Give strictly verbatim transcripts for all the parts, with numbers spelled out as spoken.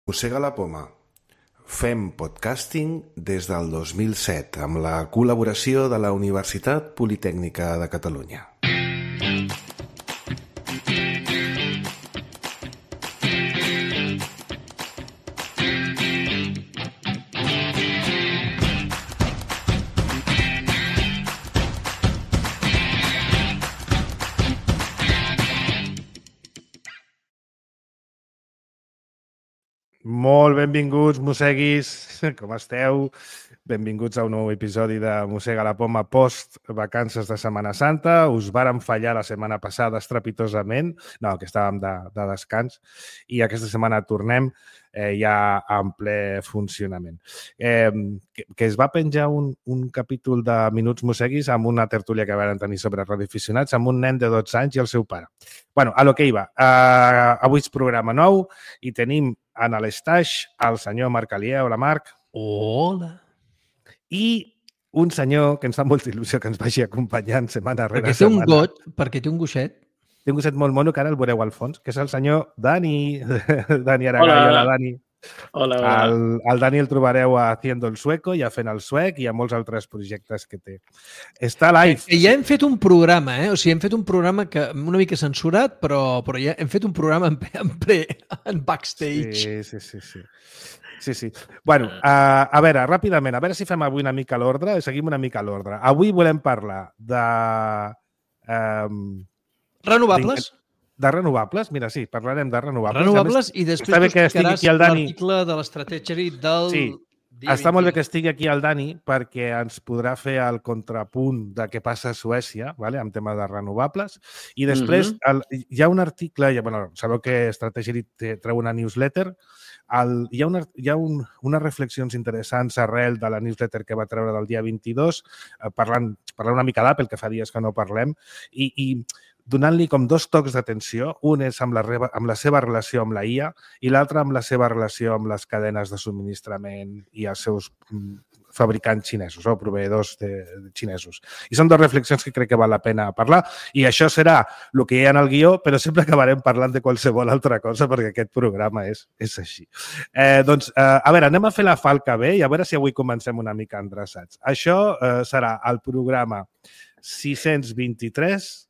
Mossega la poma. Fem podcasting des del dos mil set amb la col·laboració de la Universitat Politècnica de Catalunya. Molt benvinguts, mosseguis, com esteu? Benvinguts a un nou episodi de Mossega la poma post-vacances de Setmana Santa. Us vàrem fallar la setmana passada estrepitosament, no, que estàvem de, de descans, i aquesta setmana tornem eh, ja en ple funcionament. Eh, que, que es va penjar un, un capítol de Minuts Mosseguis amb una tertúlia que vam tenir sobre radioaficionats amb un nen de dotze anys i el seu pare. Bueno, a lo que iba. Uh, avui és programa nou i tenim en l'estaix el senyor Marc Alier. Hola, Marc. Hola. I un senyor que ens fa molta il·lusió que ens vagi acompanyant setmana rere perquè té setmana. un got, perquè té un gosset. Té un gosset molt mono, que ara el veureu al fons, que és el senyor Dani. Dani Aragall. Hola, hola Dani. Hola, hola. El, el Dani el trobareu a Haciendo el Sueco, ja fent el suec i a molts altres projectes que té. Està live. I ja hem fet un programa, eh? O sigui, hem fet un programa que una mica censurat, però, però ja hem fet un programa en, en, pre, en backstage. Sí, sí, sí, sí. Sí, sí. Bueno, uh, a veure, ràpidament, a veure si fem avui una mica l'ordre, seguim una mica l'ordre. Avui volem parlar de... Um, renovables. De renovables, mira, sí, parlarem de renovables. Renovables més, i després tu explicaràs l'article de l'estratègia del... Sí, està molt bé que estigui aquí el Dani perquè ens podrà fer el contrapunt de què passa a Suècia, vale? En tema de renovables. I després uh -huh. el, hi ha un article, ja, bueno, sabeu que Estratègia treu una newsletter, el, hi ha, una, hi ha un, unes reflexions interessants arrel de la newsletter que va treure del dia vint-i-dos, eh, parlant, parlant una mica d'Apple, que fa dies que no parlem, i, i donant-li com dos tocs d'atenció. Un és amb la, amb la seva relació amb la I A i l'altre amb la seva relació amb les cadenes de subministrament i els seus fabricants xinesos o proveïdors de, de xinesos. I són dues reflexions que crec que val la pena parlar i això serà el que hi ha en el guió, però sempre acabarem parlant de qualsevol altra cosa perquè aquest programa és, és així. Eh, doncs, eh, a veure, anem a fer la falca bé i a veure si avui comencem una mica endreçats. Això eh, serà el programa sis-cents vint-i-tres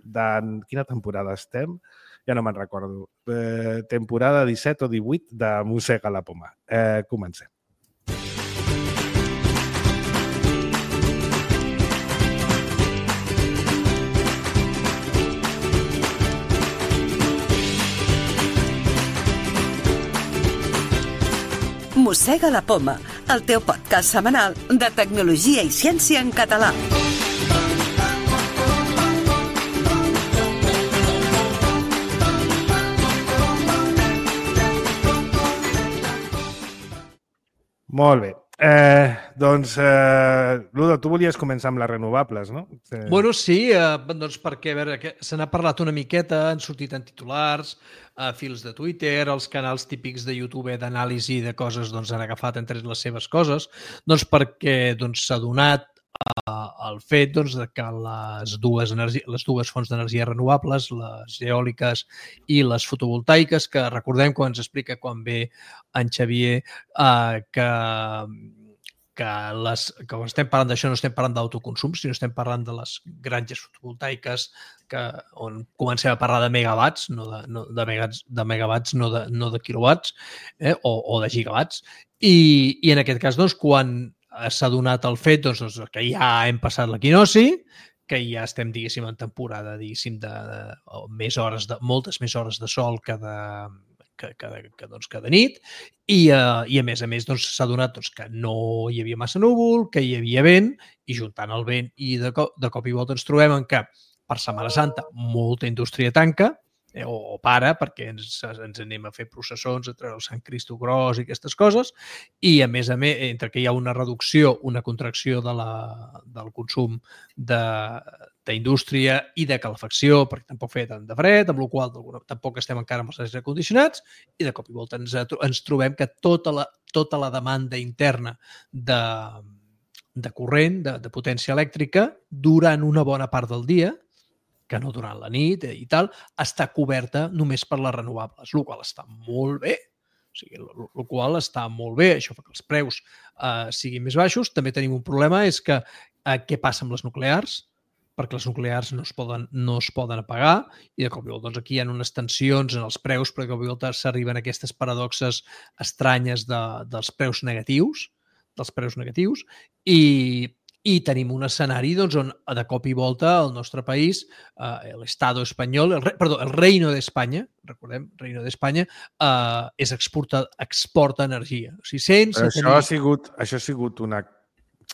de... Quina temporada estem? Ja no me'n recordo. Eh, temporada disset o divuit de Mossega la poma. Eh, comencem. Mossega la poma, el teu podcast setmanal de tecnologia i ciència en català. Molt bé. Eh, doncs, eh, Ludo, tu volies començar amb les renovables, no? Eh... Bueno, sí, eh, doncs perquè, a veure, se n'ha parlat una miqueta, han sortit en titulars, a fils de Twitter, els canals típics de YouTube d'anàlisi de coses doncs, han agafat entre les seves coses, doncs perquè doncs, s'ha donat eh, el fet doncs, de que les dues, energi... les dues fonts d'energia renovables, les eòliques i les fotovoltaiques, que recordem quan ens explica quan ve en Xavier eh, que, que, les, que quan estem parlant d'això no estem parlant d'autoconsum, sinó estem parlant de les granges fotovoltaiques que, on comencem a parlar de megawatts, no de, no, de, megawatts, de megawatts, no de, no de quilowatts eh, o, o de gigawatts. I, i en aquest cas, doncs, quan s'ha donat el fet doncs, doncs, que ja hem passat l'equinoci, que ja estem, diguéssim, en temporada, diguéssim, de, de, de més hores, de, moltes més hores de sol que de, que, que, que, doncs, que de nit, i, uh, i a més a més doncs, s'ha donat doncs, que no hi havia massa núvol, que hi havia vent, i juntant el vent i de cop, de cop i volta ens trobem en què per Setmana Santa molta indústria tanca, eh, o, o para, perquè ens, ens anem a fer processons, a treure el Sant Cristo Gros i aquestes coses, i a més a més, entre que hi ha una reducció, una contracció de la, del consum de d'indústria i de calefacció, perquè tampoc feia tant de fred, amb la qual cosa tampoc estem encara amb els aires condicionats, i de cop i volta ens, ens trobem que tota la, tota la demanda interna de, de corrent, de, de potència elèctrica, durant una bona part del dia, que no durant la nit i tal, està coberta només per les renovables, el qual està molt bé. O sigui, el qual està molt bé, això fa que els preus eh, siguin més baixos. També tenim un problema, és que eh, què passa amb les nuclears? Perquè les nuclears no es poden, no es poden apagar i de cop i volta doncs, aquí hi ha unes tensions en els preus, però de cop i volta s'arriben aquestes paradoxes estranyes de, dels preus negatius, dels preus negatius, i, i tenim un escenari doncs, on de cop i volta el nostre país, eh, l'Estado espanyol, el, perdó, el Reino d'Espanya, recordem, Reino d'Espanya, eh, és exporta, exporta energia. O sigui, sense Però això, tenir... ha sigut, això ha sigut una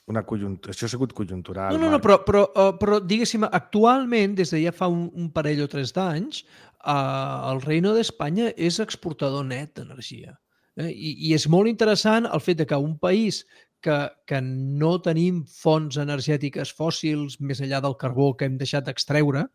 Una conjunt... Això ha sigut conjuntural. No, no, no, però, però, però diguéssim, actualment, des de ja fa un, un parell o tres d'anys, eh, el Reino d'Espanya és exportador net d'energia. Eh? I, I és molt interessant el fet de que un país que, que no tenim fonts energètiques fòssils més enllà del carbó que hem deixat d'extreure,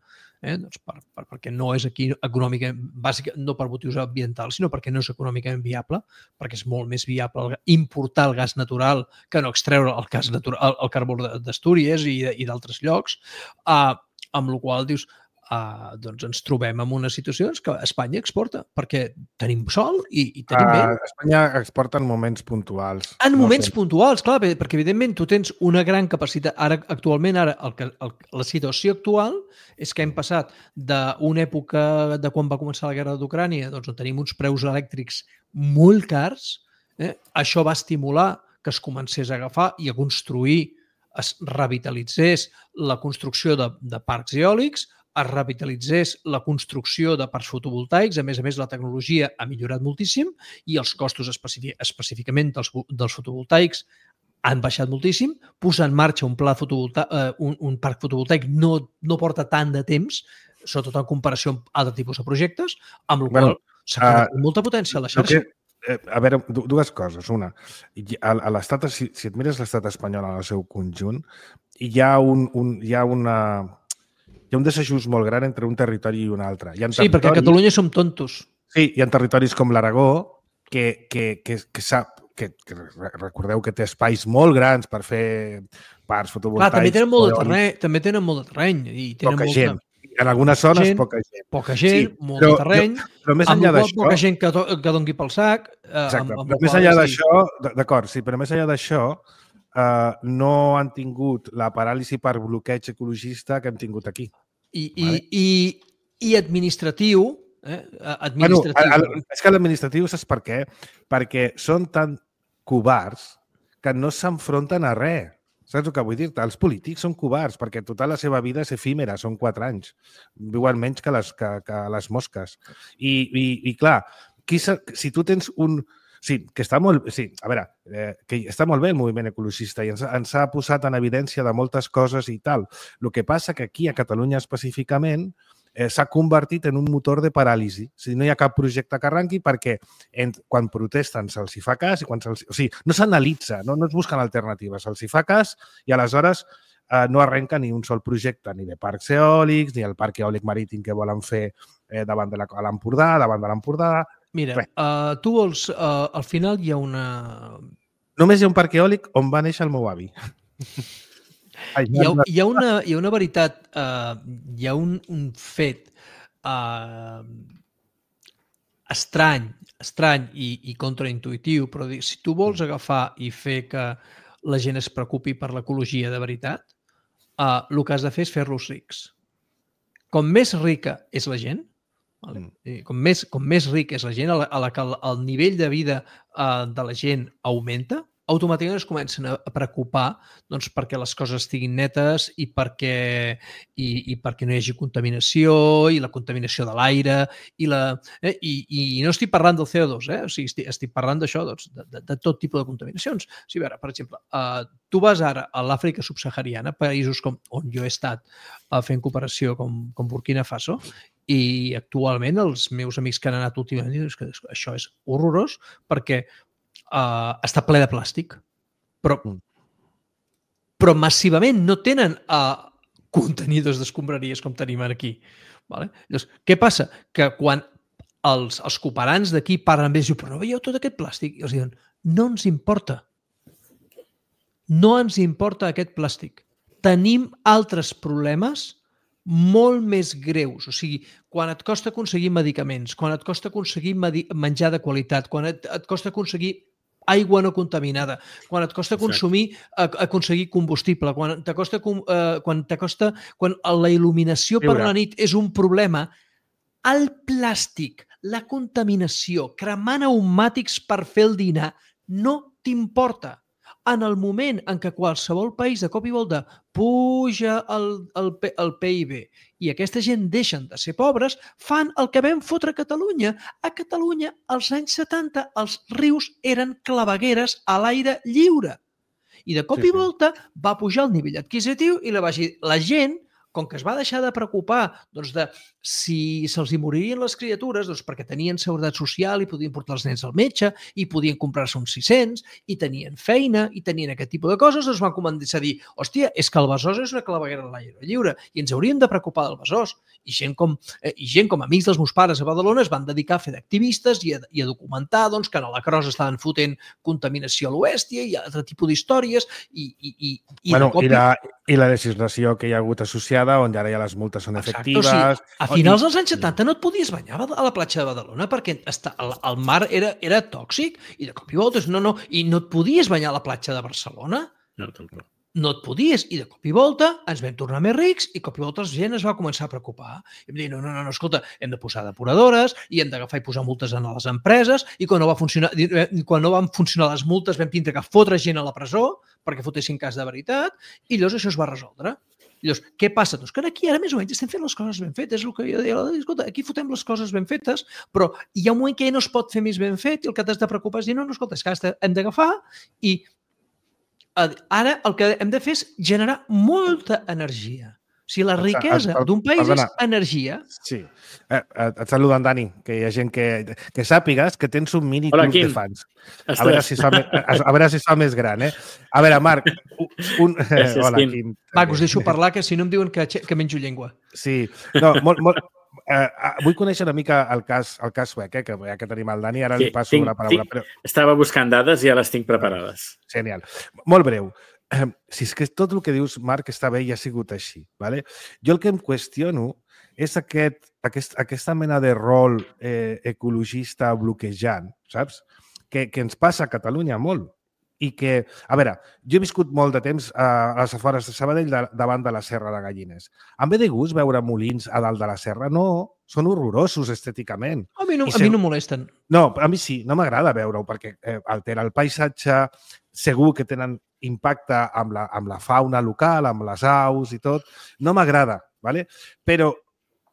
eh? doncs per, per, perquè no és aquí econòmicament, bàsica, no per motius ambientals, sinó perquè no és econòmicament viable, perquè és molt més viable importar el gas natural que no extreure el, gas natural, el, el carbó d'Astúries i, i d'altres llocs, eh, amb la qual dius, Uh, doncs ens trobem en una situació que Espanya exporta, perquè tenim sol i, i tenim uh, vent. Espanya exporta en moments puntuals. En no moments sé. puntuals, clar, perquè evidentment tu tens una gran capacitat. Ara, actualment, ara, el que, el, la situació actual és que hem passat d'una època de quan va començar la guerra d'Ucrània, doncs on tenim uns preus elèctrics molt cars, eh? Això va estimular que es comencés a agafar i a construir, es revitalitzés la construcció de, de parcs eòlics, es revitalitzés la construcció de parcs fotovoltaics. A més a més, la tecnologia ha millorat moltíssim i els costos específicament dels, dels fotovoltaics han baixat moltíssim. Posar en marxa un, pla fotovoltaic, eh, un, un parc fotovoltaic no, no porta tant de temps, sobretot en comparació amb altres tipus de projectes, amb el bueno, qual s'ha quedat uh, molta potència a la xarxa. Que, eh, a veure, dues coses. Una, a, a l'estat, si, si et mires l'estat espanyol en el seu conjunt, hi ha un, un, hi ha una... Hi ha un desajust molt gran entre un territori i un altre. Hi ha sí, perquè a Catalunya som tontos. Sí, hi ha territoris com l'Aragó que, que, que, que sap que, que recordeu que té espais molt grans per fer parcs fotovoltaics. Clar, també tenen molt de terreny, també tenen molt de terreny i tenen poca molta... gent. En algunes zones, gent, poca gent. Poca gent, sí, molt però, de terreny, però, però més enllà d'això... Poca gent que, que doni pel sac. Eh, exacte, amb, amb però més enllà d'això... D'acord, sí, però més enllà d'això eh, no han tingut la paràlisi per bloqueig ecologista que hem tingut aquí. I, vale. i, i, i administratiu, eh? administratiu. Bueno, el, és que l'administratiu, saps per què? Perquè són tan covards que no s'enfronten a res. Saps el que vull dir-te? Els polítics són covards perquè tota la seva vida és efímera, són quatre anys. Viuen menys que les, que, que les mosques. I, i, i clar, qui, si tu tens un... Sí, que està molt... Sí, a veure, eh, que està molt bé el moviment ecologista i ens, ens ha posat en evidència de moltes coses i tal. El que passa que aquí, a Catalunya específicament, eh, s'ha convertit en un motor de paràlisi. O sigui, no hi ha cap projecte que arranqui perquè en, quan protesten se'ls hi fa cas i quan se'ls... O sigui, no s'analitza, no, no es busquen alternatives, se'ls hi fa cas i aleshores eh, no arrenca ni un sol projecte, ni de parcs eòlics, ni el parc eòlic marítim que volen fer eh, davant de l'Empordà, davant de l'Empordà... Mira, uh, tu vols... Uh, al final hi ha una... Només hi ha un parc eòlic on va néixer el meu avi. Hi ha, hi ha, una, hi ha una veritat, uh, hi ha un, un fet uh, estrany, estrany i, i contraintuitiu, però si tu vols agafar i fer que la gent es preocupi per l'ecologia de veritat, uh, el que has de fer és fer-los rics. Com més rica és la gent, vale? com, més, com més ric és la gent, a la, a la que el, el nivell de vida uh, de la gent augmenta, automàticament es comencen a preocupar doncs, perquè les coses estiguin netes i perquè, i, i perquè no hi hagi contaminació i la contaminació de l'aire i, la, eh, i, i no estic parlant del C O dos, eh? O sigui, estic, estic parlant d'això, doncs, de, de, de tot tipus de contaminacions. O sigui, a veure, per exemple, uh, tu vas ara a l'Àfrica subsahariana, països com, on jo he estat uh, fent cooperació com, com Burkina Faso, i actualment els meus amics que han anat últimament diuen que això és horrorós perquè Uh, està ple de plàstic, però, però massivament no tenen uh, contenidors d'escombraries com tenim aquí. Vale? Llavors, què passa? Que quan els, els cooperants d'aquí parlen amb ells i diuen, però no veieu tot aquest plàstic? I els diuen, no ens importa. No ens importa aquest plàstic. Tenim altres problemes molt més greus. O sigui, quan et costa aconseguir medicaments, quan et costa aconseguir menjar de qualitat, quan et, et costa aconseguir aigua no contaminada, quan et costa consumir, aconseguir combustible, quan t'acosta, eh, quan t'acosta, quan la il·luminació per la nit és un problema, el plàstic, la contaminació, cremar pneumàtics per fer el dinar, no t'importa. En el moment en què qualsevol país de cop i volta puja el, el, el P I B i aquesta gent deixen de ser pobres, fan el que vam fotre a Catalunya. A Catalunya, als anys setanta, els rius eren clavegueres a l'aire lliure. I de cop sí, i volta sí. va pujar el nivell adquisitiu i la, la gent, com que es va deixar de preocupar doncs, de si se'ls hi moririen les criatures, doncs, perquè tenien seguretat social i podien portar els nens al metge i podien comprar-se uns sis-cents i tenien feina i tenien aquest tipus de coses, doncs van començar a dir, hòstia, és que el Besòs és una claveguera a l'aire lliure i ens hauríem de preocupar del Besòs. I gent com, eh, i gent com amics dels meus pares a Badalona es van dedicar a fer d'activistes i, i a documentar doncs, que a la Cros estaven fotent contaminació a l'Oestia i altre tipus d'històries i, i, i, i, bueno, de cop... i, la, i la legislació que hi ha hagut associada, on ara ja les multes són efectives... Exacte, o sigui, a finals dels anys setanta no et podies banyar a la platja de Badalona perquè està, el, el mar era, era tòxic i de cop i volta no, no, i no et podies banyar a la platja de Barcelona. No, tampoc. No et podies, i de cop i volta ens vam tornar més rics i cop i volta la gent es va començar a preocupar. I vam dir, no, no, no, escolta, hem de posar depuradores i hem d'agafar i posar multes a les empreses i quan no, va funcionar, quan no van funcionar les multes vam tindre que fotre gent a la presó perquè fotessin cas de veritat i llavors això es va resoldre. I llavors, què passa? Doncs que aquí ara més o menys estem fent les coses ben fetes, és el que jo deia, escolta, aquí fotem les coses ben fetes, però hi ha un moment que ja no es pot fer més ben fet i el que t'has de preocupar és dir, no, no, escolta, és que hem d'agafar i ara el que hem de fer és generar molta energia. O sigui, la riquesa d'un país Perdona. és energia. Sí. Eh, et saluda en Dani, que hi ha gent que, que sàpigues que tens un mini Hola, club Quim. de fans. A veure, si fa, a veure si fa més gran, eh? A veure, Marc, un... Gràcies, Hola, Quim. Quim. Marc, us deixo parlar, que si no em diuen que, que menjo llengua. Sí. No, molt... molt... Uh, vull conèixer una mica el cas, el cas suec, eh, que ja que tenim el Dani, ara sí, li passo tinc, la paraula. Tinc, però... Estava buscant dades i ja les tinc preparades. Genial. Molt breu. Uh, si és que tot el que dius, Marc, està bé i ha sigut així. Vale? Jo el que em qüestiono és aquest, aquest, aquesta mena de rol eh, ecologista bloquejant, saps? Que, que ens passa a Catalunya molt. I que, a veure, jo he viscut molt de temps a les afores de Sabadell de, davant de la Serra de Gallines. Em ve de gust veure molins a dalt de la serra? No, són horrorosos estèticament. A mi no, I a mi no molesten. No, a mi sí, no m'agrada veure-ho perquè eh, altera el paisatge, segur que tenen impacte amb la, amb la fauna local, amb les aus i tot. No m'agrada, ¿vale? Però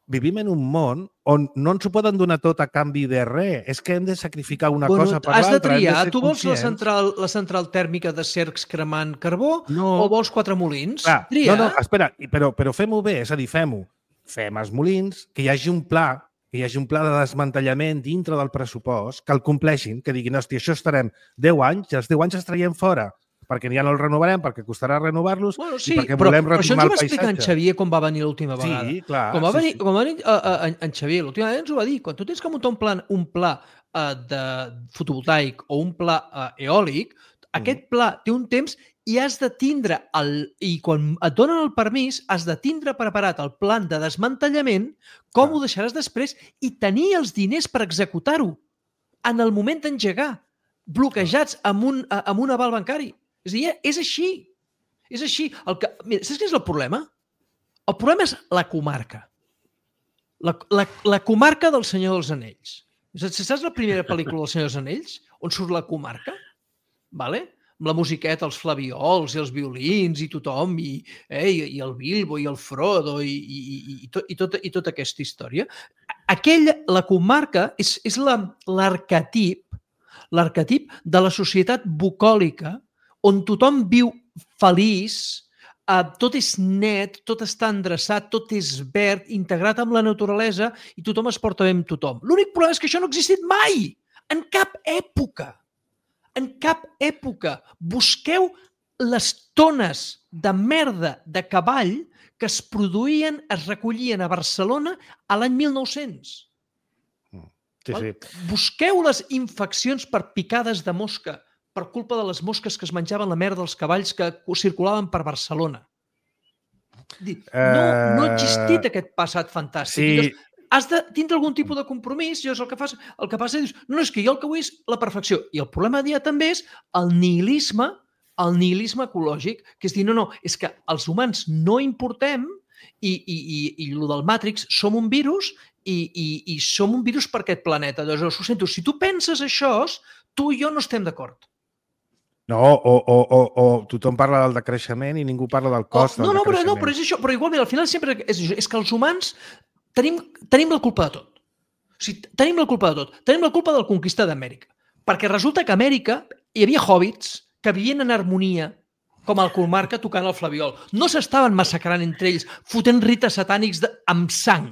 vivim en un món on no ens ho poden donar tot a canvi de res. És que hem de sacrificar una bueno, cosa per l'altra. Has de triar. De tu vols la central, la central tèrmica de Cercs cremant carbó no. o vols quatre molins? Clar, Tria. No, no, espera, però, però fem-ho bé, és a dir, fem-ho. Fem els molins, que hi hagi un pla, que hi hagi un pla de desmantellament dintre del pressupost, que el compleixin, que diguin, hòstia, això estarem deu anys, i els deu anys els traiem fora, perquè ja no els renovarem, perquè costarà renovar-los bueno, sí, i perquè però, volem però això ens ho va explicar en paisatge. Xavier quan va venir l'última vegada. Sí, clar. Com va venir, sí, sí. Com va venir uh, uh, en Xavier l'última vegada ens ho va dir. Quan tu tens que muntar un pla, un pla uh, de fotovoltaic o un pla uh, eòlic, mm. aquest pla té un temps i has de tindre, el, i quan et donen el permís, has de tindre preparat el plan de desmantellament, com ah. ho deixaràs després i tenir els diners per executar-ho en el moment d'engegar, bloquejats amb un, uh, amb un aval bancari. És a dir, és així. És així. El que, mira, saps què és el problema? El problema és la comarca. La, la, la comarca del Senyor dels Anells. Saps la primera pel·lícula del Senyor dels Anells? On surt la comarca? Vale? Amb la musiqueta, els flaviols i els violins i tothom, i, eh, i, i el Bilbo i el Frodo i, i, i, i, tot, i, tot, i tota aquesta història. Aquella, la comarca és, és l'arquetip l'arquetip de la societat bucòlica on tothom viu feliç, eh, tot és net, tot està endreçat, tot és verd, integrat amb la naturalesa i tothom es porta bé amb tothom. L'únic problema és que això no ha existit mai, en cap època. En cap època. Busqueu les tones de merda de cavall que es produïen, es recollien a Barcelona a l'any mil nou-cents. Sí, sí. Busqueu les infeccions per picades de mosca per culpa de les mosques que es menjaven la merda dels cavalls que circulaven per Barcelona. No, no ha existit aquest passat fantàstic. Sí. Llavors, has de tindre algun tipus de compromís, llavors el que fas, el que passa és, no, és que jo el que vull és la perfecció. I el problema dia també és el nihilisme, el nihilisme ecològic, que és dir, no, no, és que els humans no importem i, i, i, i el del Matrix som un virus i, i, i som un virus per aquest planeta. Llavors, ho sento, si tu penses això, tu i jo no estem d'acord. No, o, o, o, o tothom parla del decreixement i ningú parla del cost oh, no, del no, però, decreixement. no, però és això. Però igualment, al final sempre és això. És que els humans tenim, tenim la culpa de tot. O sigui, tenim la culpa de tot. Tenim la culpa del conquista d'Amèrica. Perquè resulta que a Amèrica hi havia hobbits que vivien en harmonia com el Colmarca tocant el flabiol. No s'estaven massacrant entre ells, fotent rites satànics de, amb sang.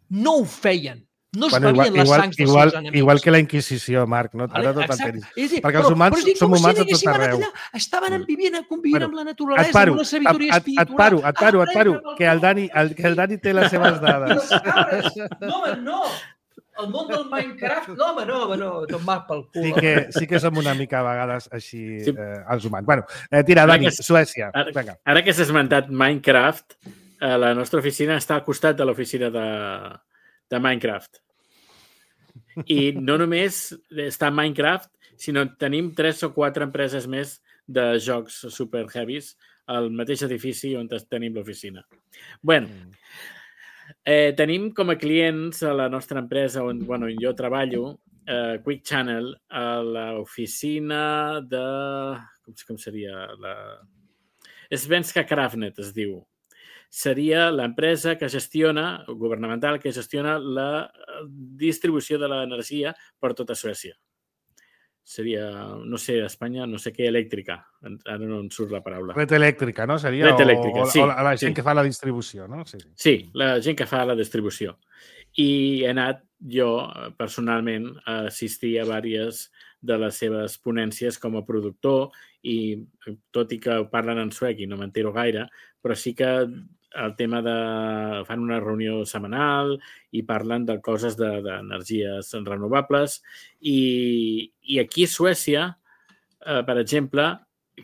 No ho feien. No es bueno, bevien igual, les sangs dels igual, seus enemics. Igual que la Inquisició, Marc, no? Ara tot el peris. Perquè però, els humans però, som humans a tot si arreu. Allà, estaven vivint, convivint bueno, amb la naturalesa, et paro, amb una sabidoria et, espiritual. Et paro, et paro, et paro, que el Dani, el, que el Dani té les seves dades. No, home, no! El món del Minecraft, no, home, no, home, no, tot mal pel cul. Sí que, sí que som una mica a vegades així sí. eh, els humans. Bueno, eh, tira, Dani, que, Suècia. Ara, Vinga. ara que s'ha esmentat Minecraft, eh, la nostra oficina està al costat de l'oficina de, de Minecraft. I no només està Minecraft, sinó tenim tres o quatre empreses més de jocs super heavies al mateix edifici on tenim l'oficina. Bé, eh, tenim com a clients a la nostra empresa on bueno, jo treballo, eh, Quick Channel, a l'oficina de... Com, com seria? La... Svenska Kraftnät es diu. Seria l'empresa que gestiona, governamental, que gestiona la distribució de l'energia per tota Suècia. Seria, no sé, Espanya, no sé què, elèctrica. Ara no em surt la paraula. Red elèctrica, no? Seria? Red elèctrica, o, sí. O la gent sí. que fa la distribució, no? Sí, sí. sí, la gent que fa la distribució. I he anat jo, personalment, a assistir a diverses de les seves ponències com a productor i, tot i que parlen en suec i no m'entero gaire, però sí que el tema de... fan una reunió setmanal i parlen de coses d'energies de, renovables i, i aquí a Suècia, eh, per exemple,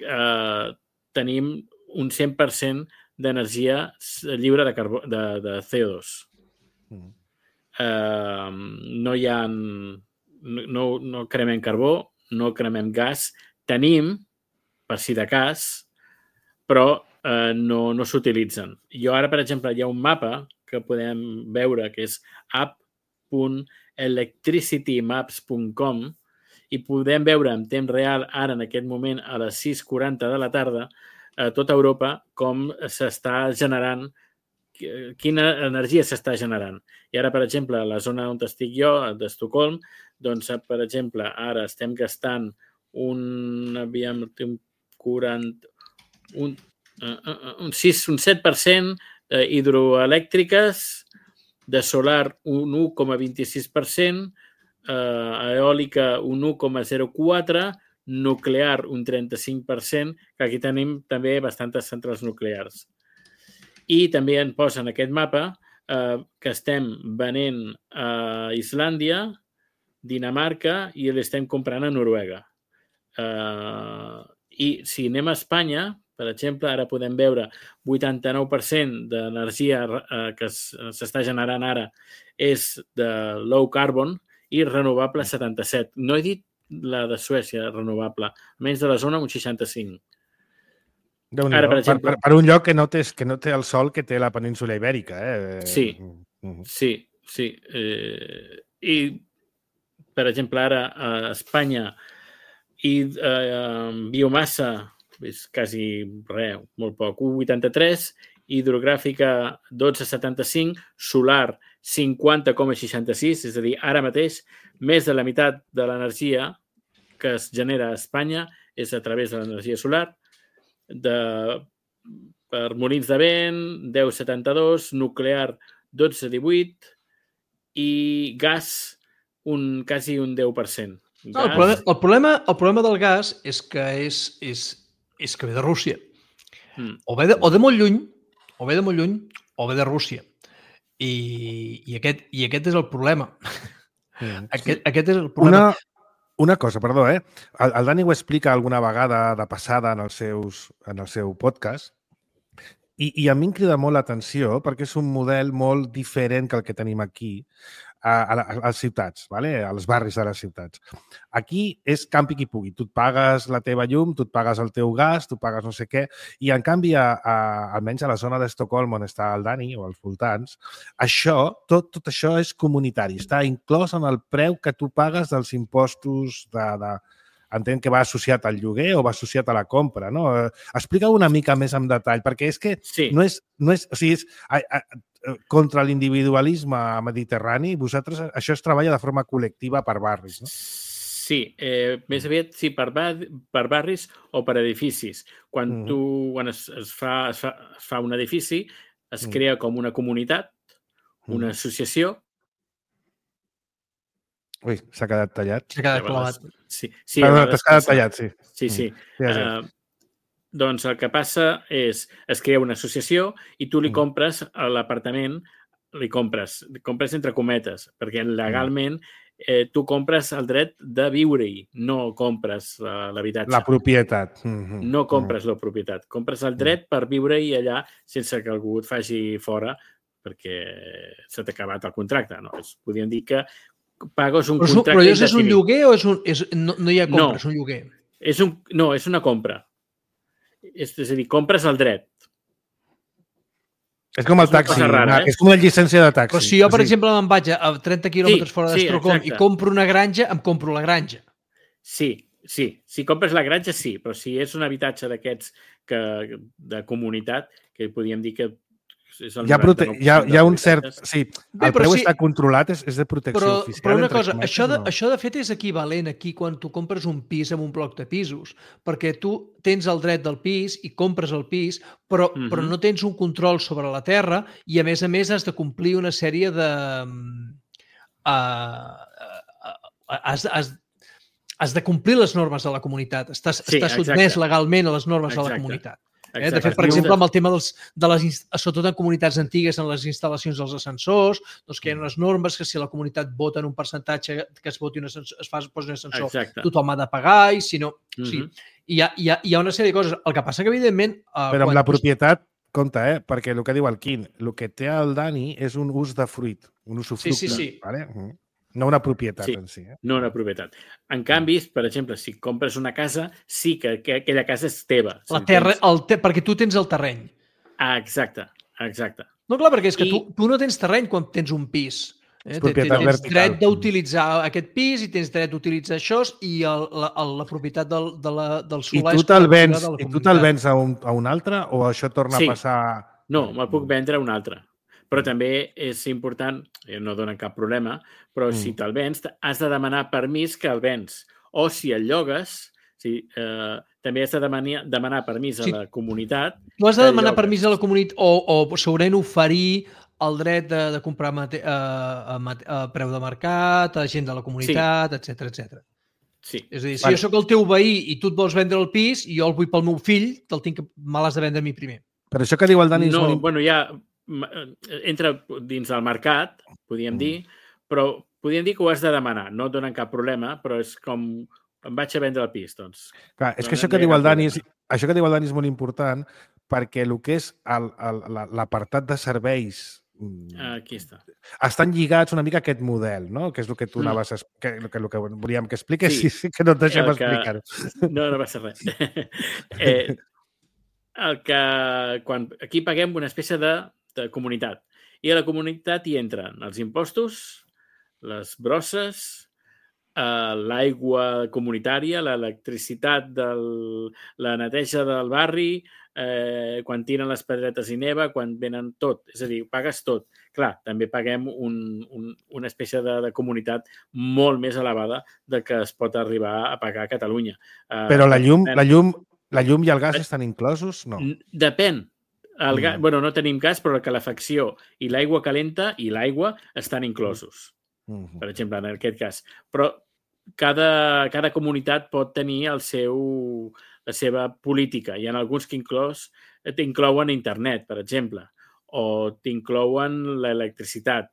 eh, tenim un cent per cent d'energia lliure de, carbó, de, de C O dos. Mm. Eh, no hi ha... No, no cremem carbó, no cremem gas. Tenim, per si de cas, però eh, no, no s'utilitzen. Jo ara, per exemple, hi ha un mapa que podem veure que és app punt electricitymaps punt com i podem veure en temps real, ara en aquest moment, a les sis quaranta de la tarda, a tota Europa, com s'està generant, quina energia s'està generant. I ara, per exemple, a la zona on estic jo, d'Estocolm, doncs, per exemple, ara estem gastant un, aviam, un quaranta, un, un, sis, un set per cent hidroelèctriques, de solar un u coma vint-i-sis per cent, eh, eòlica un u coma zero quatre, nuclear un trenta-cinc per cent, que aquí tenim també bastantes centrals nuclears. I també en posa en aquest mapa eh, que estem venent a Islàndia, Dinamarca i l'estem comprant a Noruega. Eh, I si anem a Espanya, per exemple, ara podem veure vuitanta-nou per cent d'energia eh, que s'està generant ara és de low carbon i renovable setanta-set. No he dit la de Suècia renovable, almenys de la zona un seixanta-cinc. Ara, per, exemple, per, per un lloc que no, té, que no té el sol que té la península Ibèrica. Eh? Sí, sí, sí. Eh, I, per exemple, ara a Espanya i eh, biomassa és quasi res, molt poc, un coma vuitanta-tres, hidrogràfica dotze coma setanta-cinc, solar cinquanta coma seixanta-sis, és a dir, ara mateix més de la meitat de l'energia que es genera a Espanya és a través de l'energia solar, de, per molins de vent, deu coma setanta-dos, nuclear dotze coma divuit i gas un, quasi un deu per cent. Gas... No, el, problema, el, problema, el problema del gas és que és, és, és que ve de Rússia. Mm. O, ve de, o de molt lluny, o ve de molt lluny, o ve de Rússia. I, i, aquest, i aquest és el problema. Mm. Aquest, aquest és el problema. Una... Una cosa, perdó, eh? El, el Dani ho explica alguna vegada de passada en, els seus, en el seu podcast I, I a mi em crida molt l'atenció perquè és un model molt diferent que el que tenim aquí a, a, a les ciutats, vale? Als barris de les ciutats. Aquí és campi qui pugui. Tu et pagues la teva llum, tu et pagues el teu gas, tu pagues no sé què, i en canvi, a, a, almenys a la zona d'Estocolm on està el Dani o als voltants, això, tot, tot això és comunitari. Està inclòs en el preu que tu pagues dels impostos de... de entenc que va associat al lloguer o va associat a la compra, no? Explica una mica més en detall, perquè és que sí. no és... No és o sigui, és a, a, contra l'individualisme mediterrani, vosaltres això es treballa de forma col·lectiva per barris, no? Sí, eh, més aviat sí, per, bar, per barris o per edificis. Quan mm. tu quan es, es, fa, es, fa, es fa un edifici, es mm. crea com una comunitat, una mm. associació. Ui, s'ha quedat tallat. S'ha quedat clavat. Sí, sí. Perdó, t'has quedat tallat, sí. Sí, sí. Mm. sí, sí. Uh, doncs el que passa és, es crea una associació i tu li mm. compres a l'apartament, li compres, li compres entre cometes, perquè legalment eh, tu compres el dret de viure-hi, no compres uh, l'habitatge. La propietat. Mm-hmm. No compres mm. la propietat, compres el dret per viure-hi allà sense que algú et faci fora perquè s'ha acabat el contracte. No? Es, podríem dir que pagues un però, contracte però és un lloguer o és un, és, no, no hi ha compra, no, és un lloguer? És un, no, és una compra. És, és a dir, compres el dret. És com el taxi, rara, eh? És com una llicència de taxi. Però si jo, per sí. exemple, me'n vaig a trenta quilòmetres sí, fora d'Estocolm sí, i compro una granja, em compro la granja. Sí, sí. Si compres la granja, sí. Però si és un habitatge d'aquests que de comunitat, que podríem dir que és el hi ha, prote... hi ha, hi ha un cert... Sí, Bé, el preu sí, està controlat, és, és de protecció però, oficial. Però una cosa, cometes, això de, no? això de fet és equivalent aquí quan tu compres un pis en un bloc de pisos, perquè tu tens el dret del pis i compres el pis, però, uh-huh. però no tens un control sobre la terra i, a més a més, has de complir una sèrie de... Uh, uh, has, has, has de complir les normes de la comunitat. Estàs, sí, estàs sotmès legalment a les normes exacte. De la comunitat. Eh? De fet, per exemple, amb el tema dels, de les, sobretot en comunitats antigues, en les instal·lacions dels ascensors, doncs que hi ha unes normes que si la comunitat vota en un percentatge que es voti un ascensor, es fa, es posi un ascensor, exacte. Tothom ha de pagar i si no... Mm-hmm. Sí, hi, ha, hi, ha, hi ha una sèrie de coses. El que passa que, evidentment... Uh, Però amb la propietat, compte, eh? Perquè el que diu el Quim, el que té el Dani és un ús de fruit, un usufructe. Sí, sí, sí. Vale? No una propietat sí, en si. Eh? No una propietat. En canvi, per exemple, si compres una casa, sí que, que aquella casa és teva. La terra, el te... perquè tu tens el terreny. Ah, exacte, exacte. No, clar, perquè és que I... tu, tu no tens terreny quan tens un pis. Eh? Tens vertical. Dret d'utilitzar aquest pis i tens dret d'utilitzar això i el, la, la propietat del, de la, del solar I tu te'l vens, i tu te'l vens a un, a un altre o això torna sí. a passar... No, me'l puc vendre a un altre. Però també és important, no dona cap problema, però mm. si te'l vens, has de demanar permís que el vens. O si el llogues, si, eh, també has de demanar, demanar permís a sí. la comunitat. Tu has de demanar permís a la comunitat o, o segurament oferir el dret de, de comprar mate, a, a, a preu de mercat, a gent de la comunitat, sí. etcètera, etcètera. Sí. És a dir, si vale. Jo sóc el teu veí i tu et vols vendre el pis i jo el vull pel meu fill, te'l tinc que me l'has de vendre a mi primer. Per això que diu el Dani... No, bueno, ja... entra dins del mercat, podríem mm. dir, però podríem dir que ho has de demanar. No et donen cap problema, però és com em vaig a vendre el pis, doncs. Clar, és que no, això, que diu el Dani és, això que diu el Dani és molt important perquè el que és l'apartat de serveis aquí està. Estan lligats una mica a aquest model, no? Que és el que tu mm. anaves a... Que, que, el que volíem que expliques, sí, sí, que no et deixem que... explicar-ho. No, no va ser res. eh, el que quan aquí paguem una espècie de, de comunitat i a la comunitat hi entren els impostos, les brosses, eh, l'aigua comunitària, l'electricitat, la neteja del barri, eh, quan tiren les pedretes i neva, quan venen tot, és a dir, pagues tot. Clar, també paguem un, un, una espècie de, de comunitat molt més elevada de que es pot arribar a pagar a Catalunya. Eh, Però la llum, la llum La llum i el gas estan inclosos? No. Depèn. El gas, mm. bueno, no tenim gas, però la calefacció i l'aigua calenta i l'aigua estan inclosos, mm. per exemple, en aquest cas. Però cada, cada comunitat pot tenir el seu, la seva política. Hi ha alguns que inclòs, t'inclouen internet, per exemple, o t'inclouen l'electricitat.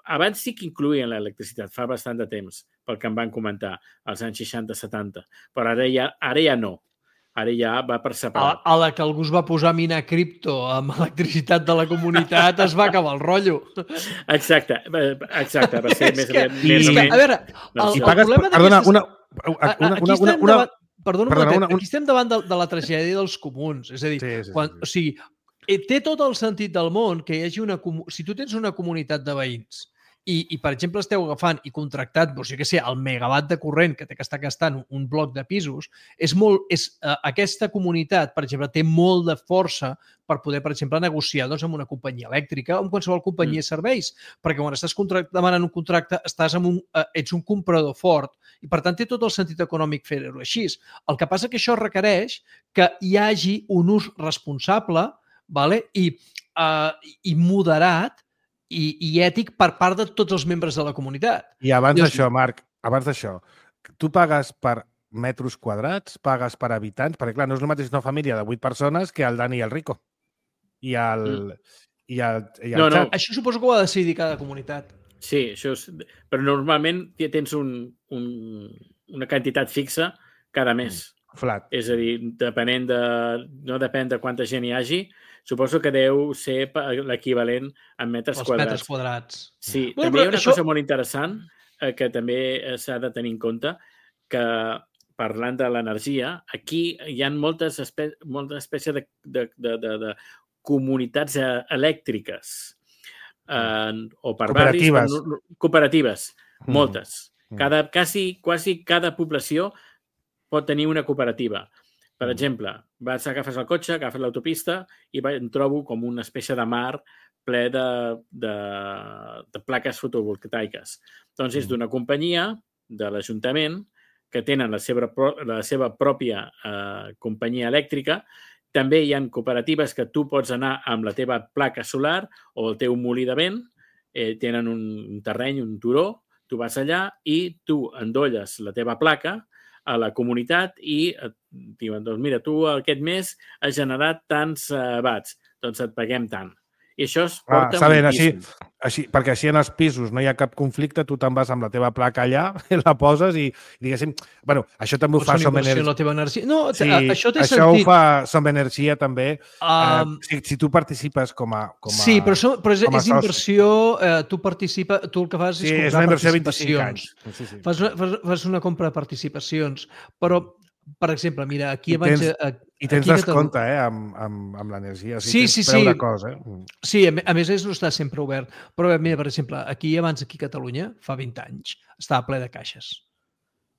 Abans sí que incloïen l'electricitat, fa bastant de temps, pel que em van comentar, als anys seixanta setanta, però ara ja, ara ja no. Ara ja va per separat. A, a la que algú es va posar a minar cripto amb electricitat de la comunitat es va acabar el rotllo. Exacte, exacte, va ser més, que, més o que, menys. a veure, el, I el pagues, problema perdona, d'aquestes... una, una, una, Aquí una, estem una, davant... Perdona un perdona, moment, una, una... aquí estem davant de, de la tragèdia dels comuns. És a dir, Sí, sí, sí, quan, sí. o sigui, té tot el sentit del món que hi hagi una... Si tu tens una comunitat de veïns i, i per exemple, esteu agafant i contractant, doncs, jo què sé, el megawatt de corrent que té que estar gastant un bloc de pisos, és molt, és, eh, aquesta comunitat, per exemple, té molt de força per poder, per exemple, negociar doncs, amb una companyia elèctrica o amb qualsevol companyia de serveis, perquè quan estàs demanant un contracte estàs amb un, eh, ets un comprador fort i, per tant, té tot el sentit econòmic fer-ho així. El que passa que això requereix que hi hagi un ús responsable, vale? I, eh, i moderat i, i ètic per part de tots els membres de la comunitat. I abans Llavors, d'això, Marc, abans d'això, tu pagues per metres quadrats, pagues per habitants, perquè clar, no és el mateix una família de vuit persones que el Dani i el Rico. I el, mm. i el, i el no, no. xat. Això suposo que ho ha de decidir cada comunitat. Sí, això és... però normalment ja tens un, un, una quantitat fixa cada mes. Flat. És a dir, depenent de... no depèn de quanta gent hi hagi, suposo que deu ser l'equivalent en metres Els quadrats. metres quadrats. Sí, Bueno, també hi ha una això... cosa molt interessant eh, que també s'ha de tenir en compte, que parlant de l'energia, aquí hi ha moltes espè molta espècie de, de, de, de, de comunitats elèctriques eh, o per cooperatives. barris, per, cooperatives, mm. moltes. Cada, quasi, quasi cada població pot tenir una cooperativa. Per exemple, vas, agafes el cotxe, agafes l'autopista i em trobo com una espècie de mar ple de, de, de plaques fotovoltaiques. Doncs és d'una companyia de l'Ajuntament que tenen la seva, la seva pròpia eh, companyia elèctrica. També hi ha cooperatives que tu pots anar amb la teva placa solar o el teu molí de vent, eh, tenen un, un terreny, un turó, tu vas allà i tu endolles la teva placa a la comunitat i et diuen, doncs mira, tu aquest mes has generat tants uh, watts, doncs et paguem tant. I això es porta ah, moltíssim. Així, així, perquè així en els pisos no hi ha cap conflicte, tu te'n vas amb la teva placa allà, la poses i, diguéssim, bueno, això també ho o fa Som Energia. Energia. La teva energia. No, sí, això té això sentit. ho fa Som Energia també. Um, eh, si, si tu participes com a, com a Sí, però, so, però és, és soci. inversió, eh, tu participa, tu el que fas sí, és comprar és una inversió de participacions. vint-i-cinc anys. Sí, sí. Fas, una, fas, fas una compra de participacions, però per exemple, mira, aquí I abans... tens, a, i tens aquí descompte, eh, amb, amb, amb l'energia. O sí, sigui, sí, tens preu sí. de cosa, eh? Sí, a més és no està sempre obert. Però mira, per exemple, aquí abans, aquí a Catalunya, fa vint anys, estava ple de caixes.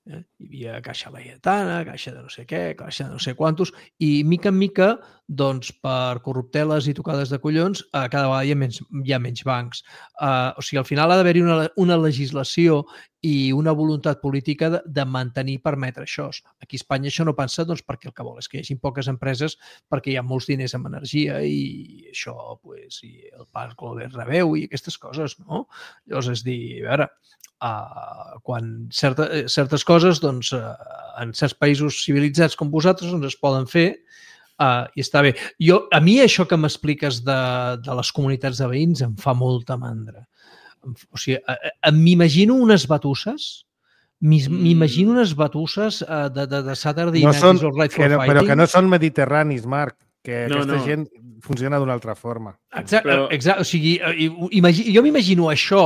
Eh? Hi havia caixa laietana, caixa de no sé què, caixa de no sé quantos, i mica en mica, doncs, per corrupteles i tocades de collons, eh, cada vegada hi ha menys, hi ha menys bancs. Eh, o sigui, al final ha d'haver-hi una, una legislació i una voluntat política de, de mantenir i permetre això. Aquí a Espanya això no passa doncs, perquè el que vol és que hi hagi poques empreses perquè hi ha molts diners en energia i això, pues, i el parc Glover rebeu i aquestes coses, no? Llavors, és dir, a veure, uh, quan certa, certes coses, doncs, uh, en certs països civilitzats com vosaltres, doncs, es poden fer uh, i està bé. Jo, a mi això que m'expliques de, de les comunitats de veïns em fa molta mandra. O sigui, m'imagino unes batusses, m'imagino unes batusses de, de, de Saturday no Night són, is All Right for que no, Fighting. Però que no són mediterranis, Marc, que no, aquesta no. gent funciona d'una altra forma. Exacte, però... exacte. O sigui, imagi, jo m'imagino això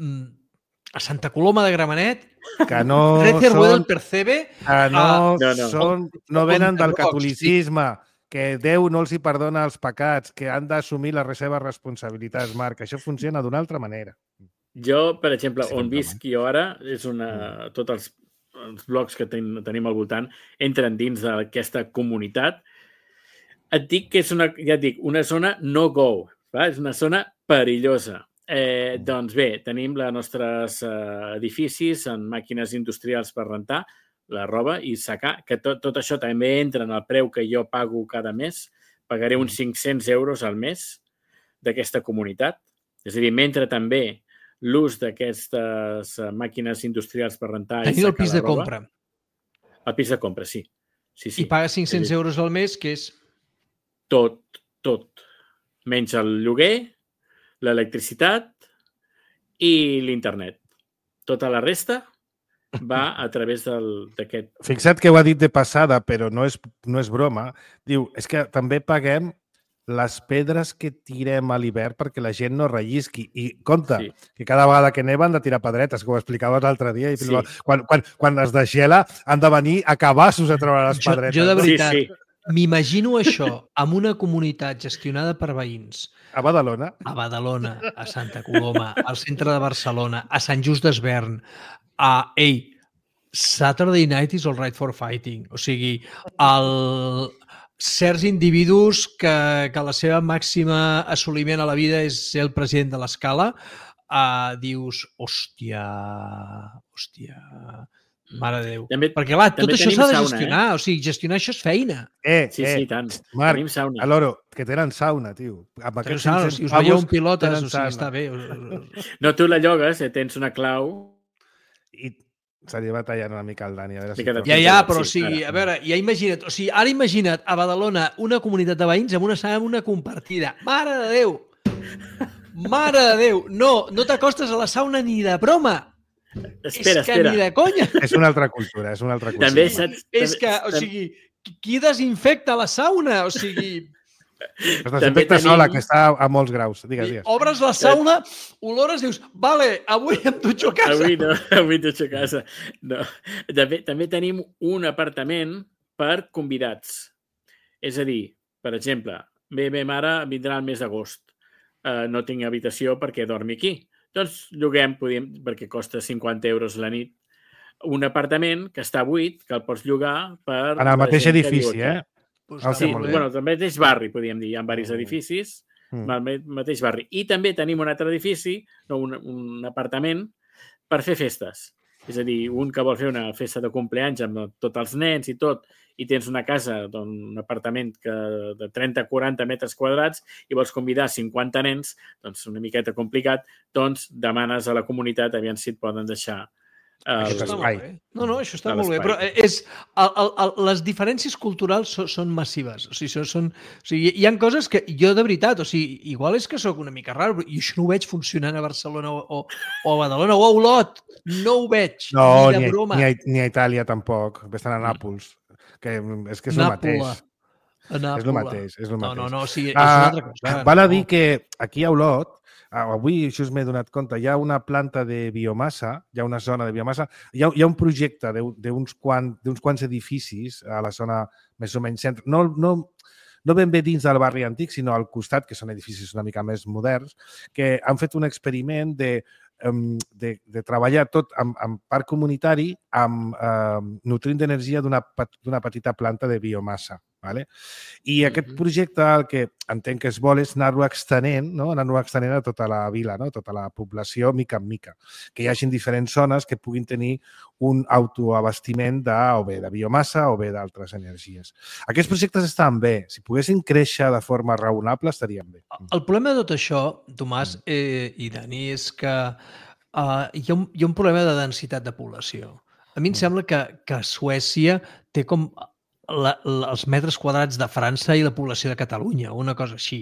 a Santa Coloma de Gramenet, que no Recervoir són, del Percebe, que no, uh, no, no. Són, no venen del catolicisme, que Déu no els hi perdona els pecats, que han d'assumir les seves responsabilitats, Marc. Això funciona d'una altra manera. Jo, per exemple, sí, on visc jo ara, és una... tots els, els blocs que ten, tenim al voltant entren dins d'aquesta comunitat. Et dic que és una, ja et dic, una zona no-go, és una zona perillosa. Eh, doncs bé, tenim els nostres eh, edificis en màquines industrials per rentar, la roba i sacar, que tot, tot això també entra en el preu que jo pago cada mes. Pagaré uns cinc-cents euros al mes d'aquesta comunitat. És a dir, mentre també l'ús d'aquestes màquines industrials per rentar i sacar la roba. Tenir el pis de compra. El pis de compra, sí. sí, sí. I paga cinc-cents euros al mes, que és... Tot, tot. Menys el lloguer, l'electricitat i l'internet. Tota la resta va a través d'aquest... Fixa't que ho ha dit de passada, però no és, no és broma. Diu, és que també paguem les pedres que tirem a l'hivern perquè la gent no rellisqui. I compte, sí. que cada vegada que neva han de tirar pedretes, com ho explicaves l'altre dia. I sí. quan, quan, quan es desgela han de venir a cabassos a treure les pedretes. Jo, jo de veritat, sí, sí. m'imagino això amb una comunitat gestionada per veïns. A Badalona. A Badalona, a Santa Coloma, al centre de Barcelona, a Sant Just d'Esvern, a, ei, Saturday Night is all right for fighting. O sigui, el, certs individus que, que la seva màxima assoliment a la vida és ser el president de l'escala, uh, dius, hòstia, hòstia, mare de Déu. També, Perquè, clar, tot això s'ha de gestionar. Eh? O sigui, gestionar això és feina. Eh, sí, eh, sí, tant. Marc, tenim sauna. a l'Oro, que tenen sauna, tio. Amb tenen sauna, si us veieu un pilotes, o sigui, està bé. No, tu la llogues, eh, tens una clau... I se li va tallant una mica el Dani. A veure si ja, ja, però sí, o sigui, a veure, ja imagina't, o sigui, ara imagina't a Badalona una comunitat de veïns amb una sala amb una compartida. Mare de Déu! Mare de Déu! No, no t'acostes a la sauna ni de broma! Espera, és que espera. ni de conya! És una altra cultura, és una altra cultura. També saps... És que, o sigui, qui desinfecta la sauna? O sigui... Es desinfecta tenim... sola, que està a molts graus. Digues, digues. Obres la sauna, olores, dius, vale, avui em dutxo a casa. Avui no, avui em dutxo a casa. No. També, també tenim un apartament per convidats. És a dir, per exemple, bé, bé, mare vindrà el mes d'agost. Uh, no tinc habitació perquè dormi aquí. Doncs lloguem, podem, perquè costa cinquanta euros la nit, un apartament que està buit, que el pots llogar per... En el mateix edifici, eh? Pues sí, bueno, el mateix barri, podríem dir. Hi ha diversos edificis, mm. el mateix barri. I també tenim un altre edifici, no, un, un apartament, per fer festes. És a dir, un que vol fer una festa de compleanys amb tots els nens i tot, i tens una casa, un apartament que, de trenta a quaranta metres quadrats i vols convidar cinquanta nens, doncs una miqueta complicat, doncs demanes a la comunitat aviam si et poden deixar El... Això està molt bé. No, no, això està molt bé. Però és, el, el, el, les diferències culturals són, són massives. O sigui, són, són, o sigui, hi ha coses que jo, de veritat, o sigui, igual és que sóc una mica raro, però jo això no ho veig funcionant a Barcelona o, o, o a Badalona o a Olot. No ho veig. No, ni de ni, broma. Ni, a, ni a Itàlia tampoc. Estan a Nàpols. Que és que és el Nàpola. mateix. És el mateix. És el mateix. No, no, no. O sigui, és una altra cosa. Uh, val a dir que aquí a Olot, avui això m'he donat compte, hi ha una planta de biomassa, hi ha una zona de biomassa, hi ha, hi ha un projecte d'uns quant, quants edificis a la zona més o menys centre, no, no, no ben bé dins del barri antic, sinó al costat, que són edificis una mica més moderns, que han fet un experiment de, de, de treballar tot amb, amb parc comunitari, amb eh, nutrint d'energia d'una petita planta de biomassa. Vale? I aquest projecte el que entenc que es vol és anar-lo extenent, no? anar-lo extenent a tota la vila, no? a tota la població, mica en mica. Que hi hagi diferents zones que puguin tenir un autoabastiment de, o bé de biomassa o bé d'altres energies. Aquests projectes estan bé. Si poguessin créixer de forma raonable, estarien bé. El problema de tot això, Tomàs eh, i Dani, és que uh, hi, ha un, hi ha un problema de densitat de població. A mi em sembla que, que Suècia té com... La, la, els metres quadrats de França i la població de Catalunya, una cosa així.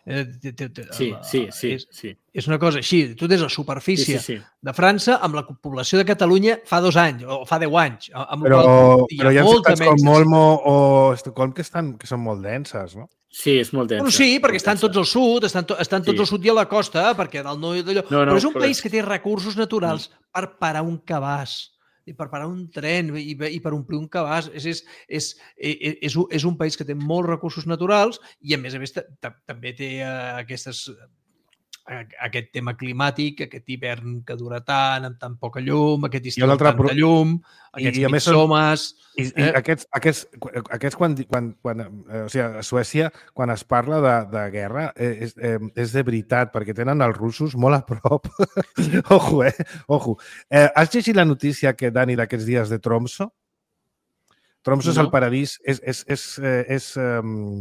Eh, te, te, te, sí, sí, sí, és, sí. És una cosa així. Tu tens la superfície sí, sí, sí. de França amb la població de Catalunya fa dos anys o fa deu anys. Amb però, qual, hi però hi ha ciutats com Molmo o Estocolm que, estan, que són molt denses, no? Sí, és molt densa. Bueno, sí, perquè estan tots al sud, estan, to, estan tots sí. al sud i a la costa, perquè del no, d'allò. No, no, però és un però... país que té recursos naturals mm. per parar un cabàs. I per parar un tren i, i per omplir un cabàs. És, és, és, és, és un país que té molts recursos naturals i, a més a més, també té uh, aquestes, uh, aquest tema climàtic, aquest hivern que dura tant, amb tan poca llum, aquest estiu amb tanta pro... llum, aquests I, i mitsomes... I, i eh? aquests, aquests, aquests quan, quan, quan eh, o sigui, a Suècia, quan es parla de, de guerra, eh, és, eh, és de veritat, perquè tenen els russos molt a prop. Ojo, eh? Ojo. Eh, has llegit la notícia que, Dani, d'aquests dies de Tromsø? Tromsø no. és el paradís, és, és, és, és, és um,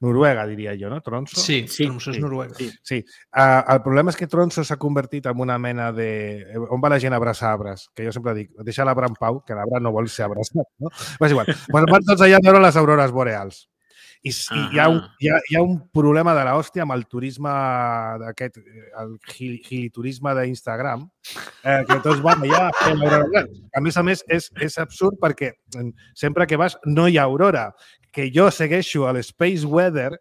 Noruega, diria jo, no? Tromsø? Sí, sí, Tromsø és Noruega. Sí. sí. Uh, el problema és que Tromsø s'ha convertit en una mena de... On va la gent a abraçar arbres? Que jo sempre dic, deixa l'arbre en pau, que l'arbre no vol ser abraçat, no? Però és igual. Pues van tots allà a veure les aurores boreals. I, i hi, ha un, hi, ha, hi ha un problema de l'hòstia amb el turisme d'aquest, el giliturisme d'Instagram, eh, que tots van allà fent l'aurora. A més a més, és, és absurd perquè sempre que vas no hi ha aurora. Que jo segueixo a l'Space Weather,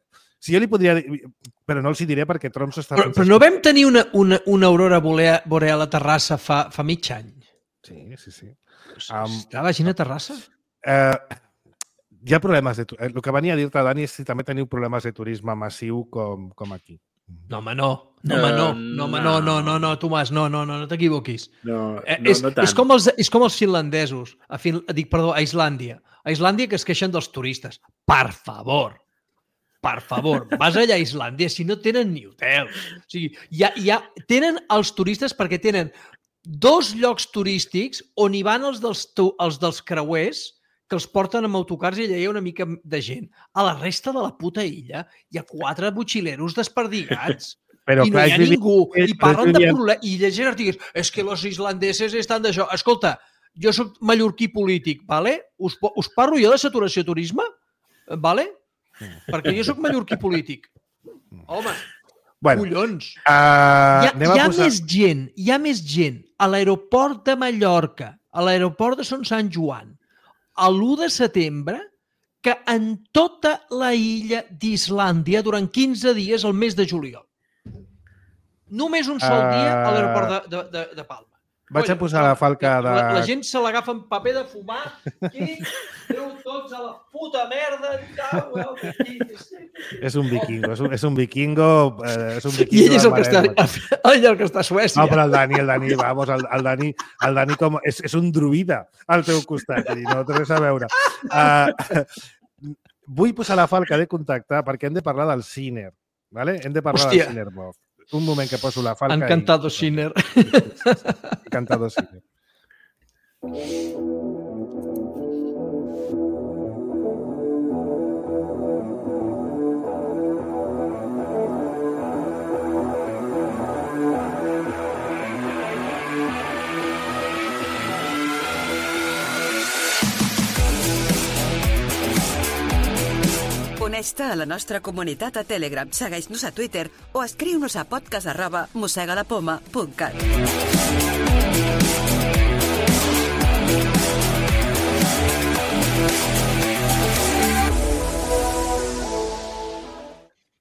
si jo li podria dir, però no els hi diré perquè Trump s'està... Però, però no vam tenir una, una, una aurora boreal a Terrassa fa, fa mig any? Sí, sí, sí. Um, Està la gent a Terrassa? Eh, hi ha problemes de... El que venia a dir-te, Dani, és si també teniu problemes de turisme massiu com, com aquí. No, home, no. No, home, no. No, home, no, no, no, no, Tomàs, no, no, no, no t'equivoquis. No, eh, no, és, no tant. És com els, és com els finlandesos. A fin, dic, perdó, a Islàndia. A Islàndia que es queixen dels turistes. Per favor. Per favor. Vas allà a Islàndia si no tenen ni hotel. O sigui, ja, ja tenen els turistes perquè tenen dos llocs turístics on hi van els dels, els dels creuers que els porten amb autocars i allà hi ha una mica de gent. A la resta de la puta illa hi ha quatre botxileros desperdigats. Però, I no clar, hi ha ningú. I parlen de problemes. I llegeixen articles. És que els islandeses estan d'això. Escolta, jo soc mallorquí polític, vale? Us, us parlo jo de saturació turisme? Vale? Perquè jo soc mallorquí polític. Home, bueno, collons. Uh, hi ha, hi ha posar... més gent, hi ha més gent a l'aeroport de Mallorca, a l'aeroport de Son Sant Joan, a l'u de setembre, que en tota la illa d'Islàndia durant quinze dies al mes de juliol. Només un sol uh... dia a l'aeroport de, de, de, de Palma. Vaig a posar la falca de... La, la gent se l'agafa amb paper de fumar i treu tots a la puta merda. És un vikingo, és un, és un vikingo... Eh, és un vikingo I ell és el que, està, ell el que està a Suècia. No, però el Dani, el Dani, vamos, el, el Dani, el Dani com, és, és un druida al teu costat, no té res a veure. Uh, vull posar la falca de contacte perquè hem de parlar del Sinner, ¿vale? Hem de parlar Hòstia. del Sinner Bob. Un moment que poso la falca. Encantado, i... Sinner. Encantado, Sinner. Uneix-te a la nostra comunitat a Telegram, segueix-nos a Twitter o escriu-nos a podcast arroba mossegalapoma punt cat.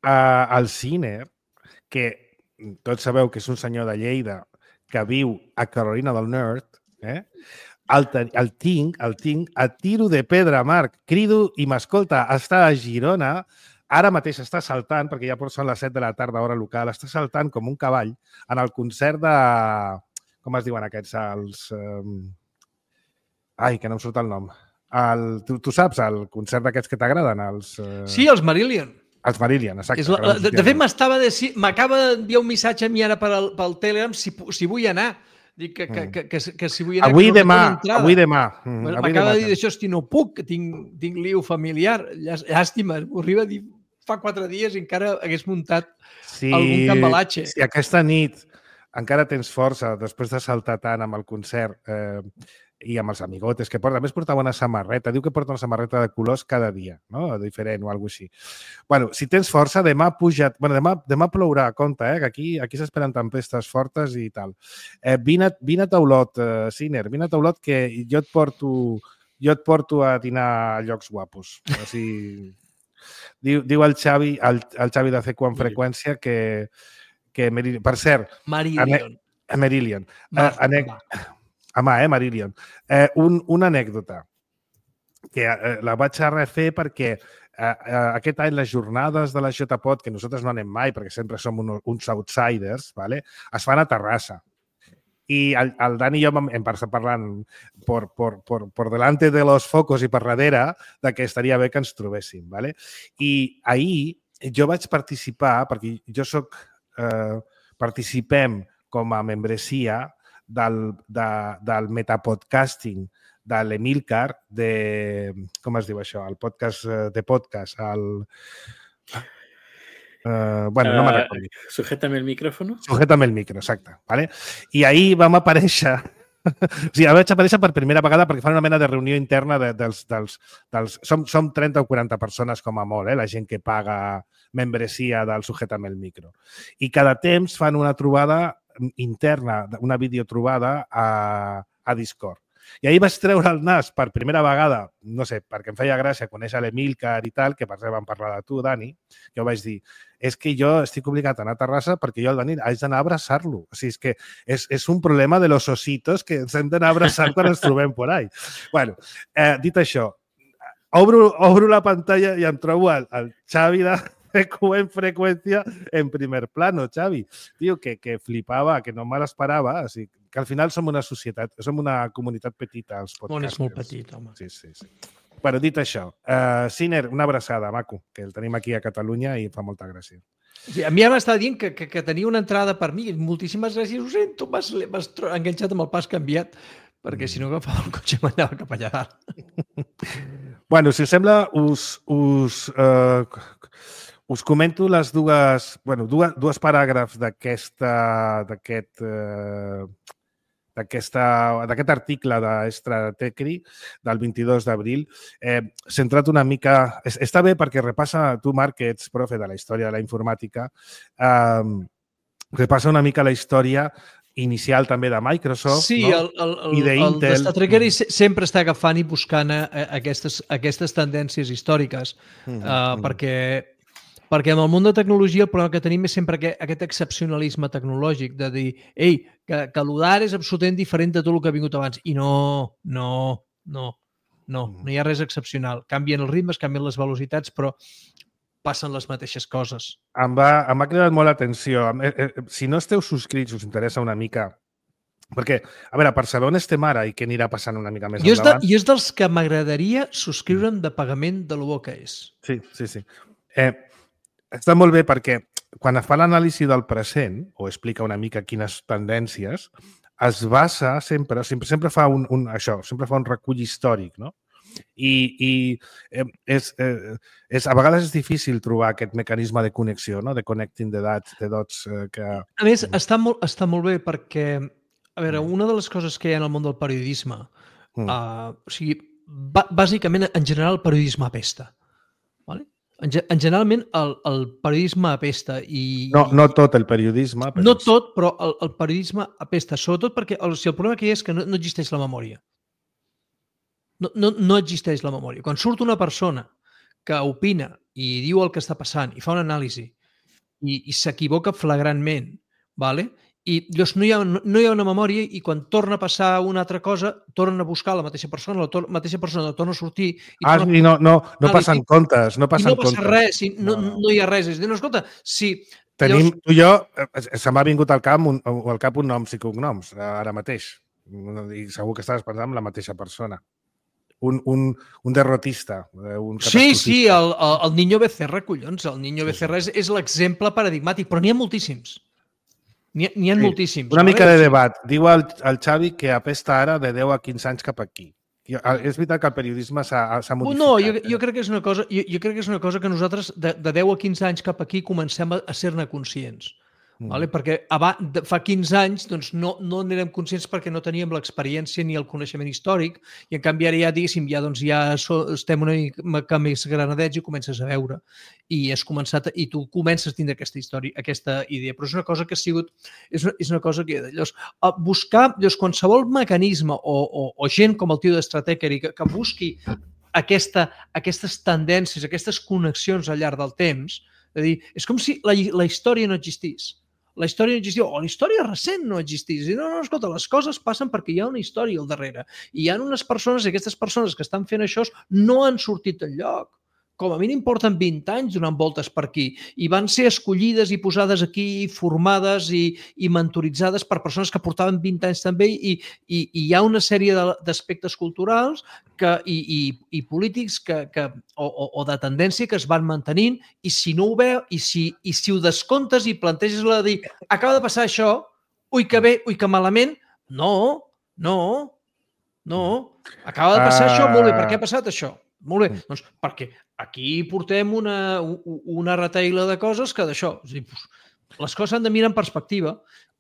Uh, el Sinner, que tots sabeu que és un senyor de Lleida que viu a Carolina del Nord, eh? El, el tinc, el tinc a tiro de pedra, Marc. Crido i m'escolta, està a Girona, ara mateix està saltant, perquè ja són les set de la tarda, hora local, està saltant com un cavall en el concert de... Com es diuen aquests? Els... Um... Ai, que no em surt el nom. El... Tu, tu saps, el concert d'aquests que t'agraden? Els, uh... Sí, els Marillion. Els Marillion, exacte. La, de, de fet, m'estava de... m'acaba d'enviar un missatge a mi ara per al, pel Telegram si, si vull anar. Dic que, que, que, que, que si vull anar... Avui no demà, avui demà. Mm, m'acaba de dir això, hosti, no puc, que tinc, tinc lío familiar. Llàstima, m'ho arriba a dir fa quatre dies i encara hagués muntat sí, algun cambalatge. Si aquesta nit encara tens força, després de saltar tant amb el concert eh, i amb els amigotes que porta, a més portava una samarreta, diu que porta una samarreta de colors cada dia, no? Diferent o alguna cosa així. Bueno, si tens força, demà puja't... Bueno, demà, demà plourà, compte, eh? Que aquí, aquí s'esperen tempestes fortes i tal. Eh, vine, vine a Taulot, eh, Sinner, vine a Taulot que jo et porto, jo et porto a dinar a llocs guapos. O sigui, diu, diu el Xavi, el, el Xavi de C Q en freqüència que... que per cert... Marillion. A Marillion. Eh, anec... Home, eh, Marillion. Eh, un, una anècdota que eh, la vaig a refer perquè eh, eh, aquest any les jornades de la J P O D, que nosaltres no anem mai perquè sempre som un, uns outsiders, ¿vale? Es fan a Terrassa. I el, el Dani i jo hem passat parlant por, por, por, por delante de los focos i per darrere de que estaria bé que ens trobéssim. ¿Vale? I ahir jo vaig participar, perquè jo soc... Eh, participem com a membresia del, de, del metapodcasting de l'Emilcar, de... Com es diu això? El podcast de podcast, el... Uh, bueno, no me'n recordo. Uh, Sujétame el micrófono. Sujétame el micro, exacte. ¿Vale? I ahir vam aparèixer O sigui, vaig aparèixer per primera vegada perquè fan una mena de reunió interna de, dels... dels, dels som, som trenta o quaranta persones com a molt, eh? La gent que paga membresia del Sujeta'm el micro. I cada temps fan una trobada interna, una videotrobada a, a Discord. I ahir vaig treure el nas per primera vegada, no sé, perquè em feia gràcia conèixer l'Emílcar i tal, que per exemple vam parlar de tu, Dani, que ho vaig dir, és que jo estic obligat a anar a Terrassa perquè jo el Dani haig d'anar a abraçar-lo. O sigui, és que és, és un problema de los ositos que ens hem d'anar a abraçar quan ens trobem por ahí. Bueno, eh, dit això, obro, obro la pantalla i em trobo el, el Xavi de de Q en freqüència en primer plano, Xavi. Tio, que, que flipava, que no me l'esperava. O sigui, que al final som una societat, som una comunitat petita, els podcasters. Món és molt petit, home. Sí, sí, sí. Bueno, dit això, uh, Siner, una abraçada, maco, que el tenim aquí a Catalunya i fa molta gràcia. Sí, a mi ja m'estava dient que, que, que tenia una entrada per mi. Moltíssimes gràcies. Ho sento, m'has enganxat amb el pas canviat, perquè si no agafava el cotxe m'anava cap allà dalt. Bueno, si us sembla, us... us uh, Us comento les dues, bueno, dues, dues paràgrafs d'aquesta d'aquest eh, d'aquest article d'Estratecri del vint-i-dos d'abril, eh, centrat una mica... Està bé perquè repassa, tu, Marc, que ets profe de la història de la informàtica, eh, repassa una mica la història inicial també de Microsoft, sí, no? el, el, el, I d'Intel. El Estratecri sempre està agafant i buscant aquestes, aquestes tendències històriques, mm -hmm. uh, perquè... Perquè en el món de tecnologia el problema que tenim és sempre aquest, aquest excepcionalisme tecnològic de dir, ei, que, que l'U D A R és absolutament diferent de tot el que ha vingut abans. I no, no, no, no, no hi ha res excepcional. Canvien els ritmes, canvien les velocitats, però passen les mateixes coses. Em va, em va cridar molt l'atenció. Eh, eh, si no esteu subscrits, us interessa una mica... Perquè, a veure, per saber on estem ara i què anirà passant una mica més jo endavant... És de, jo és dels que m'agradaria subscriure'm de pagament de lo bo que és. Sí, sí, sí. Eh, Està molt bé perquè quan es fa l'anàlisi del present o explica una mica quines tendències, es basa sempre, sempre, sempre fa un, un, això, sempre fa un recull històric, no? I, i eh, és, eh, és, a vegades és difícil trobar aquest mecanisme de connexió, no? De connecting the dots, the dots eh, que... A més, està molt, està molt bé perquè, a veure, una de les coses que hi ha en el món del periodisme, mm. uh, o sigui, bàsicament, en general, el periodisme apesta, ¿vale? En, en generalment, el, el periodisme apesta i... No, no tot el periodisme. Però no és... tot, però el, el periodisme apesta, sobretot perquè el, si el problema que hi ha és que no, no existeix la memòria. No, no, no existeix la memòria. Quan surt una persona que opina i diu el que està passant i fa una anàlisi i, i s'equivoca flagrantment, ¿vale? I llavors no hi, ha, no hi ha una memòria i quan torna a passar una altra cosa, tornen a buscar la mateixa persona, la tor mateixa persona torna a sortir... I ah, torna... i no, no, no passen comptes, no passen I no passa comptes. res, i no, no. no hi ha res. És dir, no, escolta, si... Tenim, llavors... tu i jo, se m'ha vingut al cap, un, al cap un noms i cognoms, ara mateix. I segur que estàs pensant en la mateixa persona. Un, un, un derrotista. Un sí, sí, el, el, el Niño Becerra, collons. El Niño sí, Becerra sí. és, és l'exemple paradigmàtic, però n'hi ha moltíssims. N'hi ha, ha sí, moltíssims. Una mica de debat. Diu el, el Xavi que apesta ara de deu a quinze anys cap aquí. És veritat que el periodisme s'ha modificat. No, jo, jo, crec que és una cosa, jo, jo crec que és una cosa que nosaltres de, de deu a quinze anys cap aquí comencem a, a ser-ne conscients. Mm. Vale? Perquè abans, fa quinze anys doncs no, no n'érem conscients perquè no teníem l'experiència ni el coneixement històric i en canvi ara ja, diguéssim, ja, doncs, ja so, estem una mica més granadets i comences a veure i has començat i tu comences a tindre aquesta història, aquesta idea, però és una cosa que ha sigut és una, és una cosa que llavors, buscar llavors, qualsevol mecanisme o, o, o gent com el tio d'Estratecri que, que busqui aquesta, aquestes tendències, aquestes connexions al llarg del temps, és dir, és com si la, la història no existís. La història no existia, o la història recent no existís. I no, no, escolta, les coses passen perquè hi ha una història al darrere. I hi ha unes persones, i aquestes persones que estan fent això no han sortit enlloc. Com a mínim porten vint anys donant voltes per aquí i van ser escollides i posades aquí, formades i, i mentoritzades per persones que portaven vint anys també i, i, i hi ha una sèrie d'aspectes culturals que, i, i, i polítics que, que, o, o, o de tendència que es van mantenint i si no ho veu, i si, i si ho descomptes i planteges la de dir acaba de passar això, ui que bé, ui que malament, no, no, no, acaba de passar uh... això, molt bé, per què ha passat això? Molt bé, doncs perquè aquí portem una, una retaïla de coses que d'això, les coses s'han de mirar en perspectiva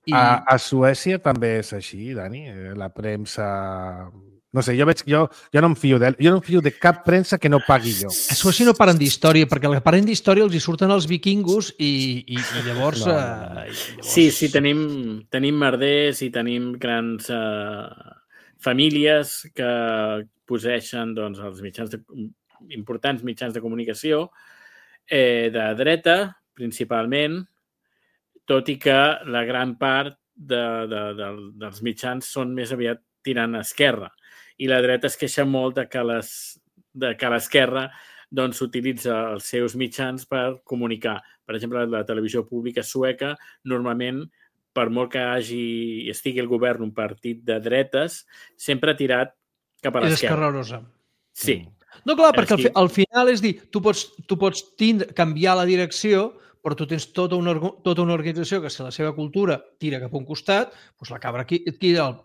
I... A, a Suècia també és així, Dani? La premsa... No sé, jo veig, jo, jo no em fio de, jo no em fio de cap premsa que no pagui jo. A Suècia no paren d'història, perquè el que paren d'història els hi surten els vikingos i, i, i llavors... No, no, no. Eh, llavors... Sí, sí, tenim, tenim merders i tenim grans eh, famílies que posseixen doncs, els mitjans de, importants mitjans de comunicació eh, de dreta, principalment, tot i que la gran part de, de, de, dels mitjans són més aviat tirant a esquerra. I la dreta es queixa molt de que, les, de que l'esquerra doncs, utilitza els seus mitjans per comunicar. Per exemple, la televisió pública sueca, normalment, per molt que hagi, estigui el govern un partit de dretes, sempre ha tirat cap a l'esquerra. És esquerrosa. Sí. No, clar, perquè al, fi, al final és dir, tu pots, tu pots tindre, canviar la direcció, però tu tens tota una, tota una organització que si la seva cultura tira cap a un costat, doncs la cabra aquí, aquí el,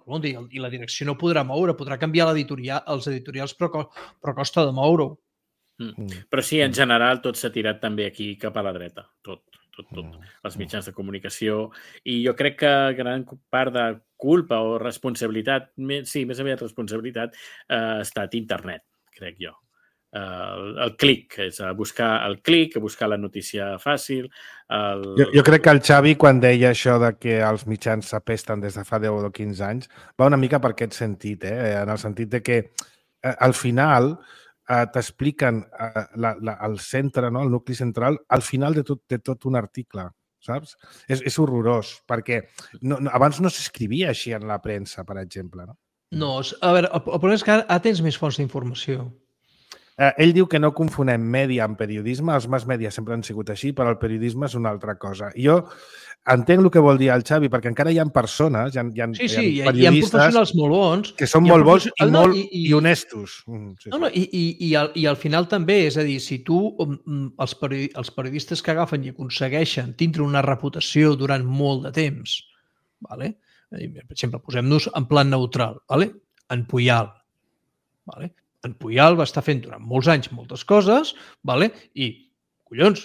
i la direcció no podrà moure, podrà canviar l'editorial, els editorials, però, però costa de moure-ho. Mm. Però sí, en general, tot s'ha tirat també aquí cap a la dreta, tot, tot, tot, els mitjans de comunicació. I jo crec que gran part de culpa o responsabilitat, sí, més aviat responsabilitat, eh, ha estat internet, crec jo. El, el clic, és a buscar el clic, a buscar la notícia fàcil. El... Jo, jo crec que el Xavi, quan deia això de que els mitjans s'apesten des de fa deu o quinze anys, va una mica per aquest sentit, eh? En el sentit de que eh, al final eh, t'expliquen eh, la, la, el centre, no? El nucli central, al final de tot, de tot un article, saps? És, és horrorós, perquè no, no, abans no s'escrivia així en la premsa, per exemple. No, no a veure, el, el problema és que ara tens més fonts d'informació. Eh, ell diu que no confonem mèdia amb periodisme, els mass media sempre han sigut així, però el periodisme és una altra cosa. Jo entenc el que vol dir el Xavi, perquè encara hi ha persones, hi ha, hi ha, sí, sí, hi ha periodistes hi ha professionals molt bons, que són molt bons i, no, molt, i, i, i honestos. Mm, sí, no, no, i, i, i, al, I al final també, és a dir, si tu, els, periodi, els periodistes que agafen i aconsegueixen tindre una reputació durant molt de temps, vale? Per exemple, posem-nos en plan neutral, vale? En Puyal, vale? En Puyal va estar fent durant molts anys moltes coses, vale? I, collons,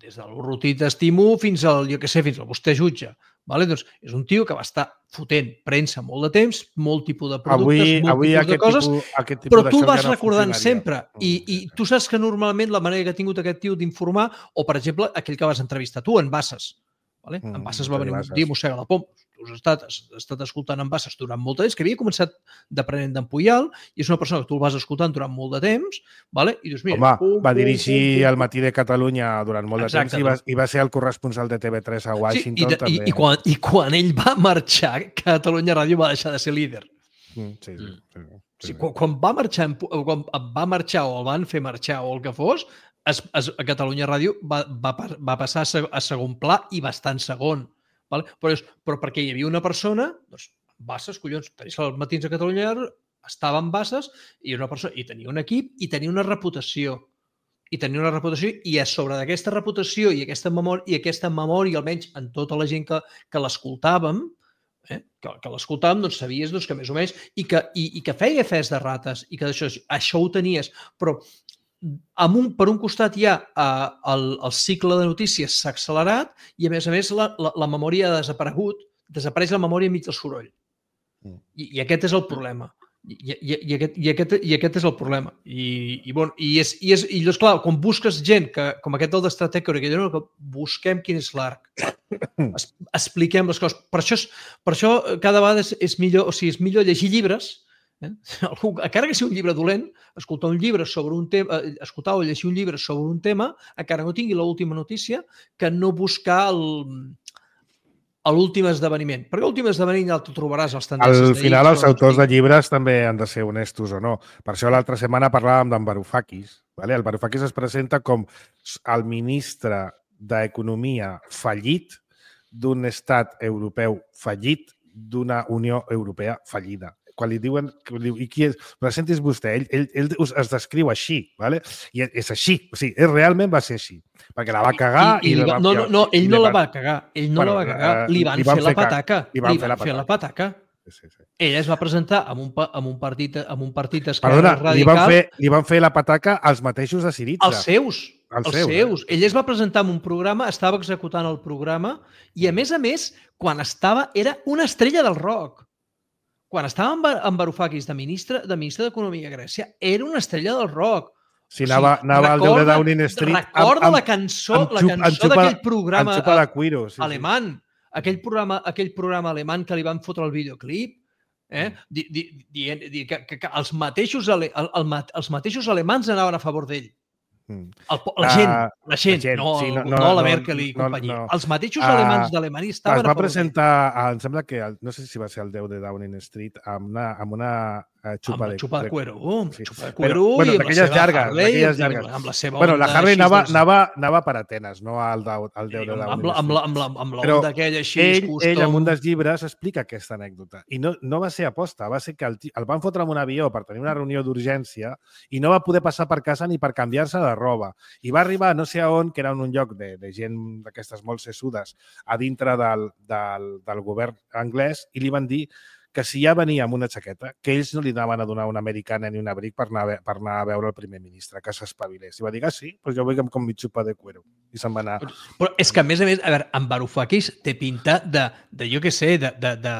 des de l'Urruti t'estimo fins al, jo què sé, fins al vostè jutge. Vale? Doncs és un tio que va estar fotent premsa molt de temps, molt tipus de productes, avui, molt avui tipus de coses, tipus, aquest tipus però tu el vas no recordant sempre. I, I tu saps que normalment la manera que ha tingut aquest tio d'informar, o per exemple, aquell que vas entrevistar tu, en Bassas. Vale? Mm, en Bassas va venir un dia a Mossega la Poma. Tu has estat, has estat escoltant en Bassas durant molt de temps, que havia començat d'aprenent d'en Puyal, i és una persona que tu el vas escoltant durant molt de temps, vale? I dius, mira... Home, pum, va pum, dirigir pum, pum. el Matí de Catalunya durant molt Exacte, de temps i va, i va ser el corresponsal de T V tres a Washington, sí, i, de, també. I, i, quan, I quan ell va marxar, Catalunya Ràdio va deixar de ser líder. Mm, sí, sí, sí, sí. Sí, quan, quan, va marxar, quan va marxar o el van fer marxar o el que fos, es, es, a Catalunya Ràdio va, va, va passar a, a segon pla i bastant segon. Vale? Però, és, però perquè hi havia una persona, doncs, Bassas, collons, tenies els matins a Catalunya, estava en Bassas i una persona, i tenia un equip i tenia una reputació. I tenia una reputació i a sobre d'aquesta reputació i aquesta memòria, i aquesta memòria, almenys en tota la gent que, que l'escoltàvem, eh? que, que l'escoltàvem, doncs sabies doncs, que més o menys, i que, i, i que feia fes de rates, i que això, això ho tenies, però amb un, per un costat hi ha uh, el, el cicle de notícies s'ha accelerat i, a més a més, la, la, la memòria ha desaparegut, desapareix la memòria enmig del soroll. I, i aquest és el problema. I, i, i, aquest, i, aquest, I aquest és el problema. I, i, bon, i, és, i, és, i és clar, quan busques gent, que, com aquest del d'Estratècora, que diu, no, que busquem quin és l'arc. Es, expliquem les coses. Per això, és, per això cada vegada és, és, millor, o sigui, és millor llegir llibres. Eh? Encara que sigui un llibre dolent, escoltar un llibre sobre un tema, escoltar o llegir un llibre sobre un tema, encara no tingui l'última notícia, que no buscar l'últim esdeveniment. Perquè l'últim esdeveniment ja el trobaràs als tendències. Al final, els autors de llibres també han de ser honestos o no. Per això l'altra setmana parlàvem d'en Varoufakis. Vale? El Varoufakis es presenta com el ministre d'Economia fallit d'un estat europeu fallit, d'una Unió Europea fallida. Quan li diuen, diu, i qui és? Presentis vostè, ell, ell, ell es descriu així, ¿vale? I és així, o sigui, ell realment va ser així, perquè la va cagar i... i, i va, no, no, no, ell no la va cagar, ell no bueno, la va cagar, li van, li van fer, fer la pataca, li van, li van fer, fer la pataca. Sí, sí. Ella es va presentar amb un, amb un partit amb un partit d'esquerra radical. Li van, fer, li van fer la pataca als mateixos de Syriza. Els seus. Els els seus, seus. eh? Ell es va presentar en un programa, estava executant el programa i, a més a més, quan estava, era una estrella del rock. Quan estava amb, amb Varoufakis de ministre de ministre d'Economia a Grècia, era una estrella del rock. Si anava, o sigui, anava al Déu de Downing Street... Recorda amb, amb, la cançó, amb xup, la cançó d'aquell programa xupa de cuiro, sí, alemany. Sí. Aquell programa, aquell programa alemany que li van fotre el videoclip, eh? Di, di, di, di, que, que, que els, mateixos ale, el, el, els mateixos alemans anaven a favor d'ell. El, la gent, uh, la gent, la gent no, sí, no, no, no la Merkel i no, companyia. No, no. Els mateixos uh, alemans d'Alemanya estaven es va presentar, em sembla que, el, no sé si va ser el deu de Downing Street, amb una, amb una uh, xupa, amb de, xupa de cuero. Uh, sí. Xupa de cuero Però, bueno, i amb la seva llargues, Harley. Llargues. Amb la seva bueno, la Harley anava, de... anava, anava per Atenes, no al, al deu de Downing amb la, amb la, amb la, amb la Però onda aquella així. Ell, custom... ell, en un dels llibres, explica aquesta anècdota. I no, no va ser aposta, va ser que el, el van fotre en un avió per tenir una reunió d'urgència i no va poder passar per casa ni per canviar-se de roba. I va arribar no sé a on, que era en un lloc de, de gent d'aquestes molt sessudes a dintre del, del, del govern anglès i li van dir que si ja venia amb una jaqueta, que ells no li anaven a donar una americana ni un abric per anar, per anar a veure el primer ministre, que s'espavilés. I va dir, ah, sí, doncs jo vull que em com mi xupa de cuero. I se'n va anar. Però és que, a més a més, a veure, en Varoufakis té pinta de, de jo què sé, de, de, de,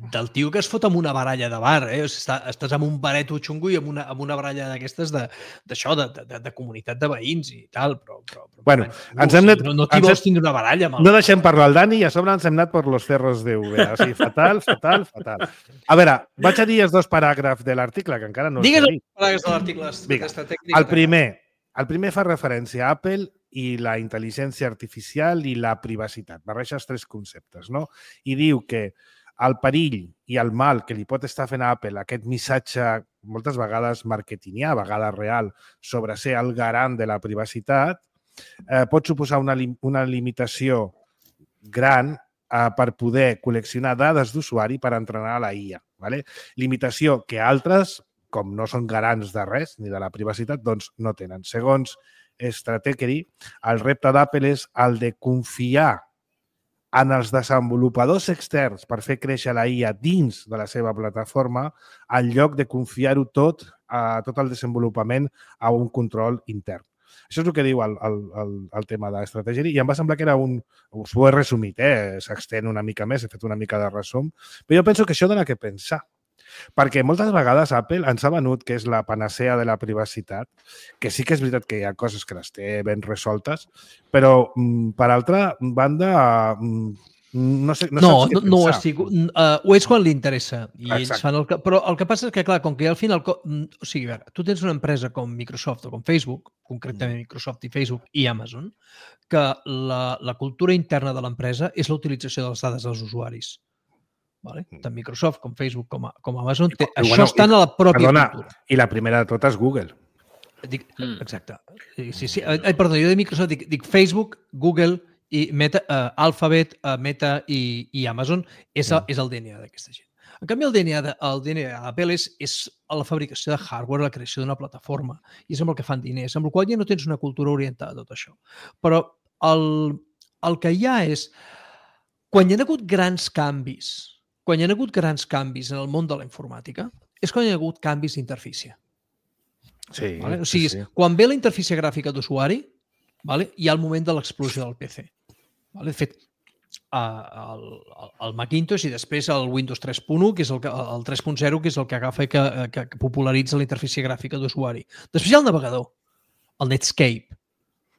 del tio que es fot amb una baralla de bar, eh? O sigui, està, estàs amb un bareto xungo i amb una, amb una baralla d'aquestes d'això, de, de, de, de comunitat de veïns i tal, però... però, però bueno, no, ens hem anat, no, no t'hi vols tindre una baralla amb el... No deixem parlar el Dani i a sobre ens hem anat per los cerros de Úbeda. O sigui, fatal, fatal, fatal. A veure, vaig a dir els dos paràgrafs de l'article, que encara no Digues els he dit. Digues els paràgrafs de l'article. El primer, el primer fa referència a Apple i la intel·ligència artificial i la privacitat. Barreja els tres conceptes, no? I diu que el perill i el mal que li pot estar fent a Apple aquest missatge, moltes vegades marketingià, a vegades real, sobre ser el garant de la privacitat, eh, pot suposar una, lim una limitació gran eh, per poder col·leccionar dades d'usuari per entrenar la I A. ¿vale? Limitació que altres, com no són garants de res, ni de la privacitat, doncs no tenen. Segons Stratechery, el repte d'Apple és el de confiar en els desenvolupadors externs per fer créixer la I A dins de la seva plataforma, en lloc de confiar-ho tot, a tot el desenvolupament a un control intern. Això és el que diu el, el, el, el tema d'estratègia i em va semblar que era un... Us ho he resumit, eh? S'extén una mica més, he fet una mica de resum, però jo penso que això dona que pensar. Perquè moltes vegades Apple ens ha venut que és la panacea de la privacitat, que sí que és veritat que hi ha coses que les té ben resoltes, però per altra banda no sé, no, no saps què no, no pensar. estic, uh, ho és quan li interessa i ells fan el que, però el que passa és que clar, com que al final, o sigui, a veure, tu tens una empresa com Microsoft o com Facebook, concretament Microsoft i Facebook i Amazon, que la, la cultura interna de l'empresa és la utilització de les dades dels usuaris. Vale? Tant Microsoft com Facebook com, a, com Amazon, té, I, això bueno, estan a la pròpia perdona, cultura. I la primera de totes, Google. Dic, exacte. Sí, sí. Ai, perdó, jo de Microsoft dic, dic Facebook, Google i Meta, uh, Alphabet, uh, Meta i, i Amazon és, a, és el D N A d'aquesta gent. En canvi, el D N A de, el D N A d'Apple és, és la fabricació de hardware, la creació d'una plataforma, i és amb el que fan diners, amb el qual ja no tens una cultura orientada a tot això. Però el, el que hi ha és, quan hi ha hagut grans canvis, quan hi ha hagut grans canvis en el món de la informàtica, és quan hi ha hagut canvis d'interfície. Sí, vale? O sigui, sí, sí. Quan ve la interfície gràfica d'usuari, vale? Hi ha el moment de l'explosió del P C. Vale? De fet, el, el Macintosh i després el Windows tres punt u, que és el, el tres punt zero, que és el que agafa i que, que, que popularitza la interfície gràfica d'usuari. Després hi ha el navegador, el Netscape,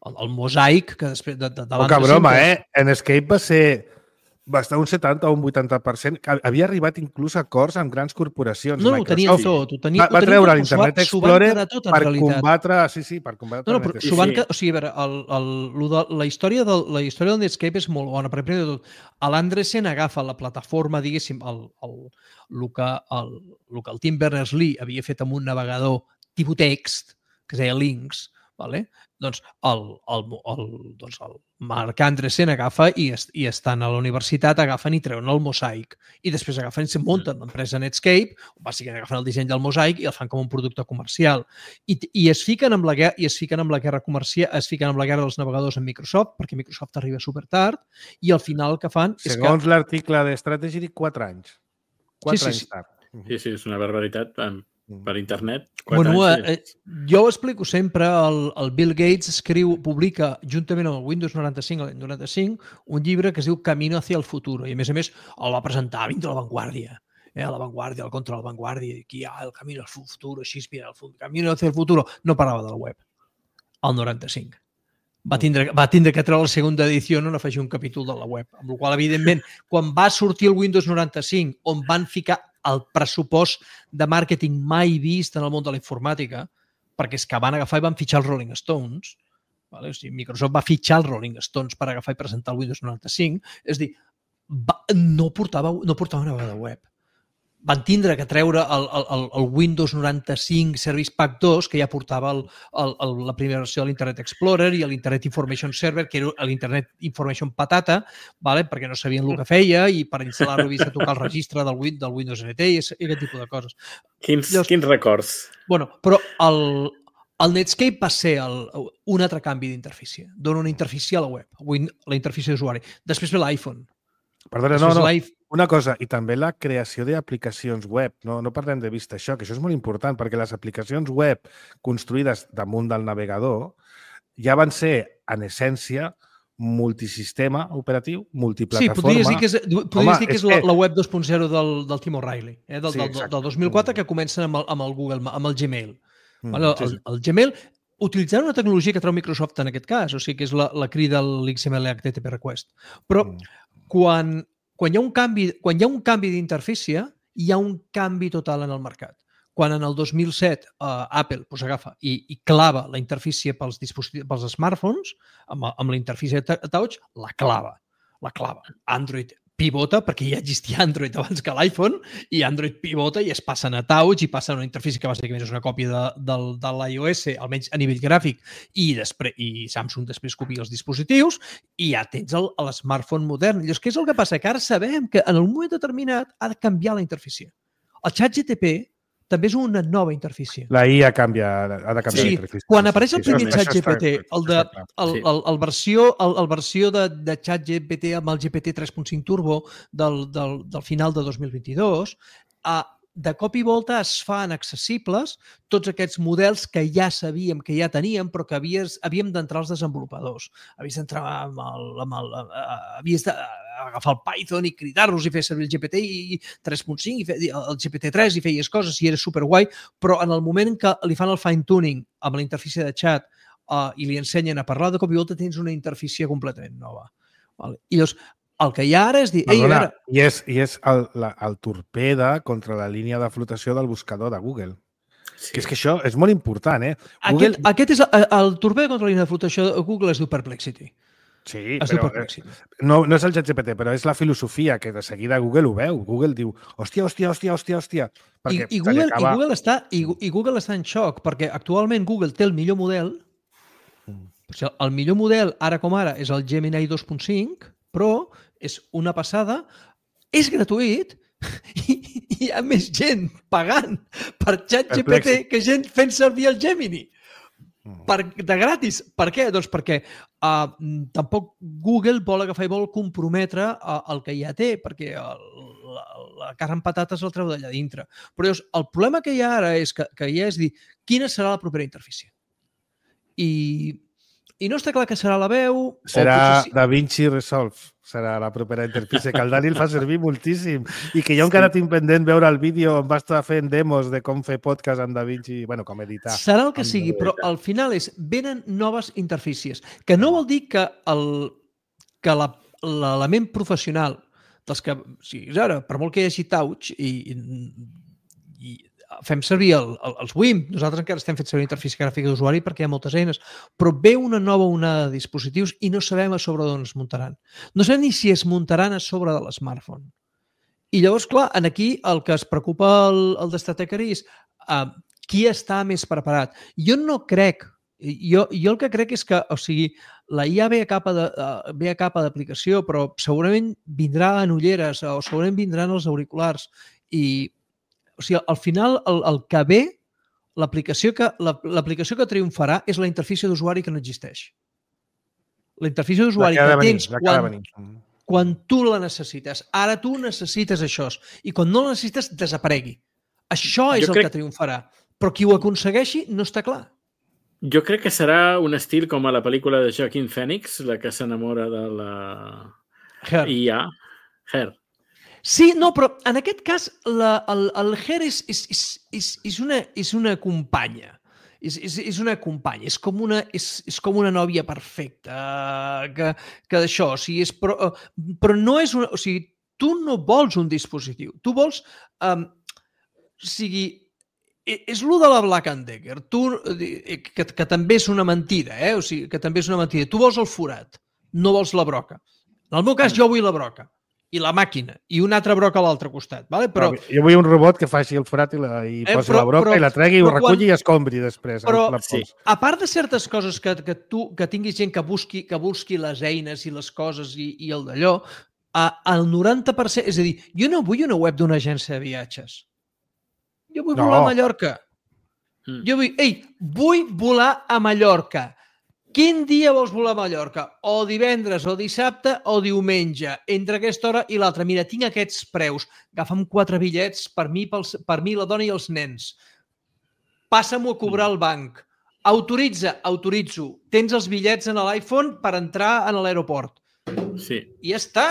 el, el Mosaic, que després... De, de, de Poca broma, sempre... eh? En Netscape va ser... va estar un setanta o un vuitanta per cent. Havia arribat inclús a acords amb grans corporacions. No, no, ho tenia tot. Ho tenia, va, va treure l'Internet Explorer tot, per combatre... Sí, sí, per combatre... No, no, però, van, sí. O sigui, a veure, el, el, el, de, la, història del, la història del Netscape és molt bona, perquè primer de tot, l'Andresen agafa la plataforma, diguéssim, el, el, el, que, el, el que el Tim Berners-Lee havia fet amb un navegador tipus text, que es deia Lynx, vale? Doncs el, el, el, doncs el Marc Andresen agafa i, est, i estan a la universitat, agafen i treuen el Mosaic. I després agafen i se munten l'empresa Netscape, bàsicament agafen el disseny del Mosaic i el fan com un producte comercial. I, i, es fiquen amb la guerra, i es fiquen amb la guerra comercial, es fiquen amb la guerra dels navegadors amb Microsoft, perquè Microsoft arriba super tard, i al final el que fan és que... Segons l'article de Strategy, quatre anys. Quatre sí, sí, anys sí. tard. Sí, sí, és una barbaritat. per internet. Quatre Bueno, anys eh, jo ho explico sempre, el, el Bill Gates escriu, publica, juntament amb el Windows noranta-cinc, l'any noranta-cinc, un llibre que es diu Camino hacia el futuro, i a més a més el va presentar dins de la Vanguardia, eh, la Vanguardia, el contra la Vanguardia, i aquí hi ha el Camino al futuro, així, mira, el Camino hacia el futuro, no parlava de la web, el noranta-cinc. Va tindre, va tindre que treure la segona edició, no afegir un capítol de la web, amb la qual evidentment, quan va sortir el Windows noranta-cinc, on van ficar el pressupost de màrqueting mai vist en el món de la informàtica, perquè és que van agafar i van fitxar els Rolling Stones, vale? O sigui, Microsoft va fitxar els Rolling Stones per agafar i presentar el Windows noranta-cinc, és a dir, va, no, portava, no portava una vegada web. Van tindre que treure el, el, el Windows noranta-cinc Service Pack dos, que ja portava el, el, el, la primera versió de l'Internet Explorer i l'Internet Information Server, que era l'Internet Information patata, vale? Perquè no sabien el que feia i per instal·lar-lo havies de tocar el registre del, del Windows N T i aquest tipus de coses. Quins, Llavors, quins records? Bueno, però el, el Netscape va ser el, un altre canvi d'interfície. Dona una interfície a la web, la interfície d'usuari. Després ve l'iPhone. Perdona, no, no. Una cosa, i també la creació d'aplicacions web. No, no perdem de vista això, que això és molt important, perquè les aplicacions web construïdes damunt del navegador ja van ser, en essència, multisistema operatiu, multiplataforma. Sí, podries dir que és, podries Home, dir que és, és la, la web dos punt zero del, del Tim O'Reilly, eh? del, sí, del, del dos mil quatre, que comencen amb el, amb el Google, amb el Gmail. Mm, vale? el, sí, sí. el Gmail, utilitzant una tecnologia que treu Microsoft en aquest cas, o sigui que és la, la crida a l'X M L H T T P request. Però mm. quan... Quan hi ha un canvi, quan hi ha un canvi d'interfície, hi ha un canvi total en el mercat. Quan en el dos mil set uh, Apple pues, agafa i, i clava la interfície pels, pels smartphones, amb, amb la interfície touch, la clava. La clava. Android pivota, perquè ja existia Android abans que l'iPhone, i Android pivota i es passen a touch i passen a una interfície que bàsicament és una còpia de, de, de l'iOS, almenys a nivell gràfic, i, després, i Samsung després copia els dispositius i ja tens l'smartphone modern. Llavors, què és el que passa? Que ara sabem que en un moment determinat ha de canviar la interfície. El ChatGPT també és una nova interfície. La I A canvia, ha de canviar sí, la interfície. Quan apareix el primer sí, ChatGPT, el, de, el, el, el versió, el, el versió de, de ChatGPT amb el G P T tres punt cinc Turbo del, del, del final de dos mil vint-i-dos, a de cop i volta es fan accessibles tots aquests models que ja sabíem, que ja teníem, però que havies, havíem d'entrar els desenvolupadors. Havies d'entrar amb el... Amb el havies d'agafar el Python i cridar-los i fer servir el G P T tres punt cinc, i fer, el G P T tres i feies coses i era superguai, però en el moment en què li fan el fine-tuning amb la interfície de chat uh, i li ensenyen a parlar, de cop i volta tens una interfície completament nova. Vale? I llavors, el que hi ha ara és dir... Ei, Perdona, ara... I és, i és el, la, el torpeda contra la línia de flotació del buscador de Google. Sí. Que és que això és molt important, eh? Google... Aquest, aquest és el, el torpeda contra la línia de flotació de Google es diu Perplexity. Sí, es però Perplexity. No, no és el ChatGPT, però és la filosofia que de seguida Google ho veu. Google diu, hòstia, hòstia, hòstia, hòstia, hòstia. I, i, Google, acaba... i, Google està, i, i Google està en xoc, perquè actualment Google té el millor model. Mm. O sigui, el millor model, ara com ara, és el Gemini dos punt cinc, però és una passada, és gratuït i hi ha més gent pagant per ChatGPT que gent fent servir el Gemini. Per, de gratis. Per què? Doncs perquè uh, tampoc Google vol agafar i vol comprometre uh, el que ja té, perquè el, la, la carn amb patates el treu d'allà dintre. Però llavors, el problema que hi ha ara és que, que ja és dir quina serà la propera interfície. I... I no està clar que serà la veu... Serà sí. DaVinci Resolve, serà la propera interfície, que el Dani el fa servir moltíssim. I que jo encara sí. tinc pendent veure el vídeo on va estar fent demos de com fer podcast amb DaVinci, bueno, com editar. Serà el que sigui, però al final és, venen noves interfícies, que no vol dir que el que l'element professional dels que... O sigui, ara, per molt que hi hagi touch i, i fem servir el, el, els W I M P, nosaltres encara estem fent servir interfície gràfica d'usuari perquè hi ha moltes eines, però ve una nova onada de dispositius i no sabem a sobre d'on es muntaran. No sabem ni si es muntaran a sobre de l'smartphone. I llavors, clar, aquí el que es preocupa el, el Destatechery és uh, qui està més preparat. Jo no crec, jo, jo el que crec és que, o sigui, la I A ve a capa de, uh, ve a capa d'aplicació, però segurament vindrà en ulleres o segurament vindran els auriculars i o sigui, al final, el, el que ve, l'aplicació que, l'aplicació que triomfarà és la interfície d'usuari que no existeix. La interfície d'usuari que venir, tens quan, quan tu la necessites. Ara tu necessites això i quan no la necessites, desaparegui. Això és Jo el crec- que triomfarà. Però qui ho aconsegueixi no està clar. Jo crec que serà un estil com a la pel·lícula de Joaquin Phoenix, la que s'enamora de la Her. I A. Her. Sí, no, però en aquest cas la, el, el Her és, és, és, és, és, una, és una companya. És, és, és una companya, és com una, és, és com una nòvia perfecta, que, que d'això, o sigui, és, però, però no és una... O sigui, tu no vols un dispositiu, tu vols... Um, o sigui, és lo de la Black and Decker, tu, que, que també és una mentida, eh? O sigui, que també és una mentida. Tu vols el forat, no vols la broca. En el meu cas, jo vull la broca i la màquina, i un altre broc a l'altre costat. Vale? Però, jo vull un robot que faci el forat i, la, i eh, posi però, la broca però, i la tregui, i ho reculli quan, i escombri després. Però, la sí. a part de certes coses que, que tu que tinguis gent que busqui, que busqui les eines i les coses i, i el d'allò, el noranta per cent... És a dir, jo no vull una web d'una agència de viatges. Jo vull No. volar a Mallorca. Mm. Jo vull... Ei, vull volar a Mallorca. Quin dia vols volar a Mallorca? O divendres, o dissabte, o diumenge. Entre aquesta hora i l'altra. Mira, tinc aquests preus. Agafa'm quatre bitllets per mi, pels, per mi, la dona i els nens. Passa-m'ho a cobrar al banc. Autoritza, autoritzo. Tens els bitllets en l'iPhone per entrar en l'aeroport. Sí. I ja està.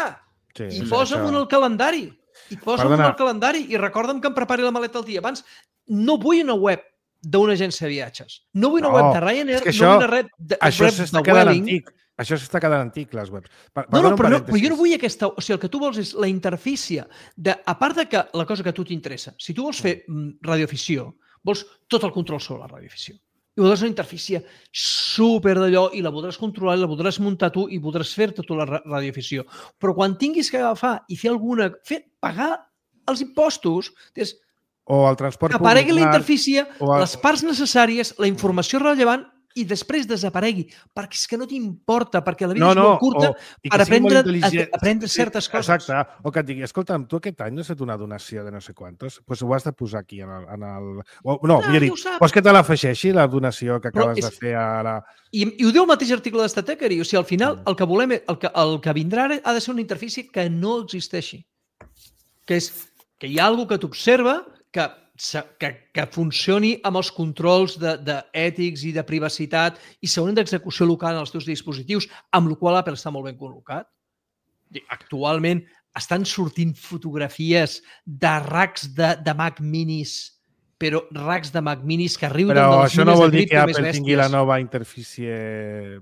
Sí, I sí, posa'm això- en el calendari. I posa'm en Perdona. el calendari i recorda'm que em prepari la maleta el dia abans. No vull una web d'una agència de viatges. No vull una No, web de Ryanair, és que no això- vull una web de, Això web s'està de quedant Vueling. antic. Això s'està quedant antic, les webs. Per, No, no, un però, no, però parèntesis. jo no vull aquesta... O sigui, el que tu vols és la interfície. De, a part de que la cosa que a tu t'interessa, si tu vols fer mm, radioafició, vols tot el control sobre la radioafició. I voldràs una interfície super d'allò i la voldràs controlar i la voldràs muntar tu i voldràs fer-te tu la ra- radioafició. Però quan tinguis que agafar i fer alguna... Fer, pagar els impostos, és O el transport que aparegui la públic, interfície, o el- les parts necessàries, la informació rellevant i després desaparegui, perquè és que no t'importa, perquè la vida No, és no, molt curta o- i que per sigui molt aprendre, intel·ligent. a, aprendre Sí, certes coses. Exacte. O que et digui, escolta'm, tu aquest any no has fet una donació de no sé quantos? Doncs pues ho has de posar aquí en el... En el... O, no, Ah, millor ja dit, ho sap. vols que te l'afegeixi, la donació que Però acabes és- de fer ara? I, I ho diu el mateix article d'Estatechery. O sigui, al final, Mm. el que volem, el que, el que vindrà ara ha de ser una interfície que no existeixi. Que és que hi ha alguna que t'observa que, se- que, que funcioni amb els controls de, de ètics i de privacitat i segurament d'execució local en els teus dispositius, amb la qual Apple està molt ben col·locat. I actualment estan sortint fotografies de racks de, de Mac minis, però racks de Mac minis que riuen de Però les això no mines vol de dir que cripto més Apple tingui la bèsties. nova interfície...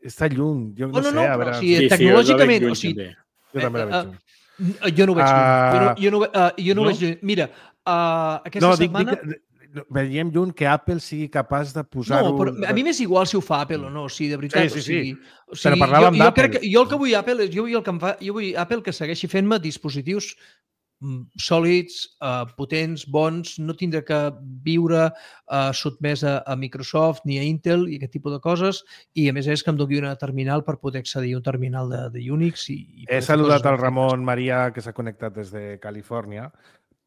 Està lluny, jo no, No, no, sé, no, a però, veure... o sigui, Sí, sí, tecnològicament, jo la veig o sigui, lluny, també. jo també la veig eh, lluny. N- Jo no ho veig lluny. Jo no, jo no, uh, jo no, No? ho veig lluny. Mira, uh, aquesta No, dic, setmana... dic, que veiem lluny que Apple sigui capaç de No, posar-ho... però a mi m'és igual si ho fa Apple o no, o sigui, de veritat. Sí, sí, o sigui, sí. O sigui, Però parlàvem jo, jo, d'Apple. crec que, jo el que vull Apple és, jo vull, el que em fa, jo vull Apple que segueixi fent-me dispositius mm, sòlids, uh, potents, bons, no tindre que viure uh, sotmès a, a Microsoft ni a Intel i aquest tipus de coses, i a més és que em doni una terminal per poder accedir a un terminal de, de Unix i, i He poder fer saludat coses al ben Ramon Maria, que s'ha connectat des de Califòrnia.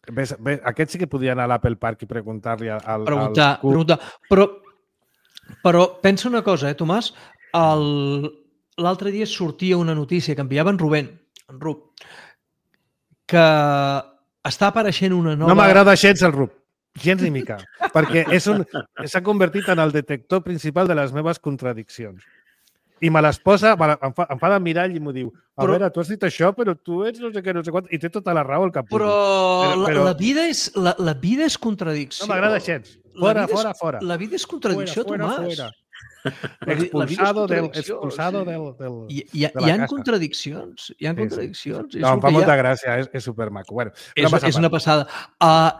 Ves, ves, aquest sí que podia anar a l'Apple Park i preguntar-li al, al preguntar, Cook. preguntar. Però, però pensa una cosa, eh, Tomàs? El- L'altre dia sortia una notícia que enviava en Rubén, en Rub, que està apareixent una nova... No m'agrada gens el Rup, gens ni mica, perquè és un, s'ha convertit en el detector principal de les meves contradiccions. I me les posa, me la- em fa, em fa de mirall i m'ho diu, a Però- veure, tu has dit això, però tu ets no sé què, no sé quant, i té tota la raó el capullo. Però, Però- però- La, la, vida és, la, la vida és contradicció. No m'agrada gens. La Fora, vida és- fora, fora. La vida és contradicció, Fuera, fuera, Tomàs. fuera. La vi- la vida és Expulsado del... contradicció, Expulsado sí. del, del... Hi, hi, ha- de la hi ha casa. contradiccions. Hi ha Sí, sí. contradiccions. És No, el em fa que hi ha. molta gràcia, és, és supermaco. Bueno, És, és una passada. Uh,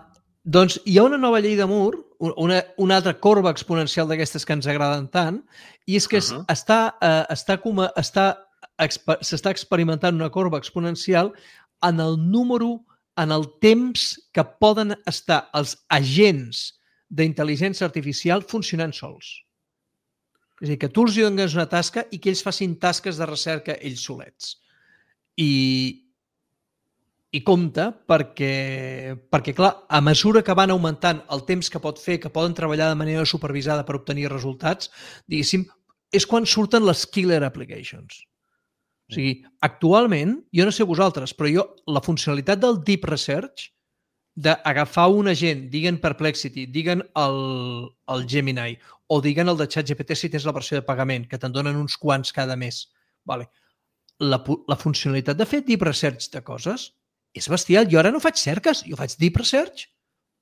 doncs hi ha una nova llei de Moore, una, una altra corba exponencial d'aquestes que ens agraden tant, i és que Uh-huh. està, uh, està, com a, està exper- s'està experimentant una corba exponencial en el número, en el temps que poden estar els agents d'intel·ligència artificial funcionant sols. És a dir, que tu els hi dones una tasca i que ells facin tasques de recerca ells solets. I, i compte perquè, perquè, clar, a mesura que van augmentant el temps que pot fer, que poden treballar de manera supervisada per obtenir resultats, diguéssim, és quan surten les killer applications. O sigui, actualment, jo no sé vosaltres, però jo, la funcionalitat del Deep Research d'agafar un agent, diguen Perplexity, diguen el, el Gemini, o diguen el de ChatGPT si tens la versió de pagament, que te'n donen uns quants cada mes. Vale. La, la funcionalitat de fer deep research de coses és bestial. Jo ara no faig cerques, jo faig deep research.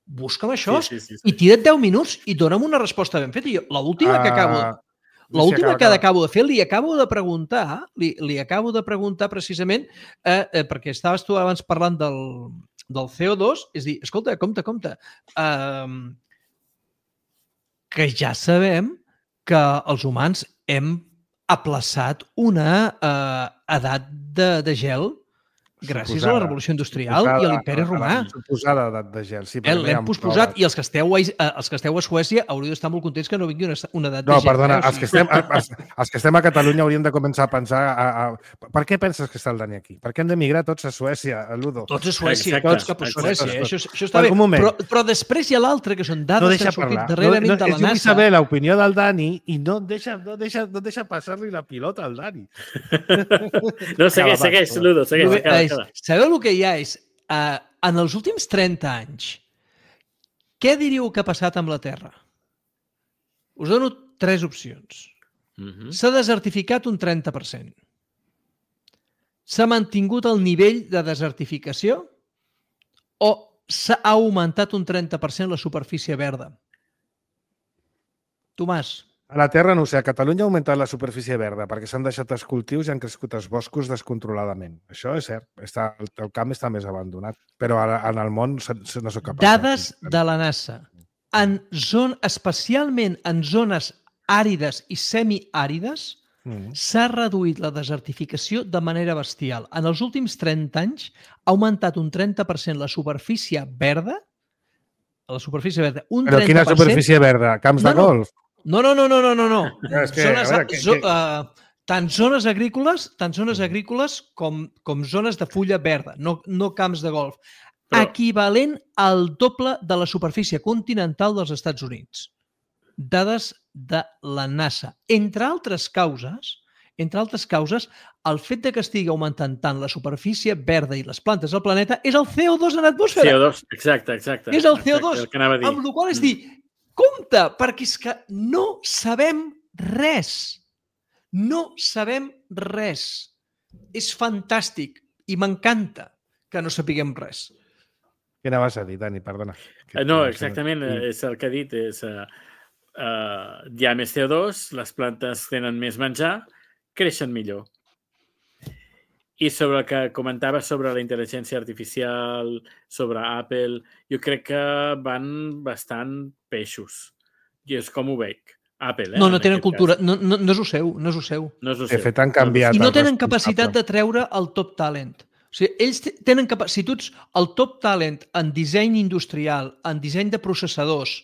Busca'm això sí, sí, sí, sí. i tira't deu minuts i dona'm una resposta ben feta. L'última uh, que acabo... L'última que acabo de fer, li acabo de preguntar, li, li acabo de preguntar precisament, eh, eh, perquè estaves tu abans parlant del, del C O dos, és dir, escolta, compte, compte, eh, que ja sabem que els humans hem aplaçat una eh, edat de, de gel gràcies suposada, a la revolució industrial suposada, i a l'imperi romà. Suposada edat de gel. Sí, l'hem posposat i els que, esteu a, els que esteu a Suècia hauríeu d'estar molt contents que no vingui una, una edat no, de gel. No, perdona, els que, estem, els, els que estem a Catalunya hauríem de començar a pensar a, a, per què penses que està el Dani aquí? Per què hem d'emigrar tots a Suècia, a Ludo? Tots a Suècia, exacte, tots cap a Suècia. Exacte. Això, això està bé. Però, però després hi ha l'altre, que són dades no que han sortit parlar. darrerament no, no, de la NASA. Jo vull saber l'opinió del Dani i no deixa, no deixa, no deixa passar-li la pilota al Dani. No, segueix, segueix, Ludo, segueix. Sabeu el que hi ha és, uh, en els últims trenta anys, què diríeu que ha passat amb la Terra? Us dono tres opcions. Uh-huh. S'ha desertificat un trenta per cent. S'ha mantingut el nivell de desertificació o s'ha augmentat un trenta per cent la superfície verda? Tomàs. A la Terra, no ho sé, a Catalunya ha augmentat la superfície verda perquè s'han deixat els cultius i han crescut els boscos descontroladament. Això és cert. Està, el, el camp està més abandonat. Però ara, en el món no soc capaç. Dades de la NASA. En zon, especialment en zones àrides i semiàrides, mm. s'ha reduït la desertificació de manera bestial. En els últims trenta anys ha augmentat un trenta per cent la superfície verda. La superfície verda. Un Però quina superfície verda? Camps de no, no. golf? No, no, no, no, no, no. no és que, zones, veure, que, zo, que... uh, tant zones agrícoles, tant zones agrícoles com, com zones de fulla verda, no, no camps de golf. Però... Equivalent al doble de la superfície continental dels Estats Units. Dades de la NASA. Entre altres causes, entre altres causes, el fet de que estigui augmentant tant la superfície verda i les plantes del planeta és el C O dos en l'atmosfera. C O dos, exacte, exacte. És el C O dos, exacte, el amb la qual és dir, compte, perquè és que no sabem res. No sabem res. És fantàstic i m'encanta que no sapiguem res. Què anaves a dir, Dani? Perdona. No, exactament, és el que ha dit. És, uh, uh, hi ha més C O dos, les plantes tenen més menjar, creixen millor. I sobre el que comentava sobre la intel·ligència artificial, sobre Apple, jo crec que van bastant peixos. I és com ho veig. Apple, eh? No, no tenen cultura. No, no, no és el seu, no és el seu. No és el seu. De fet, han canviat. I no tenen capacitat de treure el top talent. O sigui, ells tenen capacitat... Si tu ets el top talent en disseny industrial, en disseny de processadors,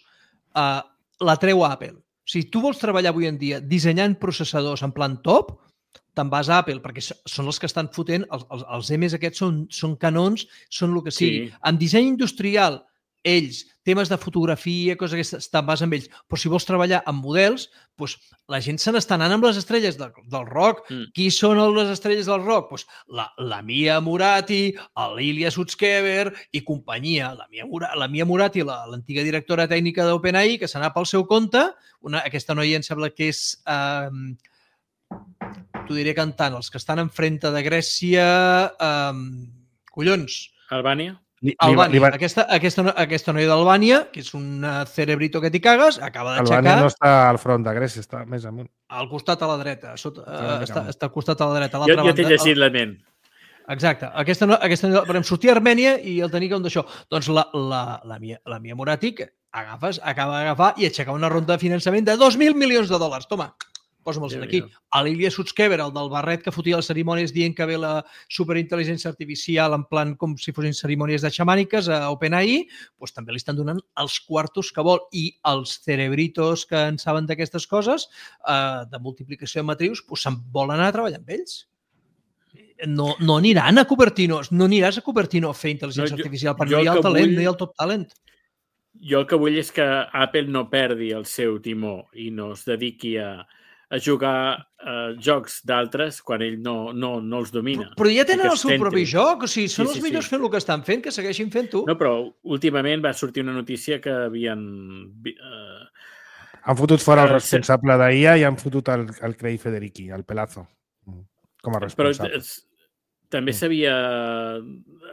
eh, la treu Apple. O sigui, tu vols treballar avui en dia dissenyant processadors en plan top, te'n vas a Apple, perquè són els que estan fotent, els, els, els M's aquests són, són canons, són el que sigui. Sí. En disseny industrial, ells, temes de fotografia, coses aquestes, te'n vas amb ells. Però si vols treballar amb models, doncs la gent se n'està anant amb les estrelles de, del rock. Mm. Qui són les estrelles del rock? Doncs la, la Mia Murati, l'Ilya Sutskever i companyia. La Mia, Mura, la Mia Murati, l'antiga directora tècnica d'OpenAI, que s'anà pel seu compte. Una, aquesta noia em sembla que és... Eh, t'ho diré cantant, els que estan enfrente de Grècia, eh, collons. Albània? Albània. Va... Aquesta, aquesta, aquesta noia d'Albània, que és un cerebrito que t'hi cagues, acaba d'aixecar... Albània no està al front de Grècia, està més amunt. Al costat a la dreta, sota, uh, està, està al costat a la dreta. A jo jo t'he llegit el... la ment. Exacte. Aquesta, aquesta, vam sortir a Armènia i el tenia com d'això. Doncs la, la, la, Mia, la Mia Murati agafes, acaba d'agafar i aixecar una ronda de finançament de dos mil milions de dòlars. Toma, posa'm-los aquí. L'Ilya Sutskever, el del barret que fotia les cerimònies dient que ve la superintel·ligència artificial en plan com si fossin cerimònies de xamàniques a OpenAI, doncs també li estan donant els quartos que vol. I els cerebritos que en saben d'aquestes coses, eh, de multiplicació de matrius, doncs se'n volen anar a treballar amb ells. No, no aniran a Cupertino, no aniràs a Cupertino a fer intel·ligència no, jo, artificial, perquè no hi ha el talent, vull... no hi ha el top talent. Jo el que vull és que Apple no perdi el seu timó i no es dediqui a a jugar uh, jocs d'altres quan ell no, no, no els domina. Però ja tenen el Aquests seu propi tèntrums. joc, o sigui, són Sí, els sí, millors sí. fent el que estan fent, que segueixin fent-ho. No, però últimament va sortir una notícia que havien... Uh, Han fotut fora el Eh, responsable d'I A i han fotut el, el Craig Federici, el Pelazo, com a però responsable. es- també Mm. s'havia...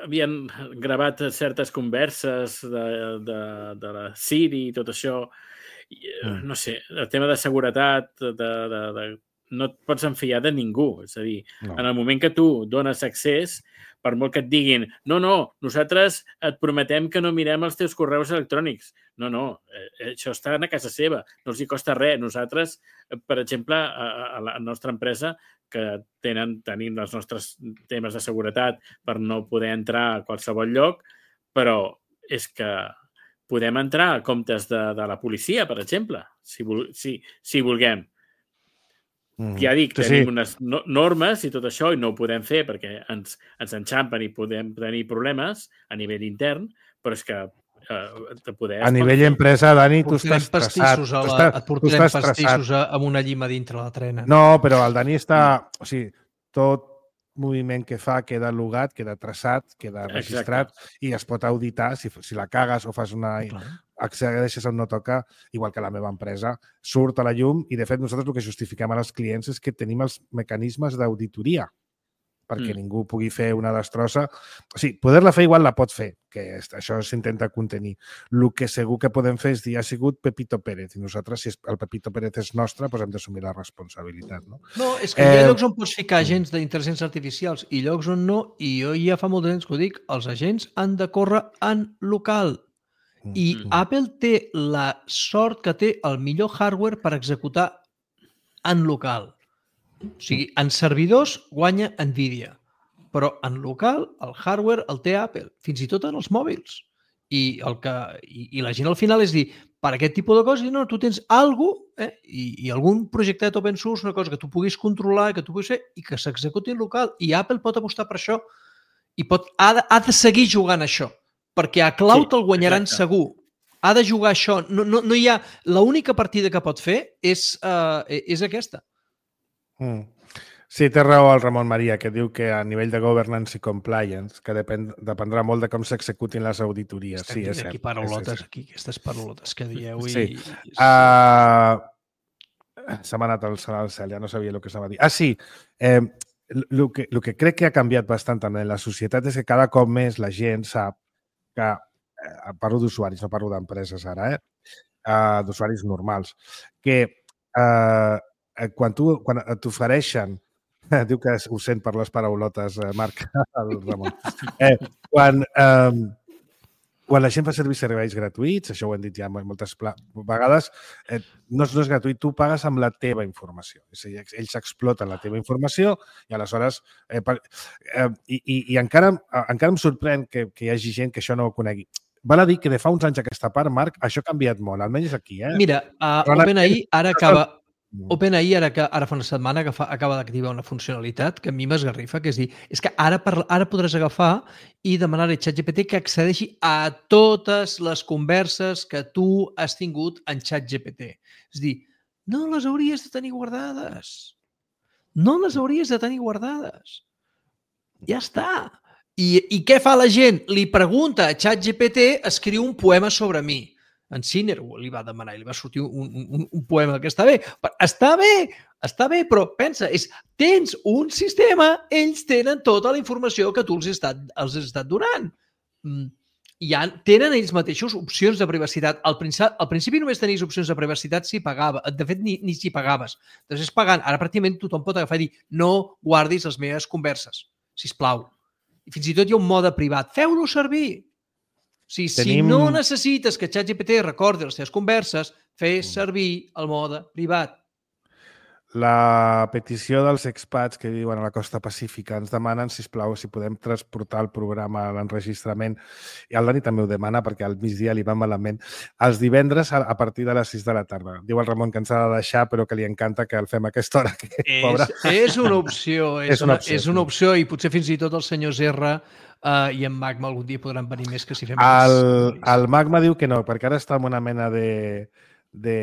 Havien gravat certes converses de, de, de la Siri i tot això. I, eh, Mm. no sé, el tema de seguretat, de, de, de, no et pots enfiar de ningú. És a dir, No. en el moment que tu dones accés, per molt que et diguin no, no, nosaltres et prometem que no mirem els teus correus electrònics. No, no, eh, això està a casa seva, no els hi costa res. Nosaltres, eh, per exemple, a, a la nostra empresa, que tenen, tenim els nostres temes de seguretat per no poder entrar a qualsevol lloc, però és que podem entrar a comptes de, de la policia, per exemple, si, vol, si, si vulguem. Mm. Ja dic, Sí, tenim sí. unes no normes i tot això i no ho podem fer perquè ens, ens enxampen i podem tenir problemes a nivell intern, però és que eh, de poder... A nivell empresa, Dani, tu Portarem estàs traçat. pastissos a Tu la, estàs, et tu portarem estàs pastissos traçat. a, amb una llima dintre la trena. No, però el Dani està... O sigui, tot moviment que fa queda logat, queda traçat, queda registrat i es pot auditar si, si la cagues o fas una... Clar. accedeixes on no toca, igual que la meva empresa, surt a la llum i, de fet, nosaltres el que justifiquem als clients és que tenim els mecanismes d'auditoria perquè Mm. ningú pugui fer una destrossa. O sigui, poder-la fer igual la pot fer, que és- això s'intenta contenir. El que segur que podem fer és dir ha sigut Pepito Pérez i nosaltres, si el Pepito Pérez és nostre, doncs hem d'assumir la responsabilitat. No? No, és que hi ha Eh, llocs on pots ficar agents d'intel·ligències artificials i llocs on no, i jo ja fa molt de temps que ho dic, els agents han de córrer en local. I Mm. Apple té la sort que té el millor hardware per executar en local. O sigui, en servidors guanya Nvidia, però en local el hardware el té Apple, fins i tot en els mòbils. I, el que, i, i la gent al final és dir, per aquest tipus de coses, no, tu tens alguna cosa, eh, i, i algun projectet open source, una cosa que tu puguis controlar, que tu puguis fer, i que s'executi en local. I Apple pot apostar per això i pot, ha, de, ha de seguir jugant això, perquè a cloud Sí, el guanyaran exacte. segur. Ha de jugar això. No, no, no hi ha... L'única partida que pot fer és, uh, és aquesta. Mm. Sí, té raó el Ramon Maria, que diu que a nivell de governance i compliance, que depèn, dependrà molt de com s'executin les auditories. Estem Sí, és aquí cert. paraulotes, És, és, aquí, aquestes paraulotes que dieu. I, Sí. i, Uh, se m'ha anat el cel al cel, ja no sabia el que s'ha dit. Ah, sí, eh, el que, lo que crec que ha canviat bastant també en la societat és que cada cop més la gent sap que, eh, parlo d'usuaris, no parlo d'empreses ara, eh? Uh, d'usuaris normals, que uh, quan tu quan t'ofereixen, diu que ho sent per les paraulotes, eh, Marc, el Ramon, eh, quan, um, quan la gent fa servir serveis gratuïts, això ho hem dit ja moltes vegades, eh, no, és, no és gratuït, tu pagues amb la teva informació. És a dir, ells exploten la teva informació i aleshores... Eh, per, eh, i, i, I encara, encara em sorprèn que, que hi hagi gent que això no ho conegui. Val a dir que de fa uns anys aquesta part, Marc, això ha canviat molt, almenys aquí. Eh? Mira, uh, Però OpenAI ara acaba... Mm. OpenAI ara, que, ara fa una setmana que fa, acaba d'activar una funcionalitat que a mi m'esgarrifa, que és dir, és que ara, per, ara podràs agafar i demanar-li a ChatGPT que accedeixi a totes les converses que tu has tingut en ChatGPT. És dir, no les hauries de tenir guardades. No les hauries de tenir guardades. Ja està. I, I què fa la gent? Li pregunta a ChatGPT, escriu un poema sobre mi. En Sinner li va demanar i li va sortir un, un, un poema que està bé. Està bé, està bé, però pensa, és, tens un sistema, ells tenen tota la informació que tu els has estat, els has estat donant. Mm. I ja tenen ells mateixos opcions de privacitat. Al principi, al principi només tenies opcions de privacitat si pagava. De fet, ni, ni si pagaves. Després pagant. Ara pràcticament tothom pot agafar i dir no guardis les meves converses, sisplau. I fins i tot hi ha un mode privat. Feu-lo servir. O sigui, Tenim... Si no necessites que ChatGPT recordi les teves converses, fes servir el mode privat. La petició dels expats que viuen a la costa pacífica ens demanen, sisplau, si podem transportar el programa a l'enregistrament, i el Dani també ho demana perquè al migdia li va malament, els divendres a partir de les sis de la tarda. Diu el Ramon que ens ha de deixar, però que li encanta que el fem a aquesta hora. Que, és, és una opció, és, és, una, opció, és una opció, i potser fins i tot el senyor Serra Uh, i en Magma algun dia podran venir més que si fem... El, el Magma diu que no, perquè ara està en una mena de, de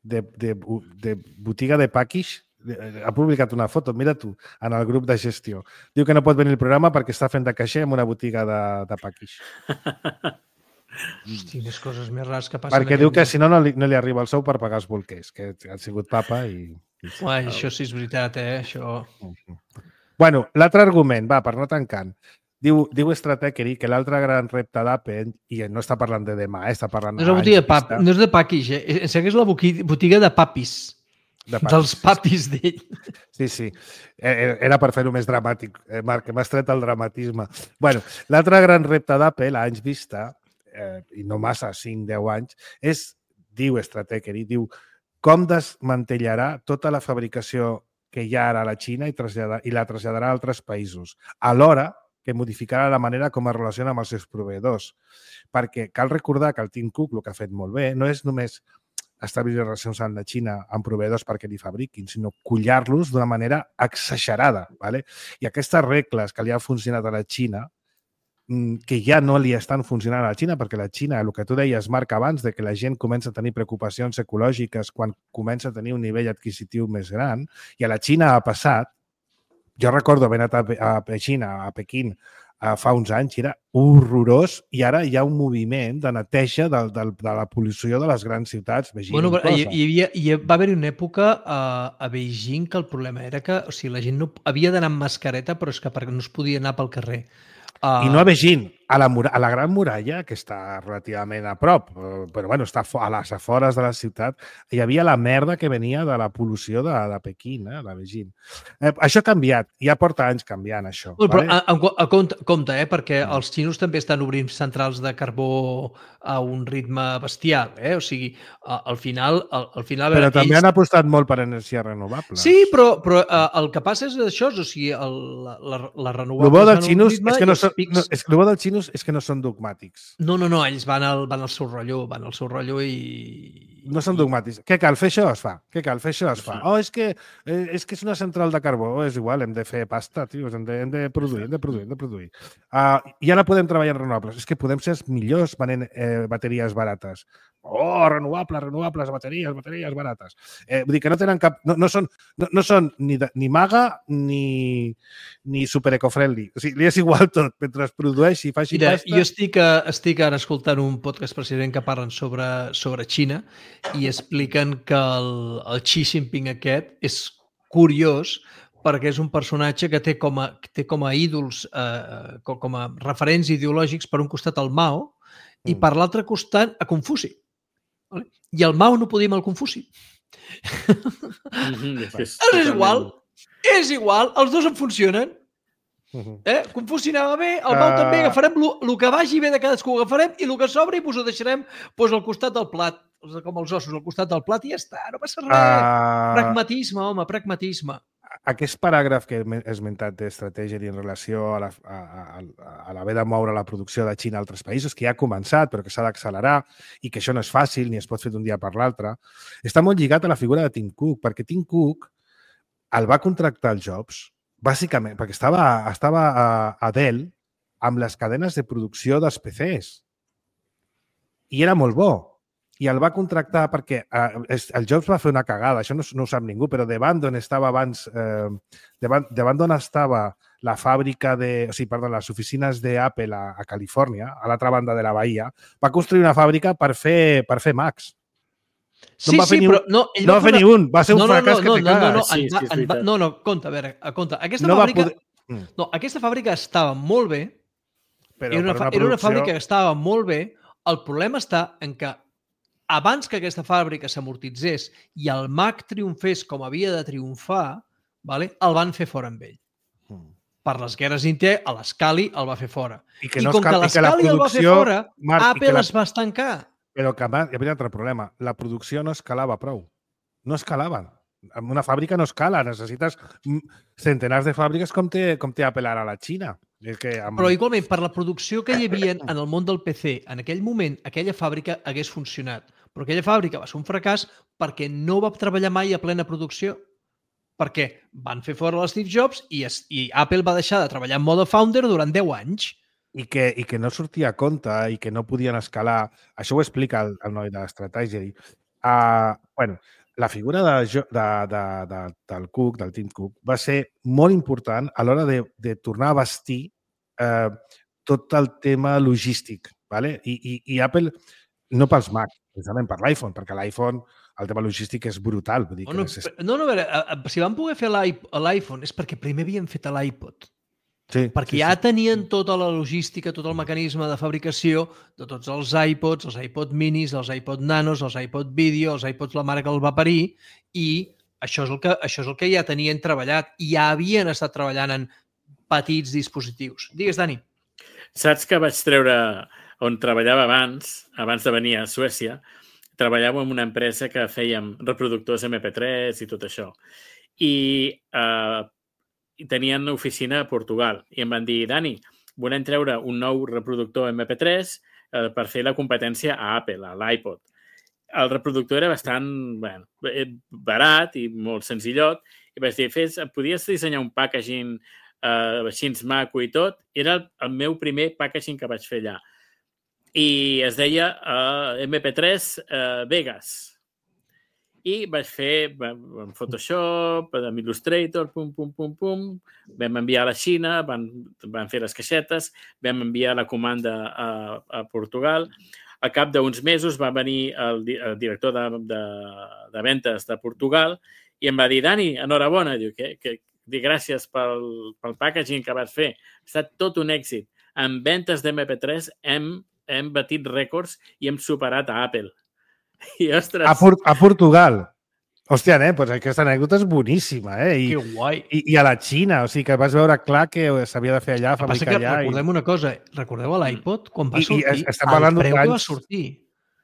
de, de, de botiga de package, ha publicat una foto, mira tu, en el grup de gestió. Diu que no pot venir al programa perquè està fent de caixer en una botiga de, de package. Hosti, més coses més rares que passen. Perquè diu que si no, no li, no li arriba el sou per pagar els bolquers, que ha sigut papa i... Uai, això sí és veritat, eh? Això... Bueno, l'altre argument, va, per no tancant. Diu, diu Stratechery que l'altre gran repte d'Apple, i no està parlant de demà, eh, està parlant... No és, la botiga de pap, no és de package, eh? És que és la botiga de papis. De papis. Dels papis d'ell. Sí, sí. Era per fer-ho més dramàtic. Marc, m'has tret el dramatisme. Bueno, l'altre gran repte d'Apple, a anys vista, eh, i no massa, cinc deu anys, és, diu Stratechery, diu com desmantellarà tota la fabricació que hi ha ara a la Xina i, traslladar, i la traslladarà a altres països, alhora que modificarà la manera com es relaciona amb els seus proveïdors. Perquè cal recordar que el Tim Cook, el que ha fet molt bé, no és només establir relacions amb la Xina amb proveïdors perquè li fabriquin, sinó collar-los d'una manera exagerada. ¿vale? I aquestes regles que li han funcionat a la Xina, que ja no li estan funcionant a la Xina, perquè la Xina, el que tu deies, Marc, abans, de que la gent comença a tenir preocupacions ecològiques quan comença a tenir un nivell adquisitiu més gran, i a la Xina ha passat, jo recordo haver anat a, a Xina, a Pequín, a fa uns anys, era horrorós, i ara hi ha un moviment de neteja de, de, de la pol·lució de les grans ciutats, Beijing bueno, inclosa. Hi, hi, havia, hi va haver una època a, a Beijing que el problema era que o sigui, la gent no havia d'anar amb mascareta, però és que perquè no es podia anar pel carrer. Uh... I no a Beijing, a la, a la Gran Muralla, que està relativament a prop, però bueno, està a les afores de la ciutat, hi havia la merda que venia de la pol·lució de, de Pequín, eh, de Beijing. Eh, això ha canviat, ja porta anys canviant, això. Bueno, vale? Però a, a, a compte, compte, eh, perquè mm. els xinos també estan obrint centrals de carbó a un ritme bestial, eh? O sigui, a, al final... Al, al final però ells... també han apostat molt per energies renovables. Sí, però, però uh, el que passa és això, o sigui, el, la, la, la renovables... El bo dels xinos és que no són... Pics... No, és que el bo dels xinos és que no són dogmàtics. No, no, no, ells van al, van al seu rotllo, van al seu rotllo i... No són dogmàtics. Què cal? Fer això es fa. Què cal? Fer això es fa. Oh, és que, eh, és que és una central de carbó. Oh, és igual, hem de fer pasta, tio. Hem de, hem de produir, hem de produir, hem de produir. Uh, I ara podem treballar en renovables. És que podem ser els millors venent eh, bateries barates. Oh, renovables, renovables, bateries, bateries barates. Eh, vull dir que no tenen cap... No, no són, no, no són ni, de, ni maga ni, ni super eco-friendly. O sigui, li és igual tot. Mentre es produeixi i faci Mira, pasta... jo estic, estic ara escoltant un podcast precisament que parlen sobre, sobre Xina i expliquen que el, el Xi Jinping aquest és curiós perquè és un personatge que té com a, té com a ídols, eh, com a referents ideològics, per un costat el Mao i per l'altre costat a Confuci. Vale? I el Mao no podia amb el Confuci. Mm-hmm, és, és igual, és igual, els dos en funcionen. Eh? Confuci anava bé, el Mao uh... també, agafarem el que vagi bé de cadascú, ho agafarem i el que sobri pues, ho deixarem pues, al costat del plat, com els ossos, al costat del plat i ja està, no passa res. Uh... Pragmatisme, home, pragmatisme. Aquest paràgraf que he esmentat d'estratègia en relació a, la, a, a, a l'haver de moure la producció de Xina a altres països, que ja ha començat però que s'ha d'accelerar i que això no és fàcil ni es pot fer d'un dia per l'altre, està molt lligat a la figura de Tim Cook, perquè Tim Cook el va contractar el Jobs bàsicament perquè estava, estava a, a Dell amb les cadenes de producció dels P Cs i era molt bo. I el va contractar perquè eh, el Jobs va fer una cagada, això no, no ho sap ningú, però davant d'on estava abans, eh, davant, davant d'on estava la fàbrica de, o sigui, perdó, les oficines d'Apple a, a Califòrnia, a l'altra banda de la bahia, va construir una fàbrica per fer, per fer Macs. No sí, va fer sí, ni un, però no, ell no va fer una... ni un, va ser un no, no, fracàs no, que no, te no, caga. no, no, sí, va, sí, va, no, no, compte, a veure, compte. Aquesta no fàbrica... Poder... No, aquesta fàbrica estava molt bé, però era una, una producció... era una fàbrica que estava molt bé, el problema està en que abans que aquesta fàbrica s'amortitzés i el Mac triomfés com havia de triomfar, vale, el van fer fora amb ell. Mm. Per les guerres Intel, a l'Scali el va fer fora. I, que no I com que l'Scali el va fer fora, Marc, Apple la... es va estancar. Però que hi havia un altre problema. La producció no escalava prou. No escalava. En una fàbrica no escala. Necessites centenars de fàbriques com té, com té Apple ara a la Xina. És que amb... Però igualment, per la producció que hi havia en el món del P C, en aquell moment, aquella fàbrica hagués funcionat. Però aquella fàbrica va ser un fracàs perquè no va treballar mai a plena producció. Perquè van fer fora l'Steve Jobs i, es, i Apple va deixar de treballar en mode founder durant deu anys. I que, i que no sortia a compte i que no podien escalar. Això ho explica el, el noi de l'estratègia. Uh, bueno, la figura de, de, de, de, del Cook, del Tim Cook, va ser molt important a l'hora de, de tornar a vestir eh, tot el tema logístic. ¿Vale? I, i, I Apple, no pels Mac, precisament per l'iPhone, perquè l'iPhone, el tema logístic és brutal. Vull dir oh, que no, necess... no, no, a veure, si van poder fer l'iPhone és perquè primer havien fet l'iPod. Sí, perquè sí, ja sí. tenien tota la logística, tot el mecanisme de fabricació de tots els iPods, els iPod minis, els iPod nanos, els iPod Video, els iPods la mare que el va parir, i això és el que, això és el que ja tenien treballat, i ja havien estat treballant en petits dispositius. Digues, Dani. Saps que vaig treure on treballava abans, abans de venir a Suècia, treballava en una empresa que fèiem reproductors eme pe tres i tot això. I eh, i tenien una oficina a Portugal i em van dir, Dani, volem treure un nou reproductor eme pe tres eh, per fer la competència a Apple, a l'iPod. El reproductor era bastant bueno, barat i molt senzillot i vaig dir, Fes, podies dissenyar un packaging eh, així maco i tot? Era el, el meu primer packaging que vaig fer allà. I es deia eh, eme pe tres eh, Vegas. I vaig fer en Photoshop, amb Illustrator, pum, pum, pum, pum. Vam enviar a la Xina, van, van fer les caixetes, vam enviar la comanda a, a Portugal. A cap d'uns mesos va venir el, el director de, de, de ventes de Portugal i em va dir, Dani, enhorabona. Diu, que, que, dic, gràcies pel, pel packaging que vas fer. Ha estat tot un èxit. En ventes d'eme pe tres hem, hem batit rècords i hem superat a Apple. I, ostres... A, Por a Portugal. Hòstia, eh? Pues aquesta anècdota és boníssima, eh? I, que guai. I, I a la Xina, o sigui que vas veure clar que s'havia de fer allà, fabricar allà. Recordem i... una cosa, recordeu l'iPod? Quan va I, sortir, i estem parlant el preu que va anys... sortir.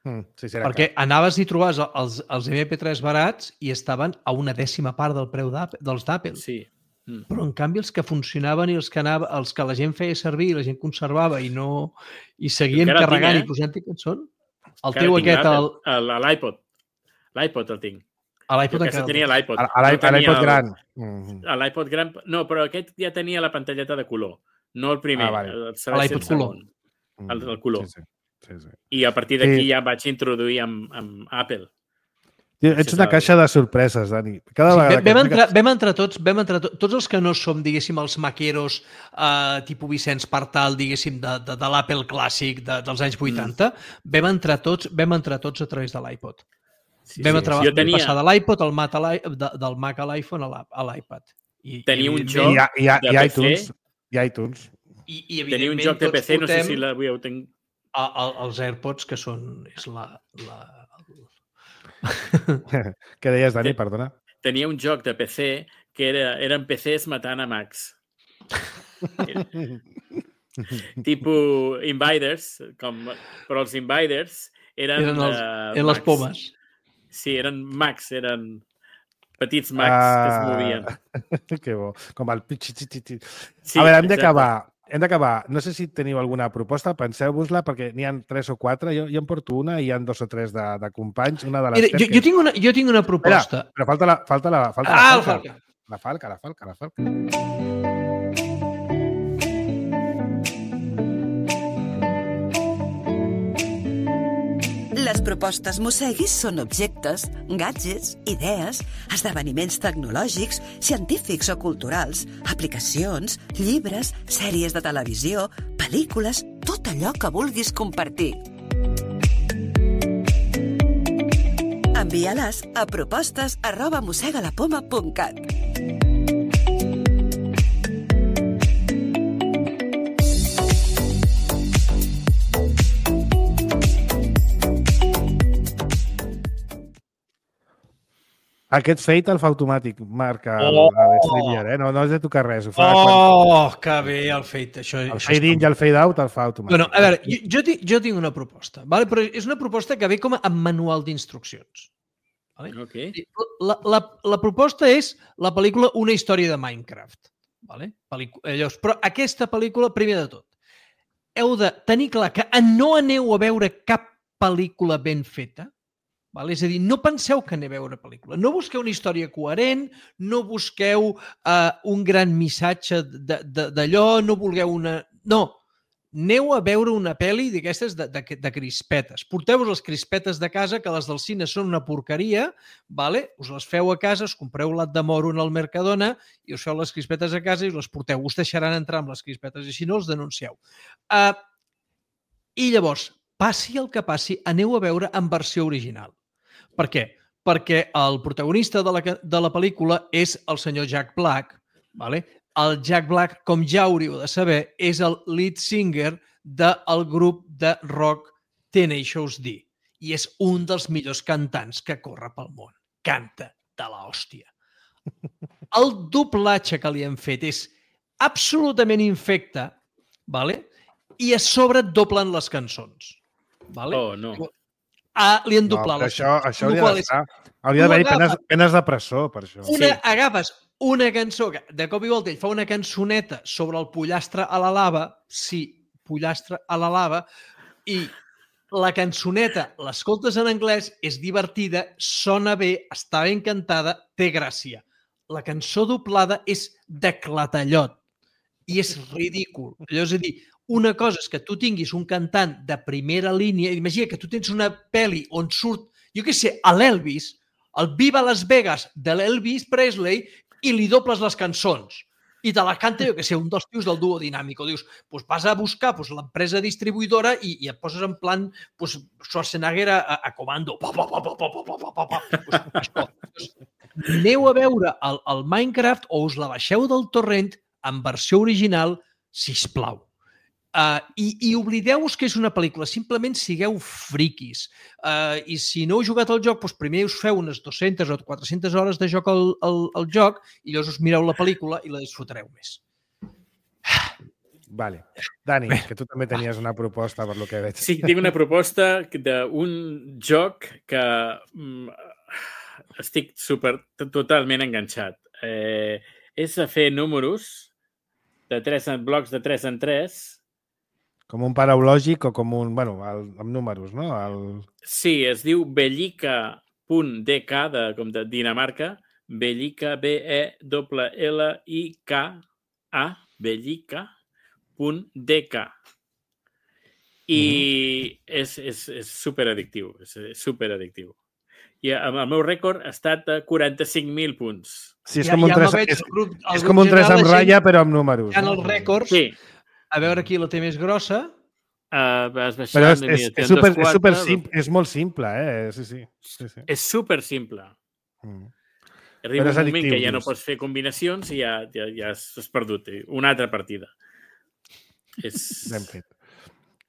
Mm, sí, sí, perquè clar. anaves i trobaves els, els eme pe tres barats i estaven a una dècima part del preu dels d'Apple. Sí. Mm. Però en canvi els que funcionaven i els que, anava, els que la gent feia servir i la gent conservava i no i seguien carregant tinc, eh? I posant-hi cançons, el teu aquest... El... L'iPod. L'iPod el tinc. A l'iPod encara tenia l'iPod. A l'iPod gran. A l'iPod gran. No, però aquest ja tenia la pantalleta de color. No el primer. Ah, vale. A l'iPod color. El, el color. Sí, sí. Sí, sí. I a partir d'aquí sí. ja vaig introduir amb, amb Apple. Tio, ets una caixa de sorpreses, Dani. Cada sí, vegada vam, vam, entrar, vam entrar tots, vam entrar tots, tots els que no som, diguéssim, els maqueros eh, tipus Vicenç Partal, diguéssim, de, de, de l'Apple clàssic de, dels anys vuitanta, mm. vam entrar tots, vam entrar tots a través de l'iPod. Sí, vam sí, sí. Tenia... passar de l'iPod al Mac a de, del Mac a l'iPhone a l'iPad. Tenia un joc I, i, de i P C. iTunes. I iTunes. I, i tenia un joc de P C, no sé si l'avui ho tenc... A, a, els AirPods, que són... És la, la... Què deies, Dani? Perdona. Tenia un joc de P C que era, eren P Cs matant a Macs. Tipo Invaders, com, però els Invaders eren, eren, els, uh, eren les pomes. Sí, eren Macs, eren petits Macs ah, que es movien. Que bo. Com el pitxitxitxit. Sí, a veure, hem d'acabar. Hem d'acabar. No sé si teniu alguna proposta, penseu-vos-la, perquè n'hi ha tres o quatre. Jo, jo en porto una i hi ha dos o tres de, de companys. Una de les Mira, jo, jo, tinc una, jo tinc una proposta. Espera, però falta la, falta la, falta ah, la falca. La falca, la falca, la falca. Les propostes Mosseguis són objectes, gadgets, idees, esdeveniments tecnològics, científics o culturals, aplicacions, llibres, sèries de televisió, pel·lícules, tot allò que vulguis compartir. Envia-les a propostes arroba mossegalapoma punt cat. Aquest feit el fa automàtic, marca oh! l'Streamer, eh? No, no has de tocar res. Ho fa oh, quan... que bé el fade. Això, el això fade in i el fade out el fa automàtic. Bueno, a veure, jo, jo, tinc, jo tinc una proposta, vale? Però és una proposta que ve com a manual d'instruccions. Vale? Okay. La, la, la proposta és la pel·lícula Una història de Minecraft. Vale? Pel·lícula, llavors, però aquesta pel·lícula, primer de tot, heu de tenir clar que no aneu a veure cap pel·lícula ben feta. Vale? És a dir, no penseu que aneu a veure pel·lícula. No busqueu una història coherent, no busqueu uh, un gran missatge d'allò, no vulgueu una... No, aneu a veure una pel·li d'aquestes de, de, de crispetes. Porteu-vos les crispetes de casa, que les del cine són una porqueria, vale? Us les feu a casa, us compreu l'at de moro en el Mercadona i us feu les crispetes a casa i us les porteu. Us deixaran entrar amb les crispetes i si no, els denuncieu. Uh, I llavors, passi el que passi, aneu a veure en versió original. Per què? Perquè el protagonista de la, de la pel·lícula és el senyor Jack Black, vale? El Jack Black, com ja hauríeu de saber, és el lead singer del grup de rock Tenacious D i és un dels millors cantants que corre pel món. Canta de l'hòstia. El doblatge que li han fet és absolutament infecte, vale? I a sobre et doblen les cançons. Vale? Oh, no. Ah, li han doblat no, les això, cançons. això hauria d'estar. Hauria d'haver penes, penes de presó, per això. Una, Sí. Agafes una cançó, que de cop i volta ell fa una cançoneta sobre el pollastre a la lava, sí, pollastre a la lava, i la cançoneta l'escoltes en anglès, és divertida, sona bé, està ben cantada, té gràcia. La cançó doblada és de clatallot i és ridícul. Allò és a dir, una cosa és que tu tinguis un cantant de primera línia, imagina que tu tens una pel·li on surt, jo què sé, a l'Elvis, el Viva Las Vegas de l'Elvis Presley, i li dobles les cançons. I te la canta, jo que sé, un dels tios del Duo Dinàmico. Dius, pues vas a buscar pues, l'empresa distribuïdora i, i et poses en plan pues, Schwarzenegger a, a comando. Pa, pa, pa, pa, pa, pa, pa, pa, pa. Pues, això. Pues, aneu a veure el, el Minecraft o us la baixeu del torrent en versió original, sisplau. Uh, i, I oblideu-vos que és una pel·lícula, simplement sigueu friquis. Uh, I si no heu jugat al joc, doncs primer us feu unes dues-centes o quatre-centes hores de joc al, al, al joc i llavors us mireu la pel·lícula i la disfrutareu més. Vale. Dani, que tu també tenies una proposta per lo que veig. Sí, tinc una proposta d'un joc que mm, estic super, totalment enganxat. Eh, és a fer números de tres en blocs de tres en tres. Com un paraulògic o com un... Bueno, el, amb números, no? El... Sí, es diu bellica punt d k, de, com de Dinamarca, bellica, B E L L I K A, bellica punt d k. I mm. és, és, és superaddictiu, és, és superaddictiu. I el meu rècord ha estat de quaranta-cinc mil punts. Sí, és ja, com un ja tres, veig, és, grup, és com un tres amb ratlla, però amb números. Hi ha no? els rècords. Sí. A veure qui la té més grossa. Uh, vas baixant, Però és, és, és, super, quatre, és, super simple, és molt simple, eh? Sí, sí. sí, sí. És super simple. Mm. Arriba un moment addictiu, que ja no just. pots fer combinacions i ja, ja, ja has, has perdut. Una altra partida. És... Ben fet.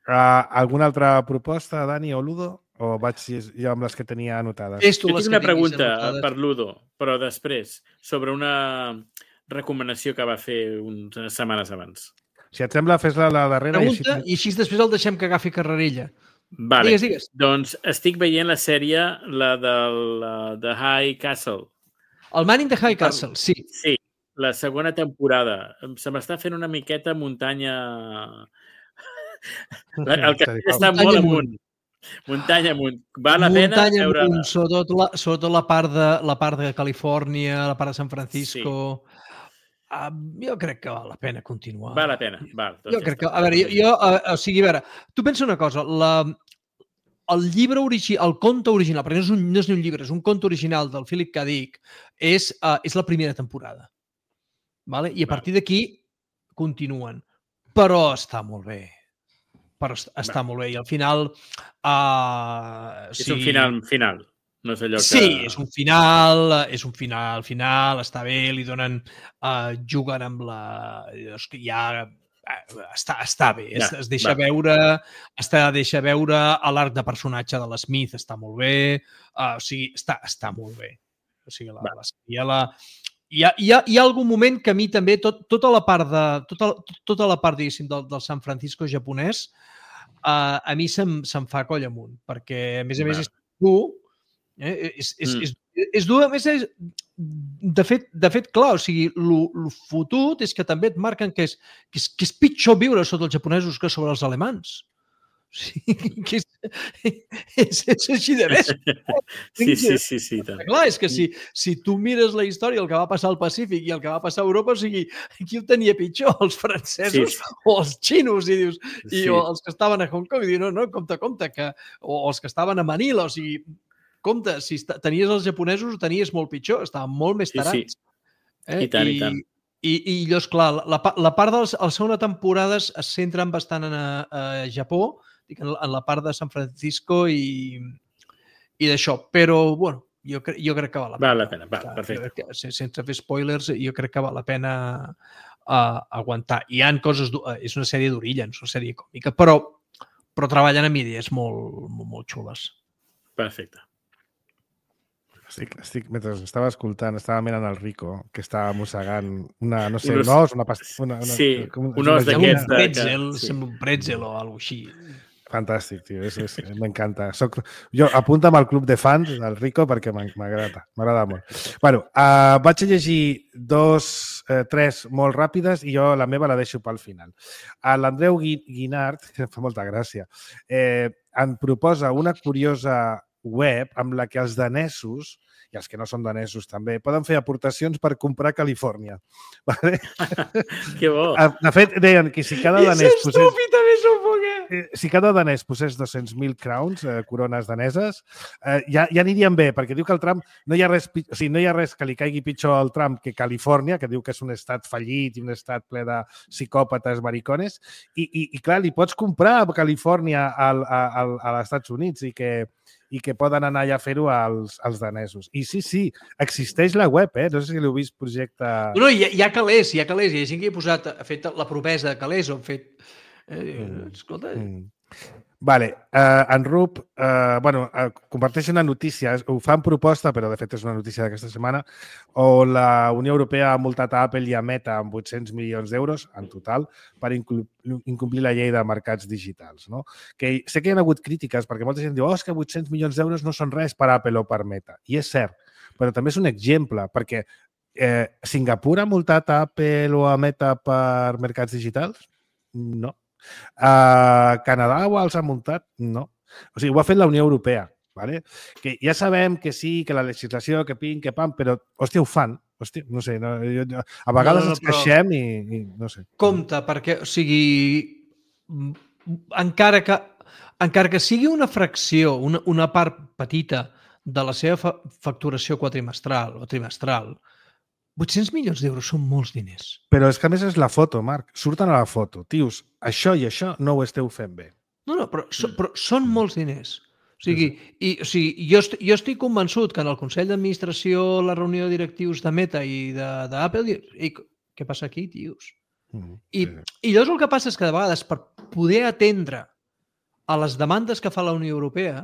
Uh, alguna altra proposta, Dani o Ludo? O vaig jo amb les que tenia anotades? És tu Jo les tinc que una pregunta anotades. per Ludo, però després, sobre una recomanació que va fer unes setmanes abans. Si et sembla, fes-la la darrera. Pregunta, i, i així després el deixem que agafi carrerilla. Vale. Digues, digues. Doncs estic veient la sèrie, la del de High Castle. El Man in the High Castle, sí. Sí, la segona temporada. Se m'està fent una miqueta muntanya... El castell està Muntanya molt amunt. amunt. Muntanya amunt. Val la pena Muntanya veure... amunt, sobretot la, sobretot la part de la part de Califòrnia, la part de San Francisco. Sí. Uh, jo crec que val la pena continuar. Val la pena, val. Jo crec que, a veure, jo, jo uh, o sigui, a veure, tu pensa una cosa, la, el llibre original, el conte original, perquè no és, un, no és ni un llibre, és un conte original del Philip K. Dick, és, uh, és la primera temporada. Vale? I a partir d'aquí continuen. Però està molt bé. Però està Va. molt bé. I al final... Uh, és sí, un final final. No és allò que... Sí, és un final, és un final, final, està bé, li donen... Uh, juguen amb la... És que ja... Uh, està, està bé, ja, es, es deixa va. veure està, deixa veure l'arc de personatge de l'Smith, està molt bé, uh, o sigui, està, està molt bé. O sigui, la, la, la, la, hi, ha, hi, ha, hi ha algun moment que a mi també, tot, tota la part, de, tota, tota la part diguéssim, del, del San Francisco japonès, uh, a mi se'm, se'm fa coll amunt, perquè a més a més és dur, Eh? És, és, mm. és, és dur, a més, és, de, fet, de fet, clar, o sigui, el fotut és que també et marquen que és, que, és, que és pitjor viure sota els japonesos que sobre els alemans. Sí, que és, és, és així de més. Sí, sí, sí, sí. Tant. Clar, és que si, si tu mires la història, el que va passar al Pacífic i el que va passar a Europa, o sigui, qui ho tenia pitjor, els francesos Sí, sí. o els xinos, i dius, i Sí. o els que estaven a Hong Kong, i dius, no, no, compte, compte, que, o els que estaven a Manila, o sigui, compte, si esta- tenies els japonesos ho tenies molt pitjor, estaven molt més Sí, sí. tarats. Eh? I tant, i tant. I, i llavors, clar, la, pa- la part de la segona temporada es es centren bastant en a, a Japó, dic, en, la, en la part de San Francisco i, i d'això, però, bueno, jo, cre jo crec que val la pena. Val la pena, val, Clar, perfecte. jo crec que, se- sense fer spoilers, jo crec que val la pena uh, aguantar. Hi han coses... du- eh, És una sèrie d'orilla, no és una sèrie còmica, però, però treballen amb idees molt, molt, molt xules. Perfecte. Estic, estic, mentre estava escoltant, estava mirant el Rico, que estava mossegant una, no sé, Un os- un os, una pasta... Una, una, Sí, com- un os una Sembla d'aquests un joguina. de- pretzel, que- sí. sembla un pretzel o alguna així. Fantàstic, tio, és, és, m'encanta. Soc... Jo apunta'm al club de fans del Rico perquè m'ag- m'agrada, m'agrada molt. Bueno, uh, vaig a llegir dos, eh, tres molt ràpides i jo la meva la deixo pel final. A l'Andreu Gui- Guinart, que em fa molta gràcia, eh, em proposa una curiosa web amb la que els danesos, i els que no són danesos també, poden fer aportacions per comprar a Califòrnia. Vale? Que bo. De fet, deien que si cada És danès posés... estúpid, també s'ho puc, eh? Eh, si cada danès posés dos-cents mil crowns, eh, corones daneses, eh, ja, ja anirien bé, perquè diu que el Trump no hi ha res, pi- o sigui, no hi ha res que li caigui pitjor al Trump que Califòrnia, que diu que és un estat fallit i un estat ple de psicòpates maricones, i, i, i clar, li pots comprar a Califòrnia al, a, a, a als Estats Units i que, i que poden anar allà a fer-ho als, als danesos. I sí, sí, existeix la web, eh? No sé si l'heu vist projecte... No, no, hi ha, hi ha calés, hi ha calés. Hi ha gent que hi ha posat, ha fet la promesa de calés o ha fet... Eh, Mm. Escolta, Mm. Vale, uh, en Rup, uh, bueno, uh, comparteix una notícia, ho fan proposta, però de fet és una notícia d'aquesta setmana, on la Unió Europea ha multat a Apple i a Meta amb vuit-cents milions d'euros en total per inclu- incomplir la llei de mercats digitals. No? Que sé que hi ha hagut crítiques perquè molta gent diu oh, és que vuit-cents milions d'euros no són res per Apple o per Meta. I és cert, però també és un exemple, perquè eh, Singapur ha multat a Apple o a Meta per mercats digitals? No. Uh, Canadà ho els ha muntat? No. O sigui, ho ha fet la Unió Europea. ¿Vale? Que ja sabem que sí, que la legislació, que pim, que pam, però, hòstia, ho fan. Hòstia, no sé, no, jo, jo, a vegades No, no, no, ens queixem i, i no sé. compte, perquè, o sigui, mm, encara que, encara que sigui una fracció, una, una part petita de la seva fa facturació quadrimestral o trimestral, vuit-cents milions d'euros són molts diners. Però és que a més és la foto, Marc. Surten a la foto. Tios, això i això no ho esteu fent bé. No, no, però, so, però són molts diners. O sigui, i, o sigui jo, est jo estic convençut que en el Consell d'Administració, la reunió de directius de Meta i d'Apple, què passa aquí, tios? Mm, I, sí. I llavors el que passa és que de vegades per poder atendre a les demandes que fa la Unió Europea,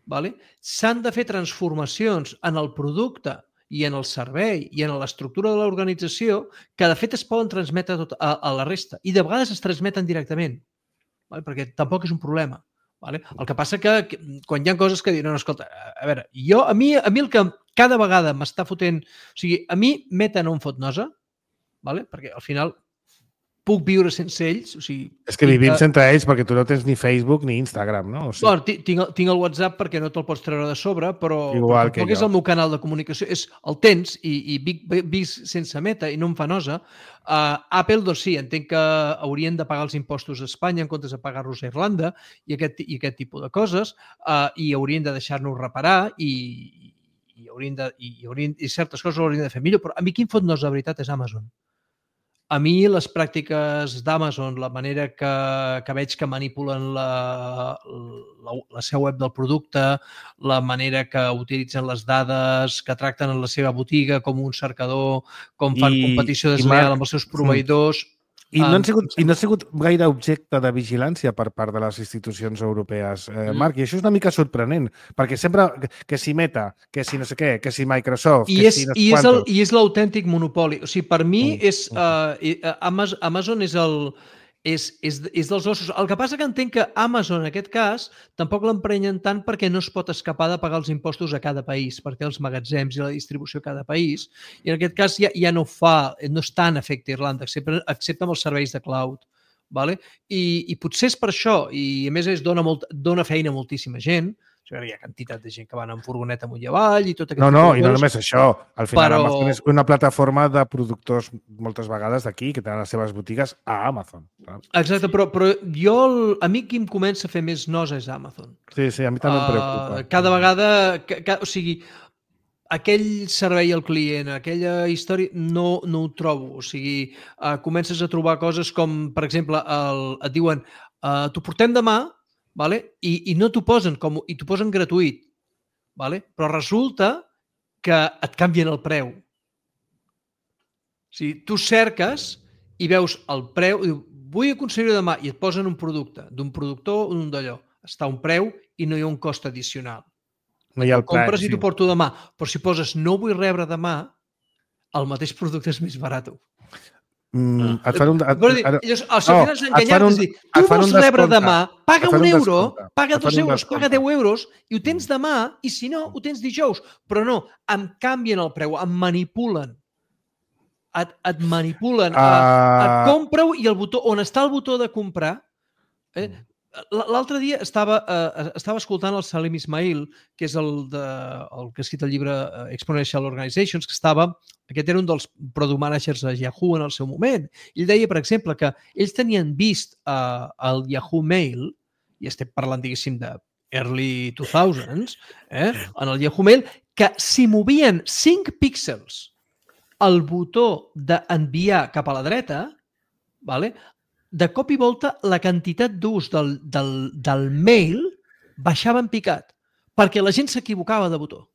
vale, s'han de fer transformacions en el producte i en el servei i en l'estructura de l'organització que de fet es poden transmetre tot a, a la resta i de vegades es transmeten directament, vale, perquè tampoc és un problema. Vale? El que passa que, que quan hi ha coses que diuen, no, escolta, a veure, jo, a mi, a mi el que cada vegada m'està fotent, o sigui, a mi Meta no em fot nosa, vale? Perquè al final puc viure sense ells. O sigui, és que vivim que... entre ells perquè tu no tens ni Facebook ni Instagram, no? O sigui... Bueno, tinc, tinc el WhatsApp perquè no te'l pots treure de sobre, però, Igual però tampoc és el meu canal de comunicació. És, el tens i, i vic, vic sense Meta i no em fa nosa. Uh, Apple, doncs sí, entenc que haurien de pagar els impostos a Espanya en comptes de pagar-los a Irlanda i aquest, i aquest tipus de coses uh, i haurien de deixar-nos reparar i, i, haurien de, i, haurien, i certes coses haurien de fer millor, però a mi qui em fot nosa de veritat és Amazon. A mi les pràctiques d'Amazon, la manera que, que veig que manipulen la, la, la seva web del producte, la manera que utilitzen les dades, que tracten en la seva botiga com un cercador, com fan I, competició deslleial amb els seus proveïdors... I no, han sigut, I no ha sigut gaire objecte de vigilància per part de les institucions europees, eh, Marc, i això és una mica sorprenent, perquè sempre que si Meta, que si no sé què, que si Microsoft, I que és, si no i sé és el, quantos... I és l'autèntic monopoli. O sigui, per mi Mm, és, uh, Amazon, Amazon és el... És, és, és dels ossos. El que passa que entenc que Amazon, en aquest cas, tampoc l'emprenyen tant perquè no es pot escapar de pagar els impostos a cada país, perquè els magatzems i la distribució a cada país, i en aquest cas ja, ja no ho fa, no és tan efecte Irlanda, excepte, excepte amb els serveis de cloud. vale? I, i potser és per això, i a més és dona, molt, dona feina a moltíssima gent. Hi ha quantitat de gent que van amb furgoneta amunt i avall i tot aquest No, tipus no, de i no coses. només això. Al final Però- Amazon és una plataforma de productors moltes vegades d'aquí que tenen les seves botigues a Amazon. saps? Exacte, però, però jo, el- a mi qui em comença a fer més nosa és Amazon. Sí, sí, a mi també em preocupa. Uh, cada vegada, ca, ca, o sigui, aquell servei al client, aquella història, no, no ho trobo. O sigui, uh, comences a trobar coses com, per exemple, el, et diuen uh, t'ho portem demà, vale? I, i no t'ho posen, com, i t'ho posen gratuït, vale? Però resulta que et canvien el preu. O sigui, tu cerques i veus el preu, diu, vull aconseguir-ho demà, i et posen un producte, d'un productor o d'un d'allò. Està a un preu i no hi ha un cost addicional. No hi ha el Compres preu, i sí. t'ho porto demà. Però si poses no vull rebre demà, el mateix producte és més barat. Mm, et fan un... Et, Vol dir, ara- llavors, al no, final és et enganyar, fan un- és dir, et tu fan un vols rebre descompte. demà, paga Et fan un un euro, descompte. paga Et fan dos un euros, paga descompte. deu euros i ho tens demà, i si no, ho tens dijous. Però no, em canvien el preu, em manipulen. Et, et manipulen. Ah. Uh... Et compra-ho i el botó, on està el botó de comprar, eh, l'altre dia estava, uh, estava escoltant el Salim Ismail, que és el, de, el que ha escrit el llibre uh, Exponential Organizations, que estava, aquest era un dels product managers a Yahoo en el seu moment. Ell deia, per exemple, que ells tenien vist uh, el Yahoo Mail, i estem parlant, diguéssim, de early two thousands, eh, en el Yahoo Mail, que si movien cinc píxels el botó d'enviar cap a la dreta, vale? De cop i volta la quantitat d'ús del, del, del mail baixava en picat, perquè la gent s'equivocava de botó.